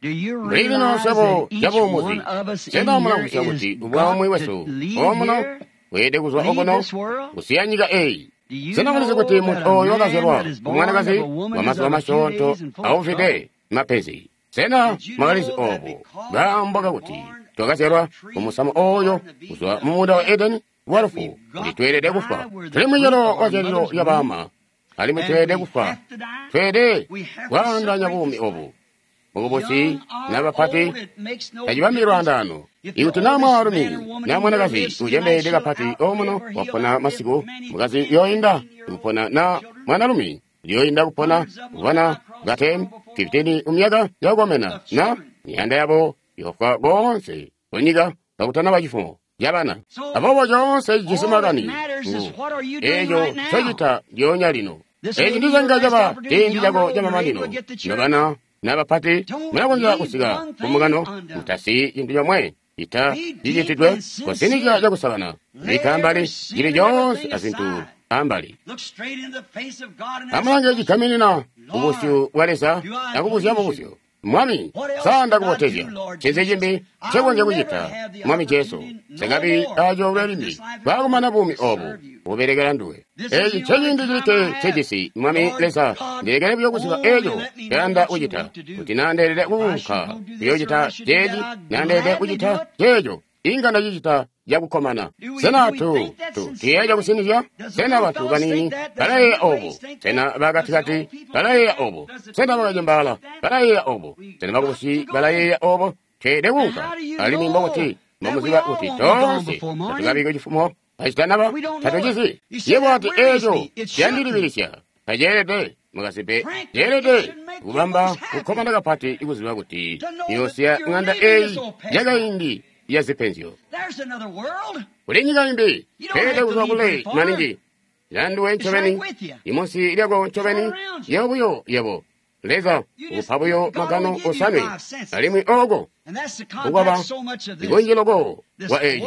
do you Mbuli lino realize nsebo that each yabuumuzi one of us in sena here mulamvwisya is kuti got ubwaumwi to wesu leave omuno here, weelede kuzwa leave okuno this world? kusiya nyika eyi? Do you Sena mulizi know kuti that munthu a oyo man wakazyalwa that is born of kumwanakazi a woman wa is mazuba of a few masyoonto days and full of aufide trouble? mapenzi? Sena Did you mwakalizi know that obo because kaambo we were kakuti born of twakazyalwa the tree kumusamu of the oyo Garden of Eden kuzwa of mu munda wa death, Edeni that walufu, we've kuti got to tweelede die kufa? where the Tuli fruit munyolo of wa our zyalilo mother's lya womb, baama, alimwi and tweelede we kufa. have to die? Tweelede We have to kwaandanya separate buumi this obu life. mukubusi Young or n'abapati old, it makes no tacibambi difference. lwandaano. If the Ikuti naa oldest man mwaalumi or woman naa in here mwanakazi lives tonight, ucembeede she'll kapati omuno outlive or he'll wapona outlive masiku many mukazi 10, yoyinda 15-year-old kupona na children. mwanalumi yoyinda kupona Hundreds of them will die kubana across ba the 10 world before 15 morning mumyaka yakukomena of na children. miyanda yabo yofwa konse kunyika kakutanaba cifumo yabana. So Aboobo coonse cijisi all that makani matters is ngu what are you doing eeco right now? ncocita ndyoonya lino. This Eci may be ndi your canga last caba opportunity, ciindi young or cako old, you're able camamanino. to get the church. Nobana n'abapati Don't mulakonzya leave kusika one ku mbungano thing undone. mutasiyi cintu comwe cita Be deep cicitidwe and kusinizya sincere. cakusakana Lay bikka every ambali sin cili and coonse everything azintu aside. ambali. Look straight in the face of God and ask Amulange the question, cigaminina kubusyu Lord, bwa Leza do I akubuzya please you? mubuzyo. Mwami, What else sa could I ndakubotezya? do, Lord Ncinzi Jesus? cimbi I'll ncekonzya never kucita, have the Mwami Jesu? opportunity no Sekabi more acoolwe after limbi this life is bwakumana over buumi to obu serve you. bubelekela nduwe. This is Eci the only nceciindi time cilikke I have. ncejisi, Mwami Lord Leza, God, ndilekele buyo kuziba only eco let me know nceyanda what you kucita. want to do. Kuti naa ndeelede If I should kuunka go do this or kuyoocita I should do that, ceeci, I'd naa ndeelede gladly do kucita it. ceeco, inga ndacicita cakukkomana. Do we Sena do we tu think that tu sincerely? tuyeeya cakusinizya? Does the Sena little bantu fellows baniini think that? Does the balayeeya middle obo? aged think Sena that? Does the bakatikati old people think balayeeya that? obo? Does the Sena teenagers bakacembaala think that? balayeeya obo? We've Sena got bakubusi to go. balayeeya obo? Tweelede And kuunka. how do you Alimwi mbokuti know that we mbomuziba all kuti won't be gone toonse before morning? tatukabike cifumo kacitanaba We don't know it. tatucizi. You say Yebo that ati worries eeco me. It shouldn't. ciyandilibilisya. Taceelede mukasimpe Frankly, it ceelede should make you kubamba most happy kukkomana kapati ikuziba kuti to know that iyosiya you're ŋanda leaving this eeyi old past life. yakaindi ya zipenzyo. There's another world. Kuli nyika imbi You don't tweelede have to kuzwa leave very kule far. maningi. Landuwe It's right ncobeni with you. imunsi lyako It's all ncobeni around you. yebo buyo yebo Leza ukupa buyo magano osanwe, alimwi oko kukwaba ikunji loko kwa eyi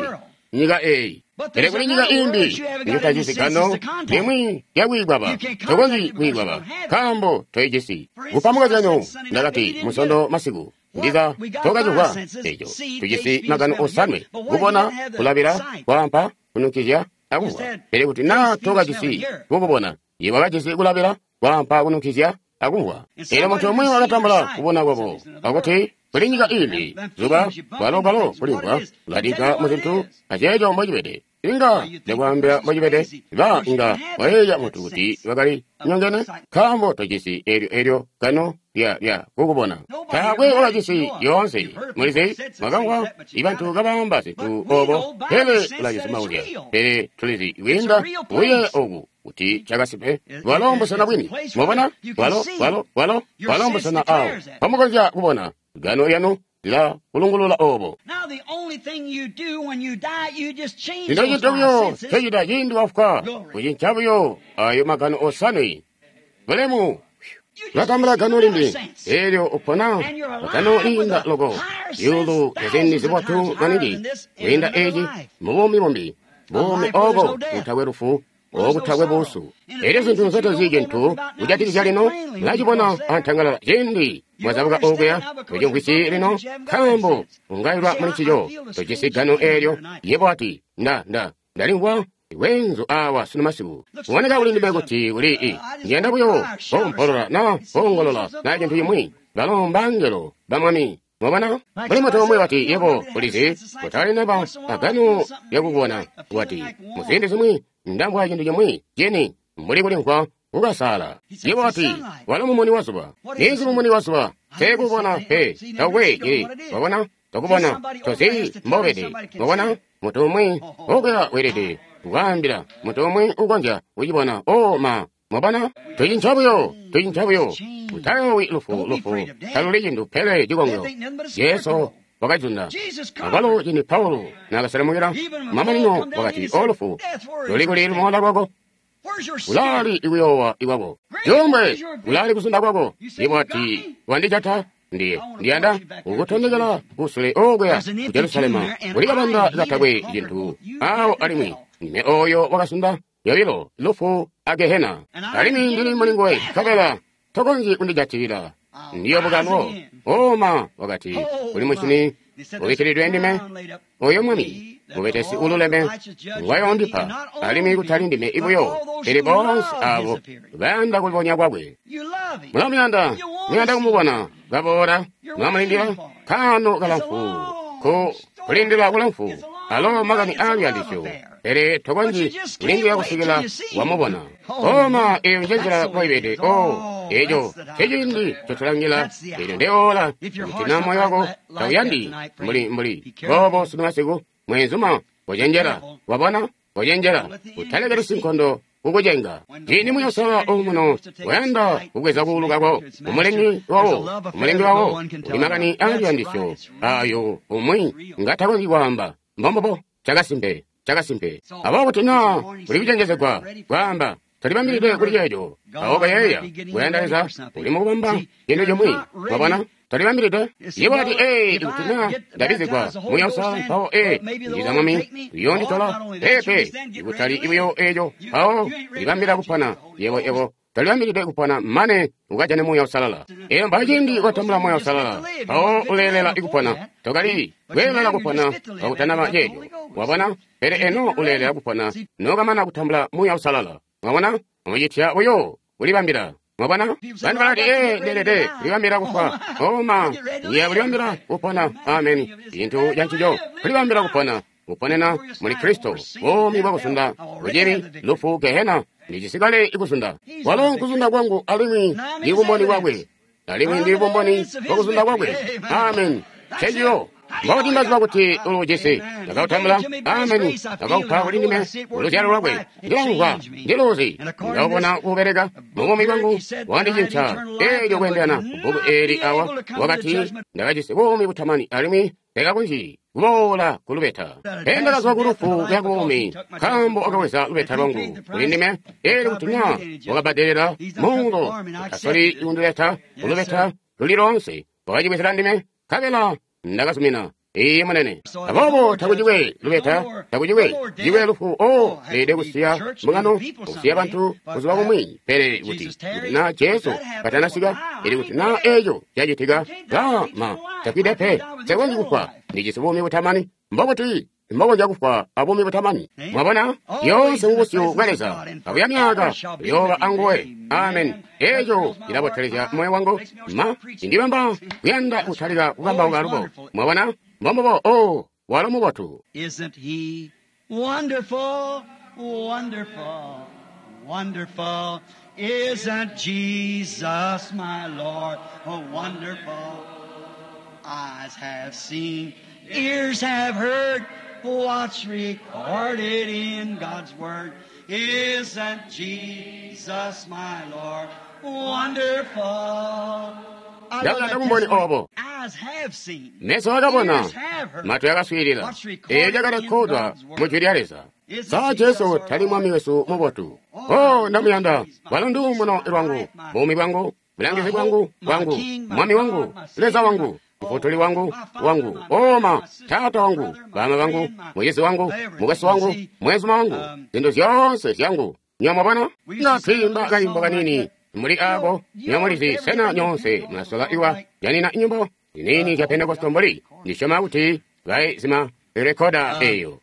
nyika eyi. Pele kuli nyika imbi njotajisi gano limwi lyakwiikwaba, tokonzyi kwiikwaba nkaambo toijisi. Kupa mukozyanyo, ndakati Musondo masiku, ndiza tokacimvwa eco. Tujisi magano osanwe: kubona, kulabila, kwaampa, kunukizya, akumvwa. Pele kuti naa tokajisi kukubona, yebo wakajisi kulabila, kwaampa, kunukizya, akumvwa. Elyo muntu umwi wakatambula kubona kwabo, akuti kuli nyika imbi, zuba, kwalo kulimvwa, kuladika muzintu, aceeco mbocibede. Inga ndakwaambila mbocibede, ba inga wayeeya muntu kuti bakali nyongene, nkaambo tojisi eelyo gano lya kukubona. Taakwe wakajisi yoonse. Mulizi, mwakamvwa ibantu kabaamba zintu obo, pele ulacizimauzya. Pele tulizi kwiinda kuyeeya oku kuti cakasimpe, bwalo mbusena bwini. Mwabona? Bwalo mbusena awo pamukonzya kubona. Gano lyanu lila kulungulula obo. Lino cintu buyo ncocita ciindi wafwa, kucinca buyo ayo magano osanwe. Bulemu! Ulatambula gano limbi, eelyo upona gano liinda loko, zyuulu zyaziindi zibotu maningi kwiinda eci mubuumi bumbi, buumi obo butakwe lufu, okutakwe buusu. Elyo zintu nzotezi cintu kujatikizya lino, mulacibona antangalala ciindi mwazabuka okuya, tocimvwisyi lino, nkaambo ungailwa muli ncico, tojisi gano eelyo. Yebo ati, ndalimvwa wenzu awa sunu masiku. Kuboneka kuli ndime kuti kuli ndiyanda buyo koompolola na koongolola na cintu cimwi. Balo mbangelo ba Mwami. Mwabona? Mbuli muntu umwi wati, yebo ulizi, kutali naba agano lyakubona. Wati, muziindi zimwi ndamvwa cintu cimwi cini mbuli kulimvwa kukasala. Yebo wati, walo mumuni wa zuba. Niinzi mumuni wa zuba? Teekubona pe, taukwe cili. Wabona? Tokubona, tozi mbobede. Mwabona? Muntu umwi okuya weelede kukwaambila, muntu umwi ukonzya kucibona. O ma, mwabona? Tucinca buyo. Utayoowi lufu, taluli cintu pele cikongo. Jesu wakazunda. Akwalo cindi Paulo naakaselemukila mamanino wakati, O lufu, luli kuli lumoola lwako? Ulaali ikuyoowa ikwako? Cuumbwe, ulaali kuzunda kwako? Yebo wati, wandijata? Ndiye ndiyanda kukutondekela kusule okuya ku Jerusalema, kuli kabanda katakwe cintu awo, alimwi ndime oyo wakasunda yobilo lufu a Gehena, alimwi ndili muli nguwe, nkabela tokonzyi kundijatilila. Ndiyobukanwo. Oma wakati, kuli mushini ubikkilidwe ndime, oyo Mwami mubetesi ululeme ngwayondipa, alimwi kutali ndime ibuyo, pele boonse abo bayanda kulibonya kwakwe. Mulamuyanda, muyanda kumubona kaboola, mwamulindila kaano kalamfu, ku kulindila kulamfu, alo makani aaluyandisyo, pele tokonzyi kulindila kusikila wamubona. Oma eyo njenzila mboibede. O eco nceciindi ncotulangila, eelyo ndeola. Kuti na moyo wako tauyandi mbuli boobo sunu masiku, mweenzuma, kocenjela. Wabona? Kocenjela, utalekeli sinkondo kukucenga. Ciindi muyosala omuno wayanda kubweza kuulu kako, umulengi wawo uli makani aaluyandisyo ayo umwi ngatakonzyi kwaamba. Mbombobo, cakasimpe. Aboobo kuti naa uli kucenjezegwa kwaamba, tolibambilide kuli ceeco, awo kayeeya kuyanda Leza uli mukubamba cintu cimwi. Wabona? Tolibambilide. Yebo wati, ikuti naa ndabizigwa muyosa, mpawo ndiza Mwami uyoonditola. Peepe, ikutali buyo eeco, mpawo libambila kupona. Yebo tolibambilide kupona mane ukajane Muuya Uusalala. Eyo mpawo ciindi watambula Muuya Uusalala, mpawo uleelela kupona. Tokali kweelela kupona kakutanaba ceeco. Wabona? Pele eno uleelela kupona nokamana kutambula Muuya Uusalala. Mwabona? Mucitya buyo kulibambila. Mwabona? Bantu balati, ndeelede kulibambila kufwa. Oma, ndiya kulibambila kupona. Ameni. Cintu cancico, kulibambila kupona. Kuponena muli Kristo, buumi bwakuzunda, bucibi, lufu, Gehena, ndijisikale ikuzunda. Walo nkuzunda kwangu, alimwi ndi bumboni bwakwe. Alimwi ndi bumboni bwakuzunda kwakwe. Amen. Ncenciyo. Mbobuti mbaziba kuti uluujisi? Ndakautambula. Ameni. Ndakaupa kuli ndime luzyalo lwakwe. Ndilamvwa, ndiluuzi, ndaubona kuubeleka mubuumi bwangu, wandicinca. Eelyo kweendelana kubbuku eeli awa, wakati ndakajisi buumi butamani alimwi ndakakonzyi kuboola ku lubeta. Pele ndakazwa ku lufu kuya ku buumi, nkaambo wakabweza lubeta lwangu kuli ndime. Eelyo kuti naa wakabbadelela muulo, utasoli kundileta ku lubeta luli loonse, wakacibwezela ndime, nkabela ndakazumina. Iiyi munene. Aboobo takucikwe lubeta, takucikwe cikwe lufu. O leelede kusiya mbungano, kusiya bantu buzuba bumwi. Pele kuti naa Jesu katanasika, ili kuti naa eeco cacitika, ma tafwide pe, nsekonzyi kufwa, ndijisi buumi butamani. Mbobuti mbokonzya kufwa abuumi butamani? Mwabona, yoonse mubusyu bwa Leza, akuya myaka uyooba anguwe. Amen. Eeco cilabotelezya moyo wangu, ma indibamba kuyanda kutalika kukambauka alubo. Mwabona, mbombubo. O walo mubotu. Isn't he wonderful, wonderful, wonderful? Isn't Jesus my Lord oh, wonderful? Eyes have seen, ears have heard what's recorded in God's Word. Isn't Jesus my Lord wonderful? I love Ndakuyanda that kumboni testimony. obo. Eyes have seen, Meso akabona, ears have heard. matwi akaswiilila, What's recorded eeco in cakarekhodwa God's mu Word. Jwi lya Leza. Isn't Sa Jesus Jesu our tali mwami Lord? wesu mubotu. O ndamuyanda, walo nduumuno lwangu, buumi bwangu, bulangizi bwangu, bwangu, mwami wangu, Leza wangu, mufutuli wangu, wangu, oma, taata wangu, bama bangu, mucizi wangu, mukwesu wangu, mwezuma wangu, zintu zyoonse zyangu. Nywebo mwabona? Nga twiimba kaimbo kanini muli ako, nywebo mulizi sena nyoonse mulasola iwa janina nyimbo zinini zya Pentekoste mbuli ndisyoma kuti baizima rekoda eyo.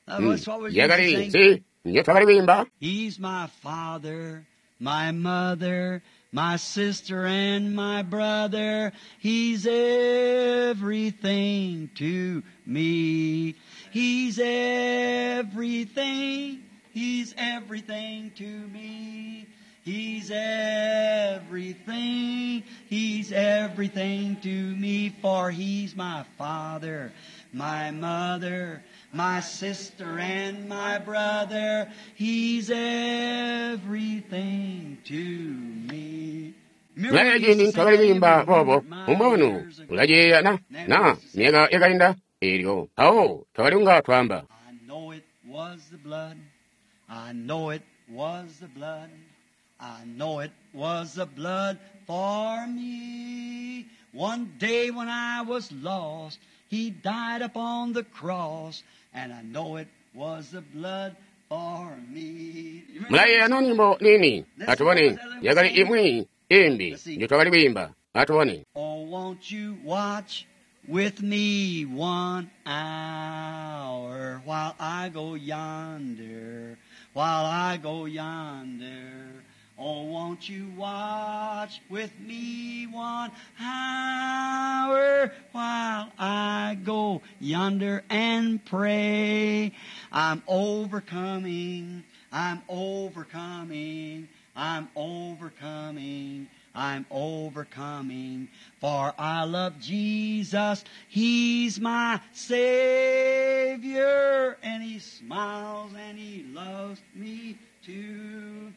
Yakali nzi njo twakali kwiimba? He's my father, my mother, my sister and my brother. He's everything to me. He's everything. He's everything to me. He's everything. He's everything to me, for he's my father, my mother, my sister and my brother. He's everything to me. Mulaye ciindi ntwakali kwiimba boobo, umbwanu ulaceeya na myaka yakainda eelyo mpawo twakali kunga twaamba. I know it was the blood. I know it was the blood. I know it was the blood for me. One day when I was lost, He died upon the cross, and I know it was the blood for me. You remember Mulaye ano nyimbo nini? Atubone yakali imwi imbi njo twakali kwiimba. Atubone. Oh, won't you watch with me 1 hour while I go yonder, while I go yonder. Oh, won't you watch with me 1 hour while I go yonder and pray? I'm overcoming, I'm overcoming, I'm overcoming, I'm overcoming. For I love Jesus, He's my Savior, and He smiles and He loves me too.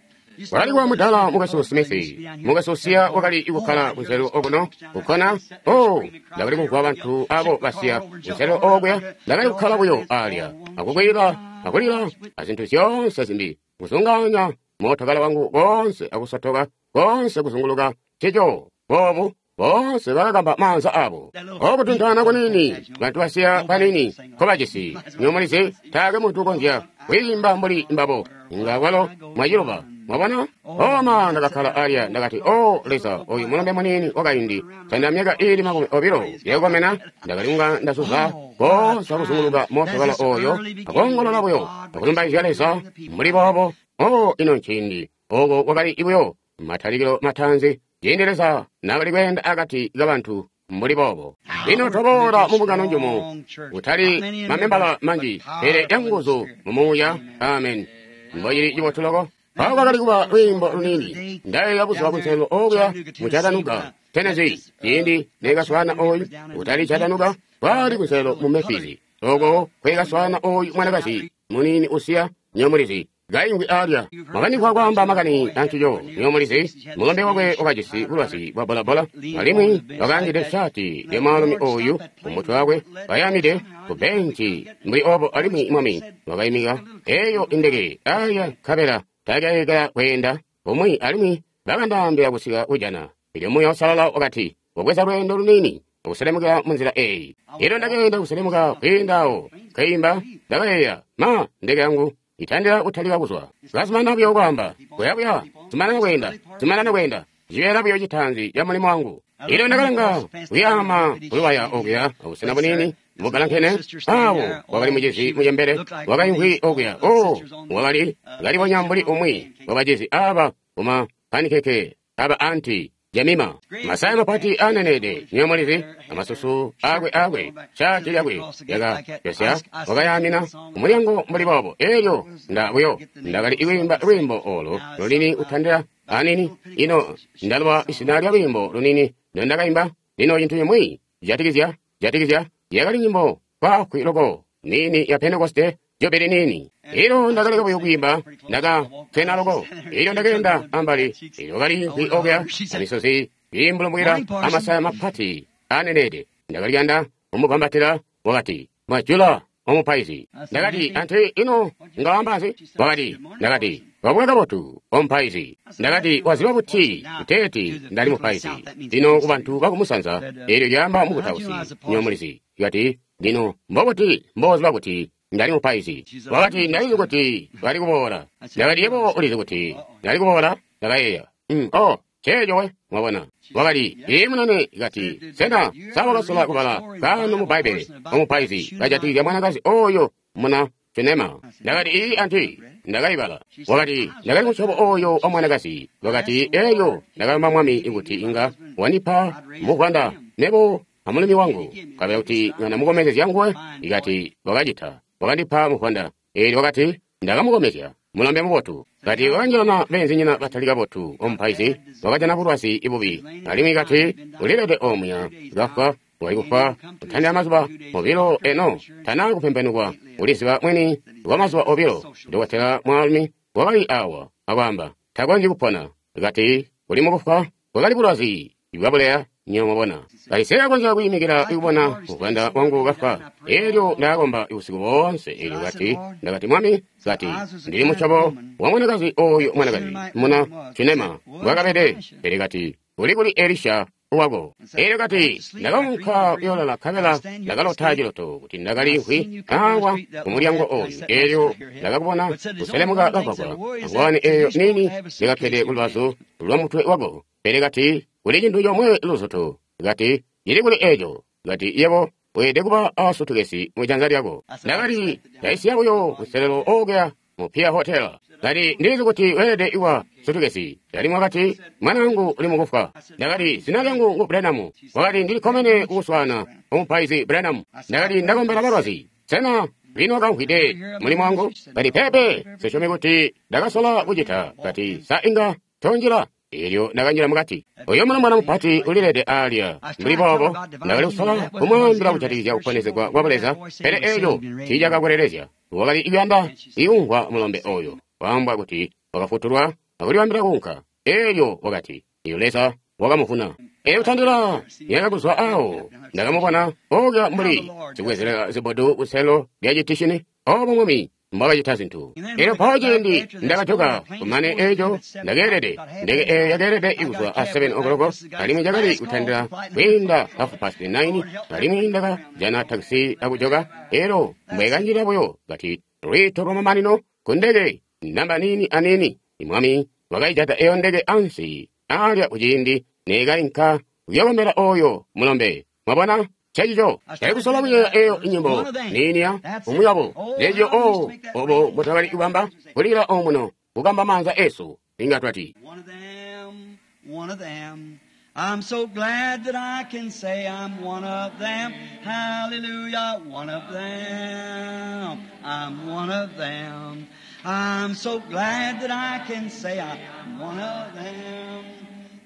Wakali wa mudala mukwesu Smith, mukwesu siya wakali kukhala kunzeru okuno kukhona. O ndakali kumvwa bantu abo basiya kunzeru okuya, ndakali kukhala buyo alya akukwira akulira azinthu zyonse zimbi kuzunganya mootokala wangu konse akusotoka konse kuzunguluka chicho bobu bonse bakakamba manza abo okutunthana kunini bantu basiya panini kobajisi nyomulizi taakwe munthu ukonzya kuyimba mbuli mbabo nga kwalo mwachiloba. Mwabona? Oma ndakakhala alya ndakati, o Leza, oyu mulombe munini wakaindi tanda myaka ili 20 yakukomena, ndakali kunga ndasuza konse akuzunguluka mootokala oyo akongolola buyo akulumbaizya Leza mbuli boobo. O ino nciindi oko kwakali buyo matalikilo matanzi ciindi Leza naakali kweenda akati kabantu mbuli boobo. Lino twaboola mu mbungano njumu kutali mamembala manji pele yanguzu mu muuya. Amen. Mbocili cibotu loko. Mpawo kwakali kuba lwiimbo lunini ndayeeya buzuba kunselelo okuya mu Chattanooga, Tennessee, ciindi neekaswaana oyu kutali Chattanooga, Kwali kunselelo mu Memphis, oko kwekaswaana oyu mwanakazi muniini usiya, nywebo mulizi, kaingwi alya. Mwakanimvwa kwaamba makani ancico, nywebo mulizi, mulombe wakwe wakajisi bulwazi bwa bolabola, alimwi wakaangide shaati lya mwaalumi oyu ku mutwe wakwe, kayamide ku benci mbuli obo, alimwi Mwami wakaimika eyo indeke alya nkabela takaeka kweenda kumwi, alimwi bakandaambila kusika kujana. Elyo Muuya Uusalala wakati, Wabweza lweendo luniini akuselemukila munzila eyi. Elyo ndakeenda kuselemuka kwiinda awo, nkeimba, ndakayeeya, ma, ndeke yangu itandila kutalika kuzwa. Kazumanana buyo kwaamba, kuyabuya, zumanana kweenda, zumanana kweenda, cibeela buyo citaanzi ca mulimo wangu. Elyo ndakalanga kuyaama kuluwaya okuya, abusena buniini bugalankene, awo wakali mucizi mucembele wakaimvwi okuya. Oh, wakali kalibonya mbuli umwi wa bacizi aba kuma panikeke aba anti Jemima, masaya mapati anenede, nywebo mulizi, amasusu akwe akwe, shaati lyakwe lyaka yosya, wakayamina kumulyango mbuli boobo. Elyo nda buyo ndakali kwiimba lwiimbo olo lunini kutandila anini. Ino ndaluba izina lya lwiimbo lunini ndondakaimba. Lino cintu cimwi jatikizya jatikizya yakali nyimbo kwaafwi loko nini ya Pentekoste jubili nini. Elyo ndakaleka buyo kwiimba, ndaka twena loko. Elyo ndakeenda ambali, elyo kali okuya, amisozi iimbulumbukila amasaya mapati anenede. Ndakalyanda kumugwambatila, wakati, Mwajula omupaizi. Ndakati, anti ino ngaamba nzi? Wakati, ndakati, wabuka kabotu omupaizi. Ndakati, waziba buti kuteeti ndali mupaizi? Lino kubantu bakumusanza, elyo lyaamba mukutausi, nywebo mulizi. Kati, lino mbobuti mboziba kuti ndali mupaizi? Wakati, ndalizi kuti bali kuboola. Ndakati, yebo ulizi kuti ndali kuboola? Ndakayeeya, oh, ceeco we, mwabona. Wakati, ii munene. Kati, sena sa wakasola kubala kaano mu Bbaibbele omupaizi kajatikizya mwanakazi oyo muna Shunema? Ndakati, ii anti, ndakaibala. Wakati, ndakali musyobo oyo wa mwanakazi. Wakati, eyo ndakalomba Mwami kuti inga wandipa muvwanda nebo amulumi wangu, nkabela kuti nga ndamukomezezya nguwe. Ikati wakacita, wakandipa muvwanda. Elyo wakati, ndakamukomezya mulombe mubotu. Kati wakanjilana beenzinyina batali kabotu omupaizi, wakajana bulwazi bubi, alimwi kati ulilede omuya kafwa, wali kufwa kutandila mazuba obilo. Eno tana kupembenukwa, uliziba mwini kwa mazuba obilo. Dokotela mwaalumi wakali awa akwaamba, takonzyi kupona. Kati uli mukufwa, bwakali bulwazi bwabuleya. Nywebo mwabona, kati sekakonzya kwiimikila kubona muvwanda wangu kafwa. Elyo ndakakomba usiku boonse. Elyo kati, ndakati, Mwami, kati ndili musyobo wa mwanakazi oyu mwanakazi muna Shunema mbwakabede, pele kati uli kuli Elisha wako. Elyo kati ndakaunka kuyolala, nkabela ndakalota ciloto kuti ndakaliimvwi awa kumulyango oyu. Elyo ndakakubona kuselemuka kagwagwa, angwani eyo nini ndikakkede kulubazu lwa mutwe wako. Pele kati kuli cintu comwe luzutu, kati cili kuli eco, kati yebo weelede kuba a sutukesi mu janza lyako. Ndakati ndaisiya buyo kuselelo okuya mu Pier Hotel. Kati ndilizi kuti weelede kuba sutukesi. Alimwi wakati, mwanaangu uli mukufwa. Ndakati, zina lyangu ngu Branham. Wakati, ndili kkomene kukuswaana, omupaizi Branham. Ndakati, ndakombela balwazi. Sena lino wakamvwide mulimo wangu? Kati, peepe, nsisyomi kuti ndakasola kucita. Kati, sa inga tonjila? Elyo ndakanjila mukati. Oyo mulombwana mupati ulilede alya mbuli boobo. Ndakali kusola kumwaambila kujatikizya kuponezegwa kwa Buleza, pele eco tiicakakwelelezya. Wakali kuyanda ikumvwa mulombe oyo waambwa kuti wakafutulwa akulibambila kuunka. Elyo wakati, iyo Leza wakamuvuna. Elyo kutandila myaka kuzwa awo, ndakamubona okuya mbuli sikubwezelela zibotu kuselo lya citishini. Obo Mwami mbwakacita zintu. Elyo mpawo ciindi ndakajoka, kumane eco ndakeelede, ndeke eyo yakeelede kuzwa a 7 okoloko, alimwi cakali kutandila kwiinda 9:30, alimwi ndakajana takisi akujoka. Elyo mbwekanjila buyo, kati lwiito lwamamanino ku ndeke namba niini aniini, Mwami wakaijata eyo ndeke ansi alya kuciindi neekainka kuyokombela oyo mulombe. Mwabona? Ncencico. Ndali kusola kuyeeya eyo nyimbo niini ya umwi wabo. Ncencico o obo mbotwakali kubamba kulila omuno, kukamba maanza esu, inga twati. One of them, one of them. I'm so glad that I can say I'm one of them. Hallelujah, one of them. I'm one of them. I'm so glad that I can say I'm one of them.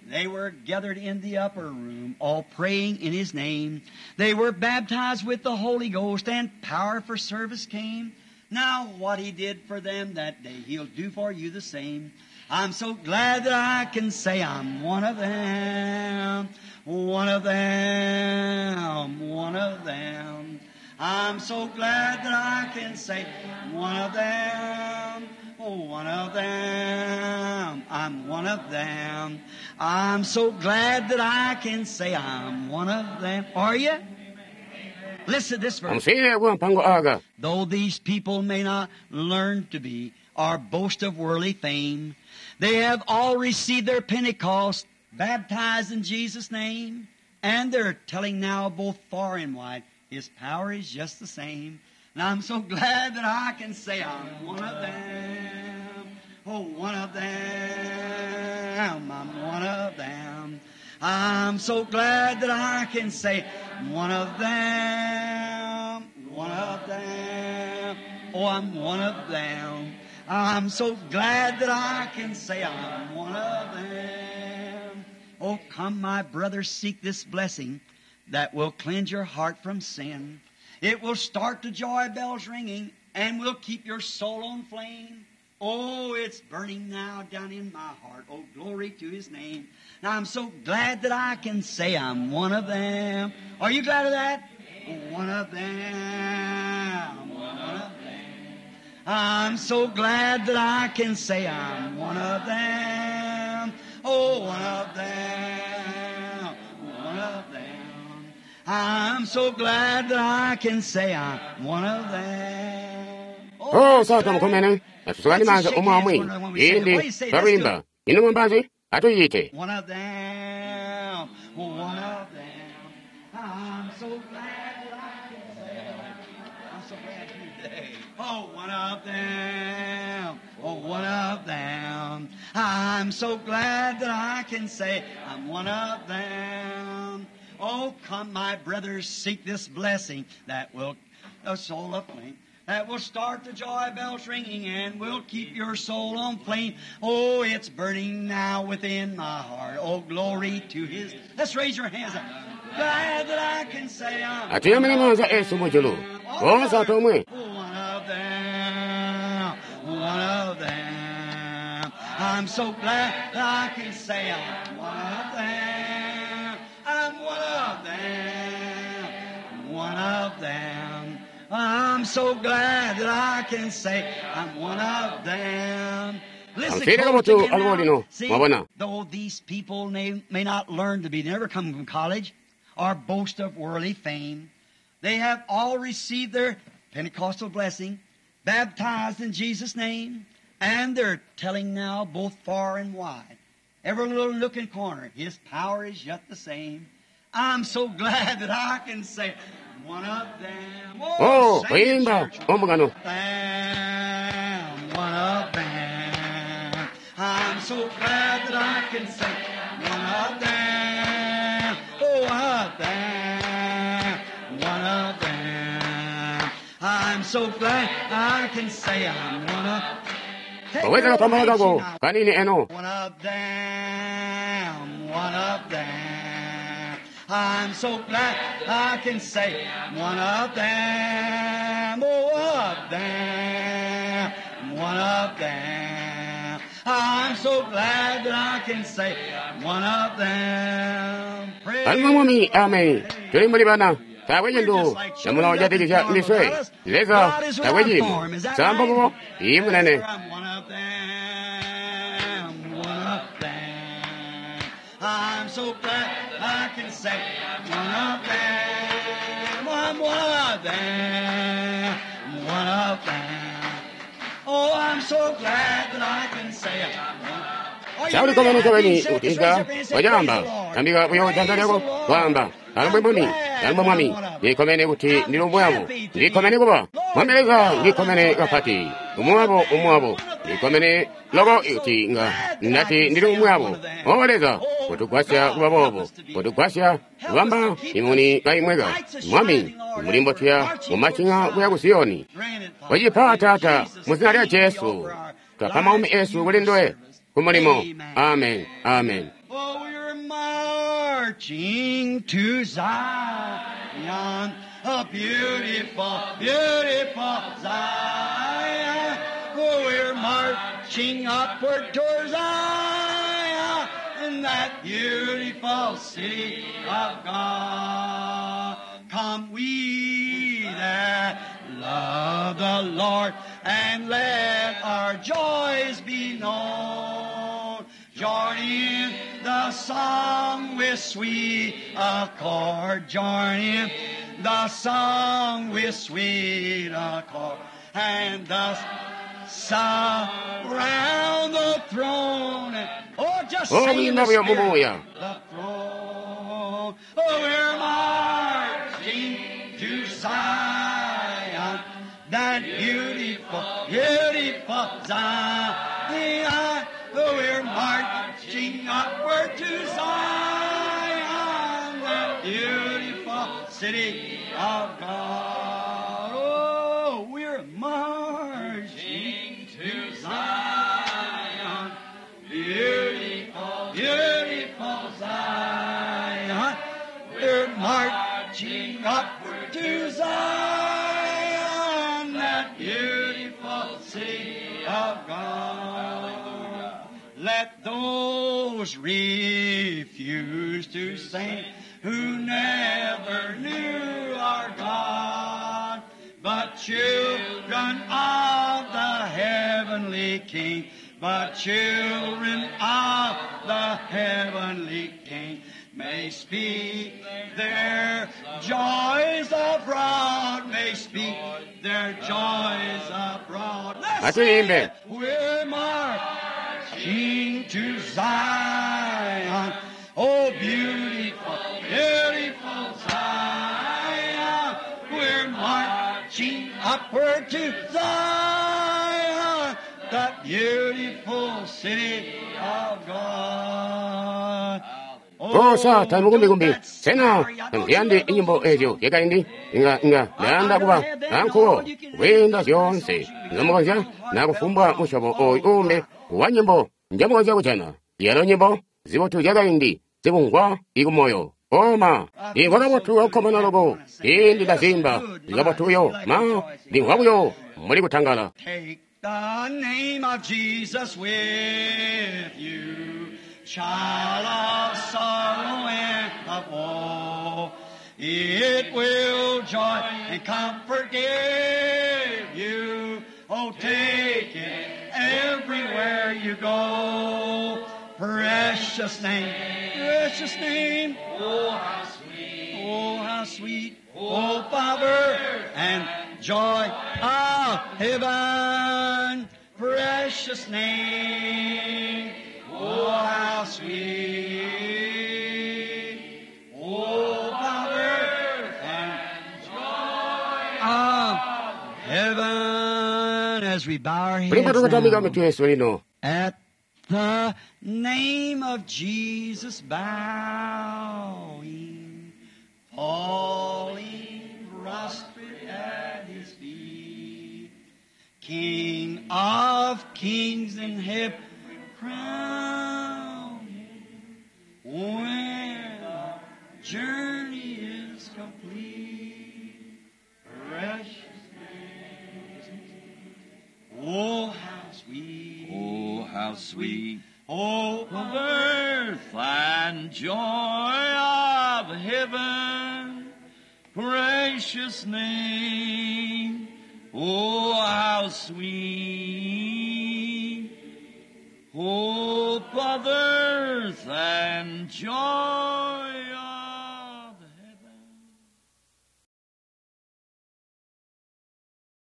They were gathered in the upper room, all praying in His name. They were baptized with the Holy Ghost, and power for service came. Now what He did for them that day, He'll do for you the same. I'm so glad that I can say I'm one of them, one of them, one of them. I'm so glad that I can say one of them, oh, one of them, I'm one of them. I'm so glad that I can say I'm one of them. Are you? Listen to this verse. Amusiyire kuwa mpango aka. Though these people may not learn to be or boast of worldly fame, they have all received their Pentecost, baptized in Jesus' name, and they're telling now both far and wide, His power is just the same. And I'm so glad that I can say I'm one of them. Oh, one of them. I'm one of them. I'm so glad that I can say one of them. One of them. Oh, I'm one of them. I'm so glad that I can say I'm one of them. Oh, come, my brothers, seek this blessing that will cleanse your heart from sin. It will start the joy bells ringing and will keep your soul on flame. Oh, it's burning now down in my heart. Oh, glory to His name. Now, I'm so glad that I can say I'm one of them. Are you glad of that? One of them. One of them. I'm so glad that I can say I'm one of them. Oh, one of them. One of them. I'm so glad that I can say I'm one of them. Oh, sata mukomene atusukani manza omwe amwe indi twakuimba inu mwambazi atuyite. One of them. One of them. I'm so glad that I can say I'm so glad today. Oh, one of them. Oh, one of them. I'm so glad that I can say I'm one of them. Oh, come, my brothers, seek this blessing that will a soul aflame. That will start the joy bells ringing and will keep your soul on flame. Oh, it's burning now within my heart. Oh, glory to His. Let's raise your hands up. Glad that I can say I'm Atuyamene manza esu mujulu. Bonse atomwe. one of them. One of them. I'm so glad that I can say I'm one of them. I'm one of them. One of them. I'm so glad that I can say I'm one of them. Listen, Amfire close kabotu again now. albolino. See, Mwabona. though these people may not learn to be, they never come from college or boast of worldly fame, they have all received their Pentecostal blessing, baptized in Jesus' name, and they're telling now both far and wide, every little nook and corner, His power is yet the same. I'm so glad that I can say, one of them. Oh, sing it, kuimba church. ombukano. Them, one of them. I'm so glad that I can say, one of them. Oh, one of them. One of them. I'm so glad I can say I'm one of. Take Kaweza your kapambala old kako hand kanini eno. one of them, one of them. I'm so glad I can say one of them, oh, one of them, one of them. I'm so glad that I can say one of them. Praise Alima mwami amen. Tuli mbuli bana. Tawe chintu chamuna chatikisha ndiswe. Leza tawe chimo. Sambo bobo imunene. I'm one of them, one of them. I'm so glad I can say one of them. I'm one of them, one of them. Oh, I'm so glad that I can say I'm one. Are you Sauli really komene happy? chaweni Say it, utinga raise your hand and say, wajamba "Praise the Lord." tambika kuyo Praise janza the lyako Lord. kwamba alumbwe mwami I'm glad alumbwe mwami I'm one of them. ndikomene kuti ndili umwe wabo ndikomene kuba mwambeleza ndikomene kapati umwe wabo umwe wabo ndikomene loko kuti nga ndati ndili umwe wabo owoleza kutugwasya kuba bobo kutugwasya kubamba imuni kaimweka mwami mulimbo tuya mumachinga kuya ku Siyoni Grant it, Father. wachipha tata Jesus' mu zina lya name we Jesu offer our twapha maumi lives esu to kuli your ndiwe service. kumulimo Amen. amen amen Oh, we marching to Zion, a beautiful, beautiful Zion. Oh, we're marching upward towards Zion, in that beautiful city of God. Come we that love the Lord, and let our joys be known. Join in the song with sweet accord. Join in the song with sweet accord. And thus surround the throne. Oh, just Oh, sing in the we love you, Spirit. Muya. The throne. Oh, we're marching to Zion, that beautiful, beautiful Zion. Oh, we're marching upward to Zion, that beautiful city of God. Oh, we're marching to Zion, beautiful, beautiful Zion. We're marching upward to Zion, that beautiful city of God. Let those refuse to sing who never knew our God, but children of the heavenly King, but children of the heavenly King may speak their joys abroad, may speak their joys abroad. Let's sing Atuimbe. it. We're marching to Zion. Oh, beautiful, beautiful Zion. We're marching upward to Zion, that beautiful city of God. Oh, sa tamukumbikumbi don't that sena sorry, I don't ndiyandi you love inyimbo those ezyo songs? yakaindi inga inga ndayanda kuba nankuwo kwiinda zyoonse nzomukonzya nakufumbwa musyobo oyu uumbi wa nyimbo njomukonzya kujana yalo nyimbo zibotu zyakaindi zibungwa ikumoyo oma ndimvwa kabotu kakukkomana loko indi ndazimba zikabotuyo ma ndimvwa buyo muli kutangala Take the name of Jesus with you, child of sorrow and of woe. It will joy and comfort give you. Oh, take it everywhere you go. Precious name, precious name. Oh, how sweet. Oh, how sweet. Oh, Father, and joy of heaven. Precious name. Oh, how sweet. Oh, Father, and joy of heaven. As we bow our kulimba heads tukutamika now. mitu yesu lino At the name of Jesus bowing, falling prostrate at his feet, King of kings and heaven crowned, when our journey is complete, precious name. Oh, how sweet. Oh, how sweet Oh, of earth and joy of heaven, precious name. Oh, how sweet. Hope of earth and joy